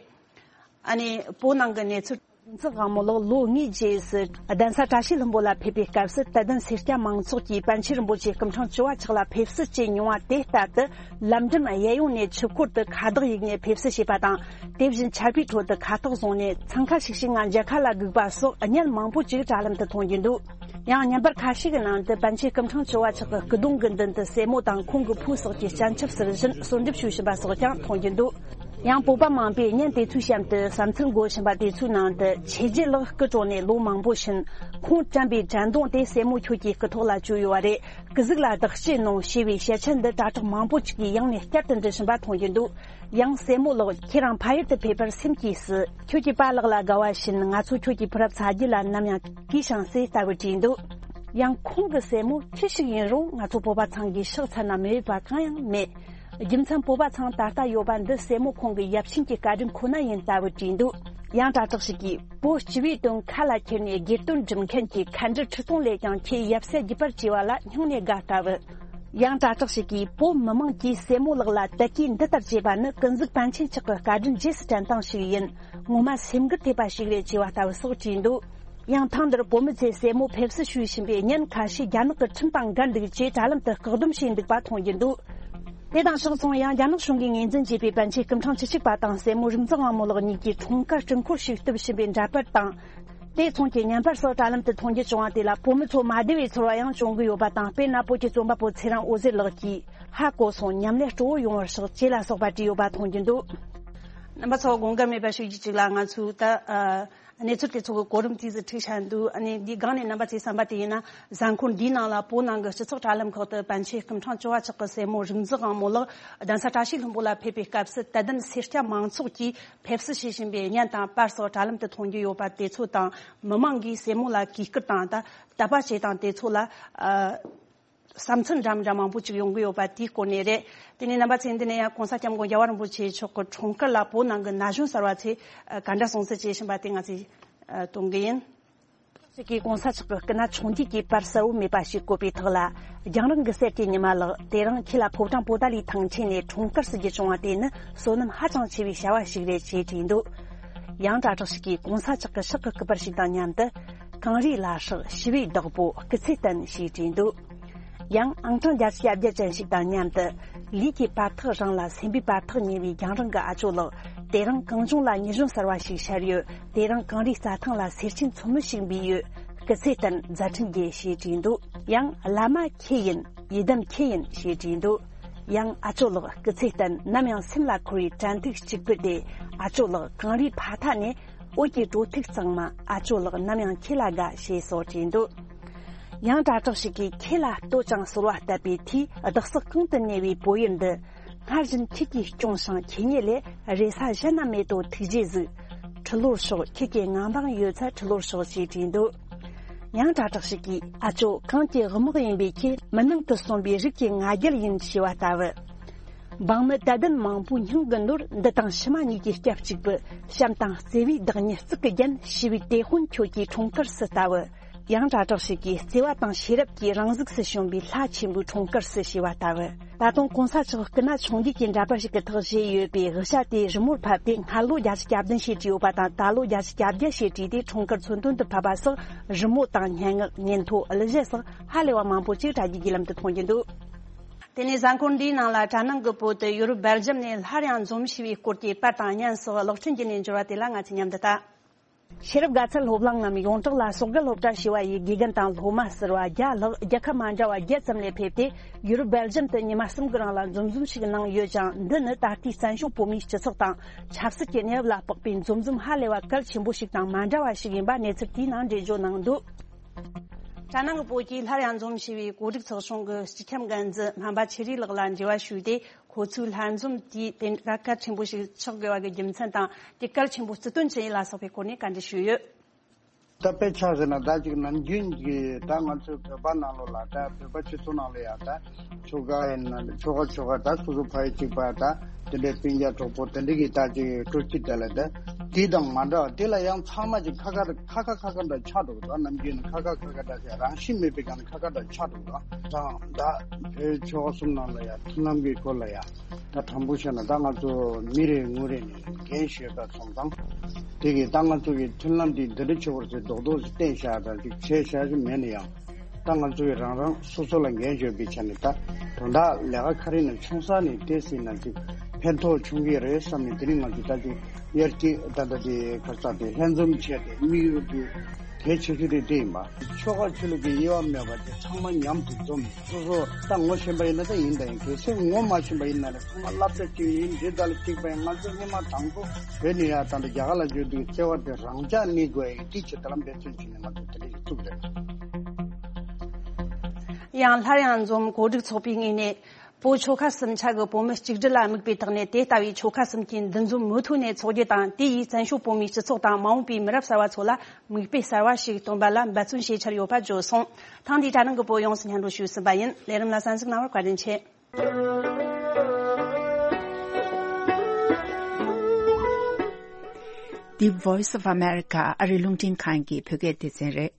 ཨ་ནི་བོད་ནང་གི་གནས་ཚུལ། ཚེ་དབང་མོ་ལགས་ལོ་ལྔའི་རྗེས་སུ་གདན་ས་བཀྲ་ཤིས་ལྷུན་པོ་ལ་ཕེབས་པའི་སྐབས་སུ། དད་ལྡན་སེར་སྐྱ་མང་ཚོགས་ཀྱིས་པཎ་ཆེན་རིན་པོ་ཆེ་སྐུ་ཕྲེང་བཅུ་བ་ཕྱོགས་ལ་ཕེབས་བསུ་བྱས་མྱོང་བ་དེ་ལྟར་དུ། ལམ་འགྲམ་གཡས་གཡོན་ནས་ཆུ་འཁོར་དུ་ཁ་བཏགས་ཡིག་ནས་ཕེབས་བསུ་བྱས་པ་དང་། དེ་བཞིན་ཆར་པའི་ཁྲོད་དུ་ཁ་ཐོག་བཟུང་ནས་འཚང་ཁ་ཤིག་ཤིག་ངང་མཇལ་ཁ་ལ་སྒུག་པ་སོགས་བརྙན་མང་པོ་ཅིག་དྲ་ལམ་དུ་མཐོང་རྒྱུ་འདུག། ཡང་བརྙན་པར་ཁ་ཤས་ཀྱི་ནང་དུ་པཎ་ཆེན་སྐུ་ཕྲེང་བཅུ་བ་མཆོག་གི་སྐུ་གདུང་གི་མདུན་དུ་སྲས་མོ་དང་ཁོང་གི་བུ་སོགས་ཀྱིས་སྤྱན་ཆབ་ཟུར་བཞིན་གསོལ་འདེབས་ཞུ་བཞིན་པ་སོགས་ཀྱང་མཐོང་རྒྱུ་འདུག། ཡང་བོད་པ་མང་པོས་བརྙན་དེ་ཚོའི་གཤམ་དུ་བསམ་ཚུལ་འགོད་བཞིན་པ་དེ་ཚོའི་ནང་དུ། ཆོས་རྗེ་ལགས་སྐུ་གྲོངས་ནས་ལོ་མང་པོ་ཕྱིན། ཁོང་དྲན་པའི་དྲན་གདུང་དེ་སྲས་མོ་ཁྱོད་ཀྱི་སྐུ་ཐོག་ལ་བཅོལ་ཡོད་པ་རེད། སྐུ་གཟུགས་ལ་བདག་སྐྱེས་གནང་ཞེས་པའི་ཞལ་ཆད་འདི་དྲ་གྲོགས་མང་པོ་ཅིག་གིས་ཡང་ནས་བསྐྱར་དུ་འབྲི་བཞིན་པ་མཐོང་རྒྱུ་འདུག། ཡང་སྲས་མོ་ལགས། ཁྱེད་རང་ཕ་ཡུལ་དུ་ཕེབས་པར་སེམས་སྐྱིད་སི། ཁྱོད་ཀྱི་པཱ་ལགས་ལ་དགའ་བ་བཞིན། ང་ཚོ་ཁྱོད་ཀྱི་བུ་རབས་ཚ་རྒྱུད་ལ་ནམ་ཡང་གུས་ཤིང་སི་ལྟ་བུ་བྲིས་འདུག། ཡང་ཁོང་གི་སྲས་མོ་ཁྱི་ཞིག་ཡིན་རུང་ང་ཚོ་བོད་པ་ཚང་གིས་ཕྱག་འཚལ་ན་མི་འོས་པ་གང་ཡང་མེད། རྒྱུ་མཚན་བོད་པ་ཚང་ད་ལྟ་ཡོད་པ་འདི་སྲས་མོ་ཁོང་གི་ཡབ་ཆེན་གྱི་བཀའ་དྲིན་ཁོ་ན་ཡིན་ལྟ་བུ་བྲིས་འདུག། ཡང་དྲ་གྲགས་ཤིག་གིས། བོད་སྤྱི་བའི་དོན་ཁ་ལ་ཁྱེར་ནས་སྒེར་དོན་སྒྲུབ་མཁན་གྱི་མཁའ་འགྲུལ་ཁྲི་སྟོང་ལས་ཀྱང་ཁྱེད་ཡབ་སྲས་བརྒྱུད་པར་བྱས་པ་ལ་སྙིང་ནས་དགའ་ལྟ་བུ། ཡང་དྲ་གྲགས་ཤིག་གིས་བོད་མི་མང་གིས་སྲས་མོ་ལགས་ལ་དད་གུས་འདི་ལྟར་བྱེད་པ་ནི་ཀུན་གཟིགས་པཎ་ཆེན་མཆོག་གི་བཀའ་དྲིན་རྗེས་སུ་དྲན་སྟངས་ཤིག་ཡིན། ངོ་མ་སེམས་འགུལ་ཐེབས་པ་ཞིག་རེད་ཅེས་པ་ལྟ་བུ་སོགས་བྲིས་འདུག་ཡང་ཐེངས་འདིར་བོད་མི་ཚོས་སྲས་མོ་ཕེབས་བསུ་ཞུ་བཞིན་པའི་བརྙན་ཁ་ཤས་རྒྱ་ནག་གི་ཁྲིམས་དང་འགལ་འདུག་ཅེས་དྲ་ལམ་དུ་བཀག་སྡོམ་བྱས་འདུག་པ་མཐོང་རྒྱུ་འདུག་དེ་དང་ཕྱོགས་མཚུངས། ཡང་རྒྱ་ནག་གཞུང་གིས་ངོས་འཛིན་བྱས་པའི་པཎ་ཆེན་སྐུ་ཕྲེང་བཅུ་གཅིག་པ་དང་སྲས་མོ་རིག་འཛིན་དབང་མོ་ལགས་གཉིས་ཀྱི་འཁྲུངས་སྐར་སྤྲུལ་འཁོར་ཞིག་གཏུབ་བཞིན་པའི་འདྲ་པར་དང་། དེ་མཚུངས་ཀྱི་བརྙན་པར་སོགས་དྲ་ལམ་དུ་མཐོང་རྒྱུ་བྱུང་བ་དེ་ལ་བོད་མི་ཚོ་མ་བདེ་བའི་ཚོར་བ་ཡང་བྱུང་གི་ཡོད་པ་དང་། དཔེར་ན་བོད་ཀྱི་རྩོམ་པ་པོ་ཚེ་རིང་འོད་ཟེར་ལགས་ཀྱིས། ཧ་གོ་སོང་། མཉམ་ལས་སྤྲོ་བོ་ཡོང་བར་ཤོག་ཅེས་ལ་སོགས་པ་བྲིས་ཡོད་པ་མཐོང་རྒྱུ་འདུག་རྣམ་པ་ཚོ་དགོངས་འགལ་མེད་པ་ཞིག་གཅིག་ལ་ང་ཚོས་ད་ཨ་གནས་ཚུལ་དེ་ཚོ་གི་གོ་རིམ་དེ་ཚོ་འཁྲིད་བཞག་འདུག་ཨ་ནི་འདིའི་སྒང་ནས་རྣམ་པ་ཚོས་བསམ་པ་དེ་ཡིན་ན། གཟའ་འཁོར་འདིའི་ནང་ལ་བོད་ནང་གི་སྤྱི་ཚོགས་དྲ་ལམ་ཁག་ཏུ་པཎ་ཆེན་སྐུ་ཕྲེང་བཅུ་བ་ཆགས་ཀྱི་སྲས་མོ་རིག་འཛིན་དབང་མོ་ལགས་གདན་ས་བཀྲ་ཤིས་ལྷུན་པོ་ལ་ཕེབས་པའི་སྐབས་སུ་དད་ལྡན་སེར་སྐྱ་མང་ཚོགས་ཀྱིས་ཕེབས་བསུ་བྱེད་བཞིན་པའི་བརྙན་དང་པར་སོགས་དྲ་ལམ་དུ་མཐོང་རྒྱུ་ཡོད་པ་དེ་ཚོ་དང་། མི་མང་གིས་སྲས་མོ་ལ་གུས་བཀུར་དང་ད་དད་པ་བྱེད་སྟངས་དེ་ཚོ་ལ་ཨ་བསམ་ཚུལ་འདྲ་མི་འདྲ་མང་པོ་ཅིག་ཡོང་གི་ཡོད་པ་དེའི་སྐོར་ནས་རེད། དེ་ནས་རྣམ་པ་ཚོས་འདི་ནས་ཡང་གོང་ས་སྐྱབས་མགོན་རྒྱལ་བ་རིན་པོ་ཆེ་མཆོག་གི་འཁྲུངས་སྐར་ལ་བོད་ནང་གི་ན་གཞོན་གསར་བ་ཚོས་ག་འདྲ་གསུང་བཤད་བྱེད་བཞིན་པ་དེ་ང་ཚོས་གཏོང་གི་ཡིན། ཞིག་གིས་གོང་ས་མཆོག་གི་སྐུ་ན་ཆུང་དུས་ཀྱི་པར་གསལ་བོ་མེད་པ་ཞིག་བཀོད་པའི་ཐོག་ལ། རྒྱང་རིང་གི་གསེར་གྱི་ཉི་མ་ལགས། དེ་རིང་ཁྱེད་ལ་ཕོ་བྲང་པོ་ཏཱ་ལའི་ཐང་ཆེན་ནས་འཁྲུངས་སྐར་ཟེར་རྒྱུ་བྱུང་བ་དེ་ནི་བསོད་ནམས་ཧ་ཅང་ཆེ་བའི་བྱ་བ་ཞིག་རེད་ཅེས་བྲིས་འདུག་ཡང་དྲ་གྲགས་ཤིག་གིས་གོང་ས་མཆོག་གི་ཕྱག་གི་སྐུ་པར་ཞིག་དང་མཉམ་དུ། གངས་རིའི་ལྷ་བསྲེགས་ཞི་བའི་བདག་པོ་སྐུ་ཚེ་བརྟན་ཞེས་བྲིས་འདུག་ཡང་ཨང་གྲངས་བརྒྱད་ཅུ་གྱ་བརྒྱད་ཅན་ཞིག་དང་མཉམ་དུ། ལུས་ཀྱི་བར་ཐག་རིང་ལ་སེམས་པའི་བར་ཐག་ཉེ་བའི་རྒྱང་རིང་གི་ཨ་ཅོ་ལགས། དེ་རིང་གངས་ལྗོངས་ལ་ཉི་གཞོན་གསར་བ་ཞིག་ཤར་ཡོད། དེ་རིང་གངས་རིའི་རྩྭ་ཐང་ལ་སེར་ཆེན་མཚོ་མོ་ཞིག་འབུས་ཡོད། སྐུ་ཚེ་བརྟན་མཛད་འཕྲིན་རྒྱས་ཞེས་བྲིས་འདུག་ཡང་བླ་མ་ཁྱེད་ཡིན། ཡི་དམ་ཁྱེད་ཡིན་ཞེས་བྲིས་འདུག་ཡང་ཨ་ཅོ་ལགས་སྐུ་ཚེ་བརྟན། ནམ་ཡང་སེམས་ལ་འཁོར་བའི་དྲན་ཐིག་གཅིག་པུ་དེ། ཨ་ཅོ་ལགས་གངས་རིའི་ཕ་མཐའ་ནས། འོད་ཀྱི་དྲོ་ཐིག་གཙང་མ། ཨ་ཅོ་ལགས་ནམ་ཡང་ཁྱེད་ལ་དགའ་ཞེས་སོགས་བྲིས་འདུག་ཡང་དྲ་གྲགས་ཤིག་གིས་ཁྱེད་ལ་བསྟོད་ཅིང་གསོལ་བ་བཏབ་པའི་མཐུས། བདག་ས་གང་དུ་གནས་པའི་བོད་ཡུལ་འདི། སྔར་བཞིན་ཁྱེད་ཀྱིས་སྐྱོང་ཞིང་ཁྱེད་ཉིད་ལས། རེ་ས་གཞན་ན་མེད་དོ་ཐུགས་རྗེས་གཟིགས། ཁྲི་ལོར་ཤོག་ཁྱེད་ཀྱི་ངང་པང་ཡོད་ཚད་ཁྲི་ལོར་ཤོག་ཅེས་བྲིས་འདུག་ཡང་དྲ་གྲགས་ཤིག་གིས། ཨ་ཅོ་གངས་ཀྱི་དབུ་དམག་ཡིན་པའི་ཁྱེད། མུན་ནང་དུ་སོན་པའི་རིགས་ཀྱི་ང་རྒྱལ་ཡིན་ཞེས་པ་ལྟ་བུ། འབངས་མི་དད་ལྡན་མང་པོའི་སྙིང་གི་ནོར། འདི་དང་ཕྱི་མ་གཉིས་ཀྱི་སྐྱབས་གཅིག་པུ། བྱམས་དང་བརྩེ་བའི་བདག་ཉིད་གཙུག་གི་རྒྱན། ཞི་བའི་དེད་དཔོན་ཁྱོད་ཀྱི་འཁྲུངས་སྐར་སུ་ལྟ་བུ། ཡང་དྲ་གྲགས་ཤིག་གིས། བརྩེ་བ་དང་ཤེས་རབ་ཀྱི་རང་གཟུགས་སུ་བྱོན་པའི་ལྷ་ཆེན་པོའི་འཁྲུངས་སྐར་སུ་ཞེས་པ་ལྟ་བུ། ད་དུང་གོང་ས་མཆོག་སྐུ་ན་ཆུང་དུས་ཀྱི་འདྲ་པར་ཞིག་གི་ཐོག་བཞེས་ཡོད་པའི་དབུ་ཞྭ་དེ་རི་མོར་ཕབ་སྟེ། སྔར་ལོ་བརྒྱད་ཅུ་གྱ་བདུན་ཞེས་བྲིས་ཡོད་པ་དང་། ད་ལོ་བརྒྱད་ཅུ་གྱ་བརྒྱད་ཞེས་བྲིས་ཏེ། འཁྲུངས་སྐར་མཚོན་དོན་དུ་ཕབ་པ་སོགས། རི་མོ་དང་སྙན་ངག་ཉིན་ཐོ། གླུ་གཞས་སོགས་ཧ་ལས་པ་མང་པོ་ཅིག་དྲ་རྒྱའི་བརྒྱུད་ལམ་དུ་མཐོང་རྒྱུ་འདུག་དེ་ནས་གཟའ་འཁོར་འདིའི་ནང་ལ་དྲ་ནང་གི་བོད་དུ་ཡུ་རོབ་སྦེལ་ཇམ་ནས་སླར་ཡང་འཛོམས་ཞེས་པའི་སྐོར་གྱི་པར་དང་བརྙན་སོགས་གློག་འཕྲིན་བརྒྱུད་ནས་འབྱོར་བ་དེ་ལ་ང་ཚོས་མཉམ་དུ་ལྟ། ཤེས་རབ་དགའ་ཚལ་སློབ་གླིང་ངམ་ཡོངས་གྲགས་ལ་ཟོག་རྒལ་སློབ་གྲྭ་ཞེས་པ་ཡི་དགེ་རྒན་དང་སློབ་མ་ཟུར་པ་བརྒྱ་ལྷག་རྒྱལ་ཁབ་མ་འདྲ་བ་བརྒྱད་ཙམ་ལས་ཕེབས་ཏེ། ཡུ་རོབ་སྦེལ་ཇམ་དུ་ཉི་མ་གསུམ་གྱི་རིང་ལ་འཛོམས་འཛོམས་ཤིག་གནང་ཡོད་ཅིང་། འདི་ནི་ད་ལྟའི་བཙན་བྱོལ་བོད་མིའི་སྤྱི་ཚོགས་དང་ཆབ་སྲིད་ཀྱི་གནས་བབ་ལ་དཔག་པའི་འཛོམས་འཛོམས་ཧ་ལས་པ་གལ་ཆེན་པོ་ཞིག་དང་མ་འདྲ་བ་ཞིག་ཡིན་པ་གནས་ཚུལ་དེའི་ནང་འགྲེལ་བརྗོད་གནང་འདུག་དྲ་ནང་གི་བོད་ཀྱི་སླར་ཡང་འཛོམས་ཞེས་པའི་གོ་སྒྲིག་ཚོགས་ཆུང་གི་སྤྱི་ཁྱབ་འགན་འཛིན་སྨན་པ་ཆོས་རིག་ལགས་ལ་འབྲེལ་བ་ཞུས་ཏེ། ཁོ་ཚོའི་ལྷན་འཛོམས་དེས་དེ་འདྲ་གལ་ཆེན་པོ་ཞིག་ཆགས་དགོས་པ་གི་རྒྱུ་མཚན་དང་། དེ་གལ་ཆེན་པོ་རྩིས་སྟོན་ཅི་ཡིན་ལ་སོགས་པའི་སྐོར་ནས་བཀའ་འདྲི་ཞུས་ཡོད། ད་དཔེ་ཆ་ཟེར་ན་ད་ཅིག་ནམ་རྒྱུན་གྱི་ད་ང་ཚོའི་བོད་པ་ནང་ལོགས་ལ། ད་བོད་པ་སྤྱི་ཚོགས་ནང་ལ་ཡ་ད་ཆོལ་ཁ་ཡིན་ན་ཆོལ་ཁ་ཆོལ་ཁ་ད་སོ་སོ་ཕ་ཡུལ་གཅིག་པ་ད་དེ་འདྲའི་སྤུན་ཀྱག་གྲོགས་པོ་དེ་འདྲ་གི་ད་ཅིག་སྤྲོ་སྐྱིད་དེ་ལ་ད་དེ་དང་མ་འདྲ་བ་དེ་ལ་ཡང་ཚང་མ་ཅིག་ཁ་ཁ་ཁ་ཁ་ཁ་འདྲ་ཆགས་འགྲོ་གི་འདུག་ནམ་རྒྱུན་ནི་ཁ་ཁ་ཁ་ཁ་འདྲ་ཟེར་རང་བཞིན་མེད་པའི་སྒང་ནས་ཁ་ཁ་འདྲ་ཆགས་འགྲོ་གི་འདུག་དང་ད་བོད་ཆོལ་ཁ་གསུམ་ནང་ལ་ཡ་མཐུན་ལམ་གྱི་སྐོར་ལ་ཡ། ད་དྲང་པོ་བཤད་ན་ད་ང་ཚོ་མི་རེ་ངོ་རེ་ནས་འགན་ཞུས་པ་སོང་ཙང་། དེ་གིས་ད་ང་ཚོ་གི་མཐུན་ལམ་འདི་འདི་འདྲ་ཆེ་བར་ཚེ་རྡོག་རྡོག་ཅིག་བསྟན་བཞག་དང་ཅིག་བྱས་བཞག་ཅིག་མེད་ན་ཡང་། ད་ང་ཚོ་གི་རང་རང་སོ་སོ་ལ་འགན་ཞུས་པའི་ཆ་ནས་ད་དོན་དག་ལས་ཀ་ག་རེ་ནས་བྱུང་ས་ནས་བལྟས་ཟིན་ན་ཅིག་ཕན་ཐོགས་བྱུང་གི་རེད་བསམ་ནས། དེ་རིང་ང་ཚོ་ད་ཅིག་དབྱར་སྐྱིད་ད་ལྟ་དེ་ཁ་ས་དེ་ལྷན་འཛོམས་བྱས་ཏེ་དམིགས་ཡུལ་དེ། གལ་ཆེ་ཤོས་དེ་དེ་ཡིན་པ། ཆོལ་ཁ་ཆོས་ལུགས་ཀྱི་དབྱེ་བ་མེད་པ་དེ་ཚང་མ་མཉམ་དུ་འཛོམས། སོ་སོ་ད་ངོ་ཤེས་པ་ཡིན་ན་ད་ཡིན་ད་ཡིན། གལ་སྲིད་ངོ་མ་ཤེས་པ་ཡིན་ན་ནི་ཚང་མ་སློབ་གྲྭ་གཅིག་ཡིན། འདི་དག་ལ་གཅིག་པ་ཡིན། ང་ཚོ་སྔོན་མ་དང་པོ་བོད་ནས་ཡར་ད་ལྟ་རྒྱ་གར་ལ་འབྱོར་དུས་བརྩེ་བ་དེ་རང་འཇགས་གནས་དགོས་ཡིན། དེ་ཆེད་དུ་ལ་འབད་བརྩོན་བྱས་ནས་ང་ཚོ་དེ་འདྲ་ཞིག་བཙུགས་རེད། ཡང་སླར་ཡང་འཛོམས་གོ་སྒྲིག་ཚོགས་པའི་ངོས་ནས། བོད་ཆོལ་ཁ་གསུམ་ཆ་གི་བོད་མི་གཅིག་སྒྲིལ་ལ་དམིགས་པའི་ཐོག་ནས། དེ་ལྟ་བུའི་ཆོལ་ཁ་གསུམ་གྱི་འདུ་འཛོམས་མུ་མཐུད་ནས་འཚོགས་རྒྱུ་དང་། དེ་ཡིས་བཙན་བྱོལ་བོད་མིའི་སྤྱི་ཚོགས་དང་མ་འོངས་པའི་མི་རབས་གསར་བ་ཚོ་ལ་མིག་དཔེ་གསར་བ་ཞིག་སྟོན་པ་ལ་འབད་བརྩོན་བྱེད་འཆར་ཡོད་པ་བརྗོད་སོང་། ཐེངས་འདིའི་དྲ་ནང་གི་བོད་ཡོངས་སུ་སྙན་སྒྲོན་ཞུས་ཟིན་པ་ཡིན། ལས་རིམ་ལ་གསན་གཟིགས་གནང་བར་བཀའ་དྲིན་ཆེ། The Voice of America ཨ་རི་རླུང་འཕྲིན་ཁང་གི་བོད་སྐད་སྡེ་ཚན་རེད།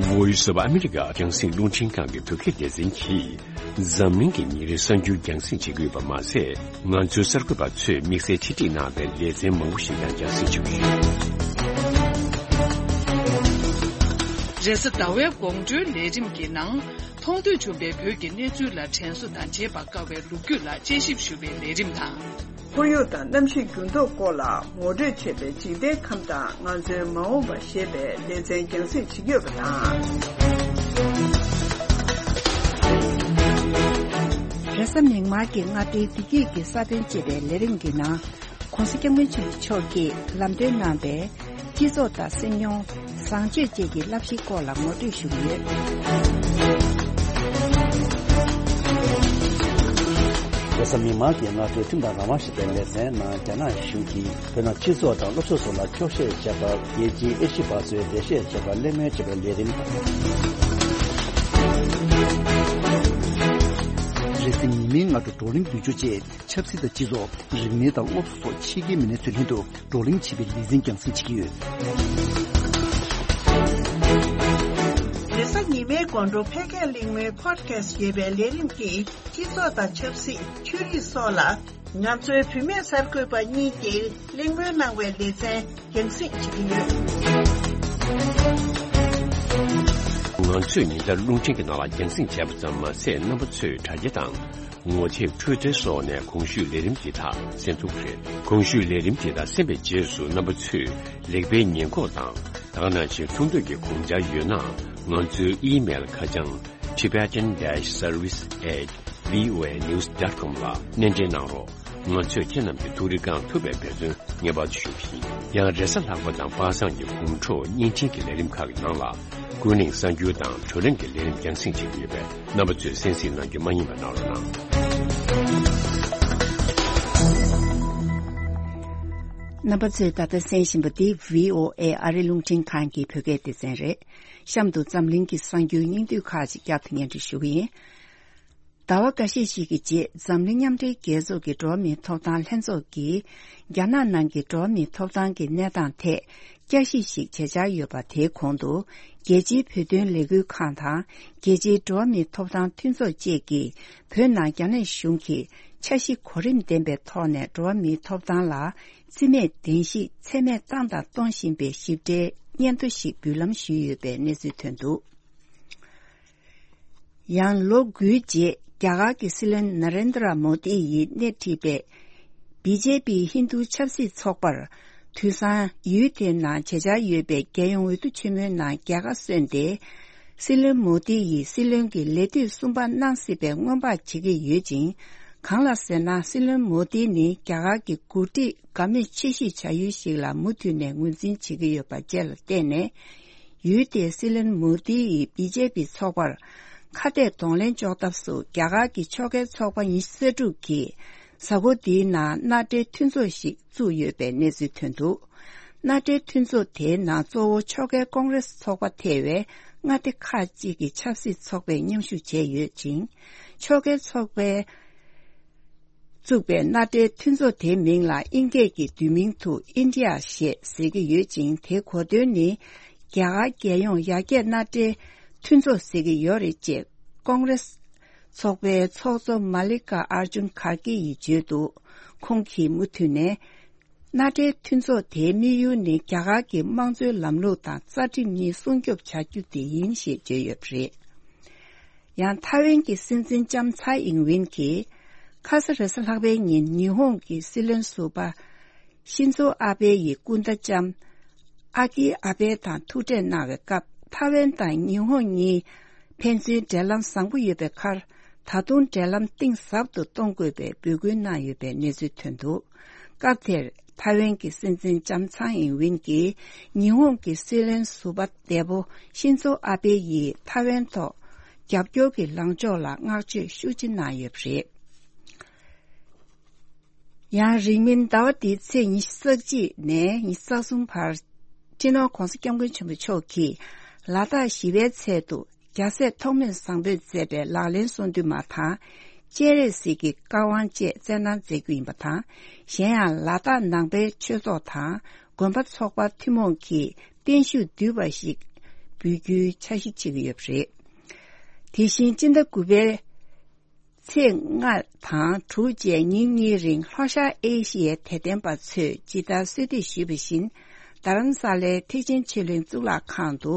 Voice of America རྒྱང་སྲིང་རླུང་འཕྲིན་ཁང་གི་བོད་སྐད་སྡེ་ཚན་གྱིས། འཛམ་གླིང་གི་ཉིན་རེའི་གསར་འགྱུར་རྒྱང་སྲིང་བྱེད་ཀྱི་ཡོད་པ་མ་ཟད། ང་ཚོའི་གསར་འགོད་པ་ཚོས་དམིགས་བསལ་ཆེད་སྒྲིག་གནང་བའི་ལེ་ཚན་མང་པོ་ཞིག་ཀྱང་རྒྱང་སྲིང་བྱེད་ཀྱི་ཡོད། རེས་གཟའ་ཟླ་བའི་དགོང་དྲོའི་ལས་རིམ་གྱི་ནང་། མཐོང་ཐོས་བྱུང་བའི་བོད་ཀྱི་གནས་ཚུལ་ལ་དྲན་གསོ་དང་བྱེད་པར་དཀའ་བའི་ལོ་རྒྱུས་ལ་དཔྱད་ཞིབ་ཞུ་བའི་ལས་རིམ་དང་། ཁོར་ཡུག་དང་གནམ་གཤིས་འགྱུར་ལྡོག་སྐོར་ལ་ངོ་སྤྲོད་བྱེད་པའི་འཇིག་རྟེན་ཁམས་དང་ང་ཚོའི་མ་འོངས་པ་ཞེས་པའི་ལེ་ཚན་རྒྱང་སྲིང་བྱེད་ཀྱི་ཡོད་པ་དང་། རེས་གཟའ་མིག་དམར་གྱི་སྔ་དྲོའི་བདེ་སྐྱིད་ཀྱི་ས་བོན་ཅེས་པའི་ལས་རིམ་གྱི་ནང་། ༸གོང་ས་༸སྐྱབས་མགོན་ཆེན་པོ་མཆོག་གིས་ལམ་སྟོན་གནང་པའི་སྤྱི་ཚོགས་དང་སེམས་མྱོང་། བཟང་སྤྱོད་བཅས་ཀྱི་བསླབ་གཞིའི་སྐོར་ལ་ངོ་སྤྲོད་ཞུ་གི་ཡོད། རེས་གཟའ་མིག་དམར་གྱི་སྔ་དྲོའི་ཁྲིམས་དང་རང་དབང་ཞེས་པའི་ལེ་ཚན་ནང་། རྒྱ་ནག་གཞུང་གིས་བོད་ནང་སྤྱི་ཚོགས་དང་སློབ་གསོ་སོགས་ལ་འཁྱོག་བཤད་བྱས་པར་རྒྱལ་སྤྱིའི་དབྱེ་ཞིབ་པ་ཚོས་འགྲེལ་བཤད་བྱས་པར་གླེང་མོལ་བྱས་པའི་ལས་རིམ་དང་། རེས་གཟའ་ཉི་མའི་སྔ་དྲོ་བགྲོ་གླེང་བསྡུས་སྦྱོར་བཅས། ཆབ་སྲིད་དང་སྤྱི་ཚོགས། རིག་གནས་དང་སློབ་གསོ་སོགས་ཕྱི་རྒྱལ་མི་སྣ་ཚོའི་མདུན་དུ་བགྲོ་གླེང་བྱེད་པའི་ལེ་ཚན་རྒྱང་སྲིང་བྱེད་ཀྱི་ཡོད། རེས་གཟའ་ཉི་མའི་དགོང་དྲོ་ཕལ་སྐད་གླེང་མོལ་Podcast ཡོད་པའི་ལས་རིམ་གྱིས་སྤྱི་ཚོགས་དང་ཆབ་སྲིད། ཆོས་རིག་སོགས་ལ་ང་ཚོའི་བུད་མེད་གསར་འགོད་པ་གཉིས་ཀྱིས་གླེང་མོལ་གནང་བའི་ལེ་ཚན་རྒྱང་སྲིང་བྱེད་ཀྱི་ཡོད། ང་ཚོས་ཉིན་ལྟར་རླུང་འཕྲིན་གྱི་ནང་ལ་རྒྱང་སྲིང་བྱས་པ་ཙམ་མ་ཟད། རྣམ་པ་ཚོས་དྲ་རྒྱ་དང་། ངོ་དེབ། Twitter སོགས་ནས་གོང་ཞུས་ལས་རིམ་འདི་དག་གསན་ཐུབ་ཀྱི་རེད། གོང་ཞུས་ལས་རིམ་འདི་དག་གསན་པའི་རྗེས་སུ་རྣམ་པ་ཚོས་ལེགས་སྤེལ་ཉེས་འགོག་དང་། ད་ག་ནང་བཞིན་ཐུགས་འདོད་ཀྱི་དགོངས་འཆར་ཡོད་ན། ང་ཚོའི་ཨི་མེལ་ཁ་བྱང་tibetan dash service at voanews dot com ལ་སྣེ་འདྲེན་གནང་རོགས། ང་ཚོས་ཁྱེད་རྣམས་ཀྱི་ཐུགས་རེ་བསྐང་ཐུབ་པའི་འབད་བརྩོན་ངེས་པར་དུ་ཞུ་གི་ཡིན། ཡང་རེས་གཟའ་ལྷག་པ་དང་པ་སངས་ཀྱི་དགོང་དྲོ་བརྙན་འཕྲིན་གྱི་ལས་རིམ་ཁག་གི་ནང་ལ། ཀུན་གླེང་གསར་འགྱུར་དང་བགྲོ་གླེང་གི་ལས་རིམ་རྒྱང་སྲིང་བྱེད་ཀྱི་ཡོད་པས། རྣམ་པ་ཚོས་གསན་གཟིགས་གནང་རྒྱུ་མ་བསྙེལ་བ་གནང་རོགས་གནང་། རྣམ་པ་ཚོས་ད་ལྟ་གསན་བཞིན་པ་འདི་བྷི་ཨོ་ཨེ་ཨ་རི་རླུང་འཕྲིན་ཁང་གི་བོད་སྐད་སྡེ་ཚན་རེད། གཤམ་དུ་འཛམ་གླིང་གི་གསར་འགྱུར་སྙིང་བསྡུས་ཁག་ཅིག་བསྐྱར་དུ་སྙན་སྒྲོན་ཞུ་གི་ཡིན། ཟླ་བ་འགའ་ཤས་ཤིག་གི་རྗེས། འཛམ་གླིང་མཉམ་འབྲེལ་རྒྱལ་ཚོགས་ཀྱི་འགྲོ་བ་མིའི་ཐོབ་ཐང་ལྷན་ཚོགས་ཀྱིས། རྒྱ་ནག་ནང་གི་འགྲོ་བ་མིའི་ཐོབ་ཐང་གི་གནས་སྟངས་ཐད་བསྐྱར་ཞིབ་ཞིག་བྱེད་འཆར་ཡོད་པ། དེའི་གོང་དུ། རྒྱལ་སྤྱིའི་བོད་དོན་ལས་འགུལ་ཁང་དང་། རྒྱལ་སྤྱིའི་འགྲོ་བ་མིའི་ཐོབ་ཐང་མཐུན་ཚོགས་བཅས་ཀྱིས། བོད་ནང་རྒྱ་ནག་གཞུང་གིས་འཆར་གཞི་གོ་རིམ་ལྡན་པའི་ཐོག་ནས་འགྲོ་བ་མིའི་ཐོབ་ཐང་ལ་རྩིས་མེད་བདེན་བཞི་ཚད་མེད་བཏང་དང་གཏོང་བཞིན་པའི་ཞིབ་ཕྲའི་སྙན་ཐོ་ཞིག་འབུལ་ལམ་ཞུས་ཡོད་པའི་གནས་ཚུལ་ཐོན་འདུག། ཡང་ལོ་དགུའི་རྗེས། རྒྱ་གར་གྱི་སྲིད་བློན་ན་རེན་དྲ་མོ་དི་ཡིས་སྣེ་ཁྲིད་པའི་བི་ཇེ་པི་ཧིན་རྡུ་ཆབ་སྲིད་ཚོགས་པར། དུས་སང་ཡུལ་དེའི་ནང་བྱེད་འཆར་ཡོད་པའི་རྒྱལ་ཡོངས་འོས་བསྡུ་ཆེན་མོའི་ནང་རྒྱལ་ཁ་སོན་ཏེ། སྲིད་བློན་མོ་དི་ཡིས་སྲིད་བློན་གྱི་ལས་དུས་གསུམ་པ་གནང་སྲིད་པའི་སྔོན་དཔག་བྱེད་ཀྱི་ཡོད་ཅིང་། གང་ལ་ཟེར་ན། སྲིད་བློན་མོ་དི་ནི་རྒྱ་གར་གྱི་འགོ་ཁྲིད་དགའ་མོས་ཆེ་ཤོས་བྱ་ཡུལ་ཞིག་ལ་མུ་མཐུད་ནས་ངོས་འཛིན་བྱེད་ཀྱི་ཡོད་པ་བཅས་ལ་བརྟེན་ནས། ཡུལ་དེའི་སྲིད་བློན་མོ་དི་ཡིས་བི་ཇེ་པི་ཚོགས་པར་ཁ་གཏད་གདོང་ལེན་གཅོག་ཐབས་སུ། རྒྱ་གར་གྱི་ཕྱོགས་འགལ་ཚོགས་པ་ཉི་ཤུ་རྩ་དྲུག་གིས་གཟའ་འཁོར་འདིའི་ནང་མནའ་འབྲེལ་མཐུན་ཚོགས་ཤིག་བཙུགས་ཡོད་པའི་གནས་ཚུལ་ཐོན་འདུག། མནའ་འབྲེལ་མཐུན་ཚོགས་དེའི་ནང་གཙོ་བོ་ཕྱོགས་འགལ་ཀོང་རེ་སི་ཚོགས་པ་ཐེ་བའི་མངའ་སྡེ་ཁག་ཅིག་གི་ཆབ་སྲིད་ཚོགས་པས་མཉམ་ཞུགས་བྱས་ཡོད་ཅིང་། ཕྱོགས་འགལ་ཚོགས་པའི་བཙུགས་པའི་མནའ་འབྲེལ་མཐུན་ཚོགས་དེའི་མིང་ལ་དབྱིན་སྐད་ཀྱི་བསྡུས་མིང་དུ་ཨིན་ཌི་ཡ་ཞེས་ཟེར་གྱི་ཡོད་ཅིང་། དེའི་གོ་དོན་ནི་རྒྱ་གར་རྒྱལ་ཡོངས་ཡར་རྒྱས་མནའ་འབྲེལ་མཐུན་ཚོགས་ཟེར་གྱི་ཡོད་རེད་ཅེས་ཀོང་རེ་སི་ཚོགས་པའི་ཚོགས་གཙོ་མ་ལི་ཀ་ཨར་ཇུན་གྷར་གྷི་ཡིས་བརྗོད་འདུག། ཁོང་གིས་མུ་མཐུད་ནས། མནའ་འབྲེལ་མཐུན་ཚོགས་དེའི་དམིགས་ཡུལ་ནི་རྒྱ་གར་གྱི་དམངས་གཙོའི་ལམ་ལུགས་དང་རྩ་ཁྲིམས་གཉིས་སྲུང་སྐྱོབ་བྱ་རྒྱུ་དེ་ཡིན་ཞེས་བརྗོད་ཡོད་པ་རེད། ཡང་ཐའེ་ཝན་གྱི་སྲིད་འཛིན་ལྕམ་ཚའེ་ཨིང་ཝིན་གྱིས། ཁ་ས་རེས་གཟའ་ལྷག་པའི་ཉིན་ཉི་ཧོང་གི་སྲིད་བློན་ཟུར་པ་ཤིན་ཛོ་ཨ་བྷེ་ཡི་སྐུ་ཟླ་ལྕམ་ཨ་ཀི་ཨ་བྷེ་དང་ཐུག་འཕྲད་གནང་བའི་སྐབས། ཐའེ་ཝན་དང་ཉི་ཧོང་གཉིས་ཕན་ཚུན་འབྲེལ་ལམ་བཟང་པོ་ཡོད་པའི་ཁར། ད་དུང་འབྲེལ་ལམ་གཏིང་ཟབ་ཏུ་གཏོང་དགོས་པའི་འབོད་སྐུལ་གནང་ཡོད་པའི་གནས་ཚུལ་ཐོན་འདུག། སྐབས་དེར་ཐའེ་ཝན་གྱི་སྲིད་འཛིན་ལྕམ་ཚའེ་ཨིང་ཝིན་གྱིས་ཉི་ཧོང་གི་སྲིད་བློན་ཟུར་པ་འདས་པོ་ཤིན་ཛོ་ཨ་བྷེ་ཡིས་ཐའེ་ཝན་ཐོག་རྒྱབ་སྐྱོར་གྱི་ལངས་ཕྱོགས་ལ་བསྔགས་བརྗོད་ཤུགས་ཆེ་གནང་ཡོད་པ་རེད། ཡང་རིང་མིན་ཟླ་བ་འདིའི་ཚེས་ཉི་ཤུ་རྩ་གཅིག་ནས་ཉི་ཤུ་རྩ་གསུམ་བར། སྤྱི་ནོར་༸གོང་ས་༸སྐྱབས་མགོན་ཆེན་པོ་མཆོག་གིས་ལ་དྭགས་བཞི་པའི་ཚལ་དུ་རྒྱལ་སྲས་ཐོགས་མེད་བཟང་པོས་མཛད་པའི་ལག་ལེན་གསུང་འདུས་མ་དང་། སྤྱན་རས་གཟིགས་ཀྱི་བཀའ་དབང་བཅས་སྩལ་གནང་མཛད་རྒྱུ་ཡིན་པ་དང་། གཞན་ཡང་ལ་དྭགས་ནང་པའི་ཆོས་ཚོགས་དང་དགོན་པ་ཚོགས་པ་ཐུན་མོང་གིས་བརྟན་བཞུགས་བསྡུས་པ་ཞིག་ འབུལ་རྒྱུའི་འཆར་གཞི་བྱེད་ཀྱི་ཡོད་པ་རེད། དེ་བཞིན་སྤྱི་ཟླ་དགུ་པའི་ཚེས་ལྔ་དང་དྲུག་བཅས་ཉིན་གཉིས་རིང་ལྷོ་ཤར་ཨེ་ཤི་ཡའི་དད་ལྡན་པ་ཚོས་ཇི་ལྟར་གསོལ་འདེབས་ཞུས་པ་བཞིན། རྡ་རམ་ས་ལའི་ཐེག་ཆེན་ཆོས་གླིང་གཙུག་ལག་ཁང་དུ།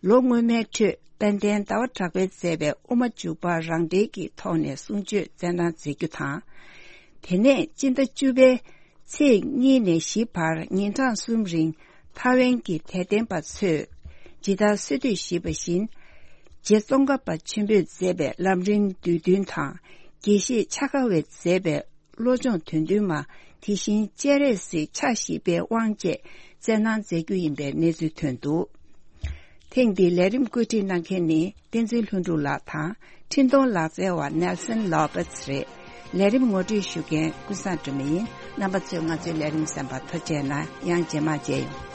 ལོ་སྔོན་མའི་འཕྲོས་དཔལ་ལྡན་ཟླ་བ་གྲགས་པས་མཛད་པའི་དབུ་མ་འཇུག་པ་རང་འགྲེལ་གྱི་ཐོག་ནས་གསུང་ཆོས་སྩལ་གནང་མཛད་རྒྱུ་དང་། དེ་ནས་སྤྱི་ཟླ་བཅུ་པའི་ཚེས་གཉིས་ནས་བཞི་བར་ཉིན་གྲངས་གསུམ་རིང་ཐའེ་ཝན་གྱི་དད་ལྡན་པ་ཚོས་ཇི་ལྟར་གསོལ་འདེབས་ཞུས་པ་བཞིན། རྗེ་ཙོང་ཁ་པ་ཆེན་པོས་མཛད་པའི་ལམ་རིམ་བསྡུས་འདོན་དང་། དགེ་བཤེས་ཕྱག་དཀར་བས་མཛད་པའི་བློ་སྦྱོང་དོན་བདུན་མ། དེ་བཞིན་སྤྱན་རས་གཟིགས་ཕྱག་བཞི་པའི་དབང་བཅས་སྩལ་གནང་མཛད་རྒྱུ་ཡིན་པའི་གནས་ཚུལ་ཐོན་འདུག། ཐེངས་འདིའི་ལས་རིམ་བཀོད་སྒྲིག་གནང་མཁན་ནི་བསྟན་འཛིན་ལྷུན་གྲུབ་ལགས་དང་། འཕྲིན་གཏོང་ལག་རྩལ་བ་ནེལ་སན་ལོ་པེ་སི་རེད། ལས་རིམ་ངོ་སྤྲོད་ཞུ་མཁན་ཀུན་བཟང་སྒྲོལ་མ་ཡིན། རྣམ་པ་ཚོས་ང་ཚོའི་ལས་རིམ་གསན་པར་ཐུགས་རྗེ་གནང་། ཡང་རྗེས་མ་མཇལ་ཡོང་།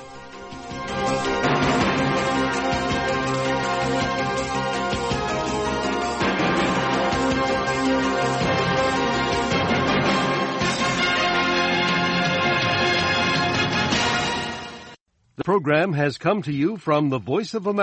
The program has come to you from the Voice of America.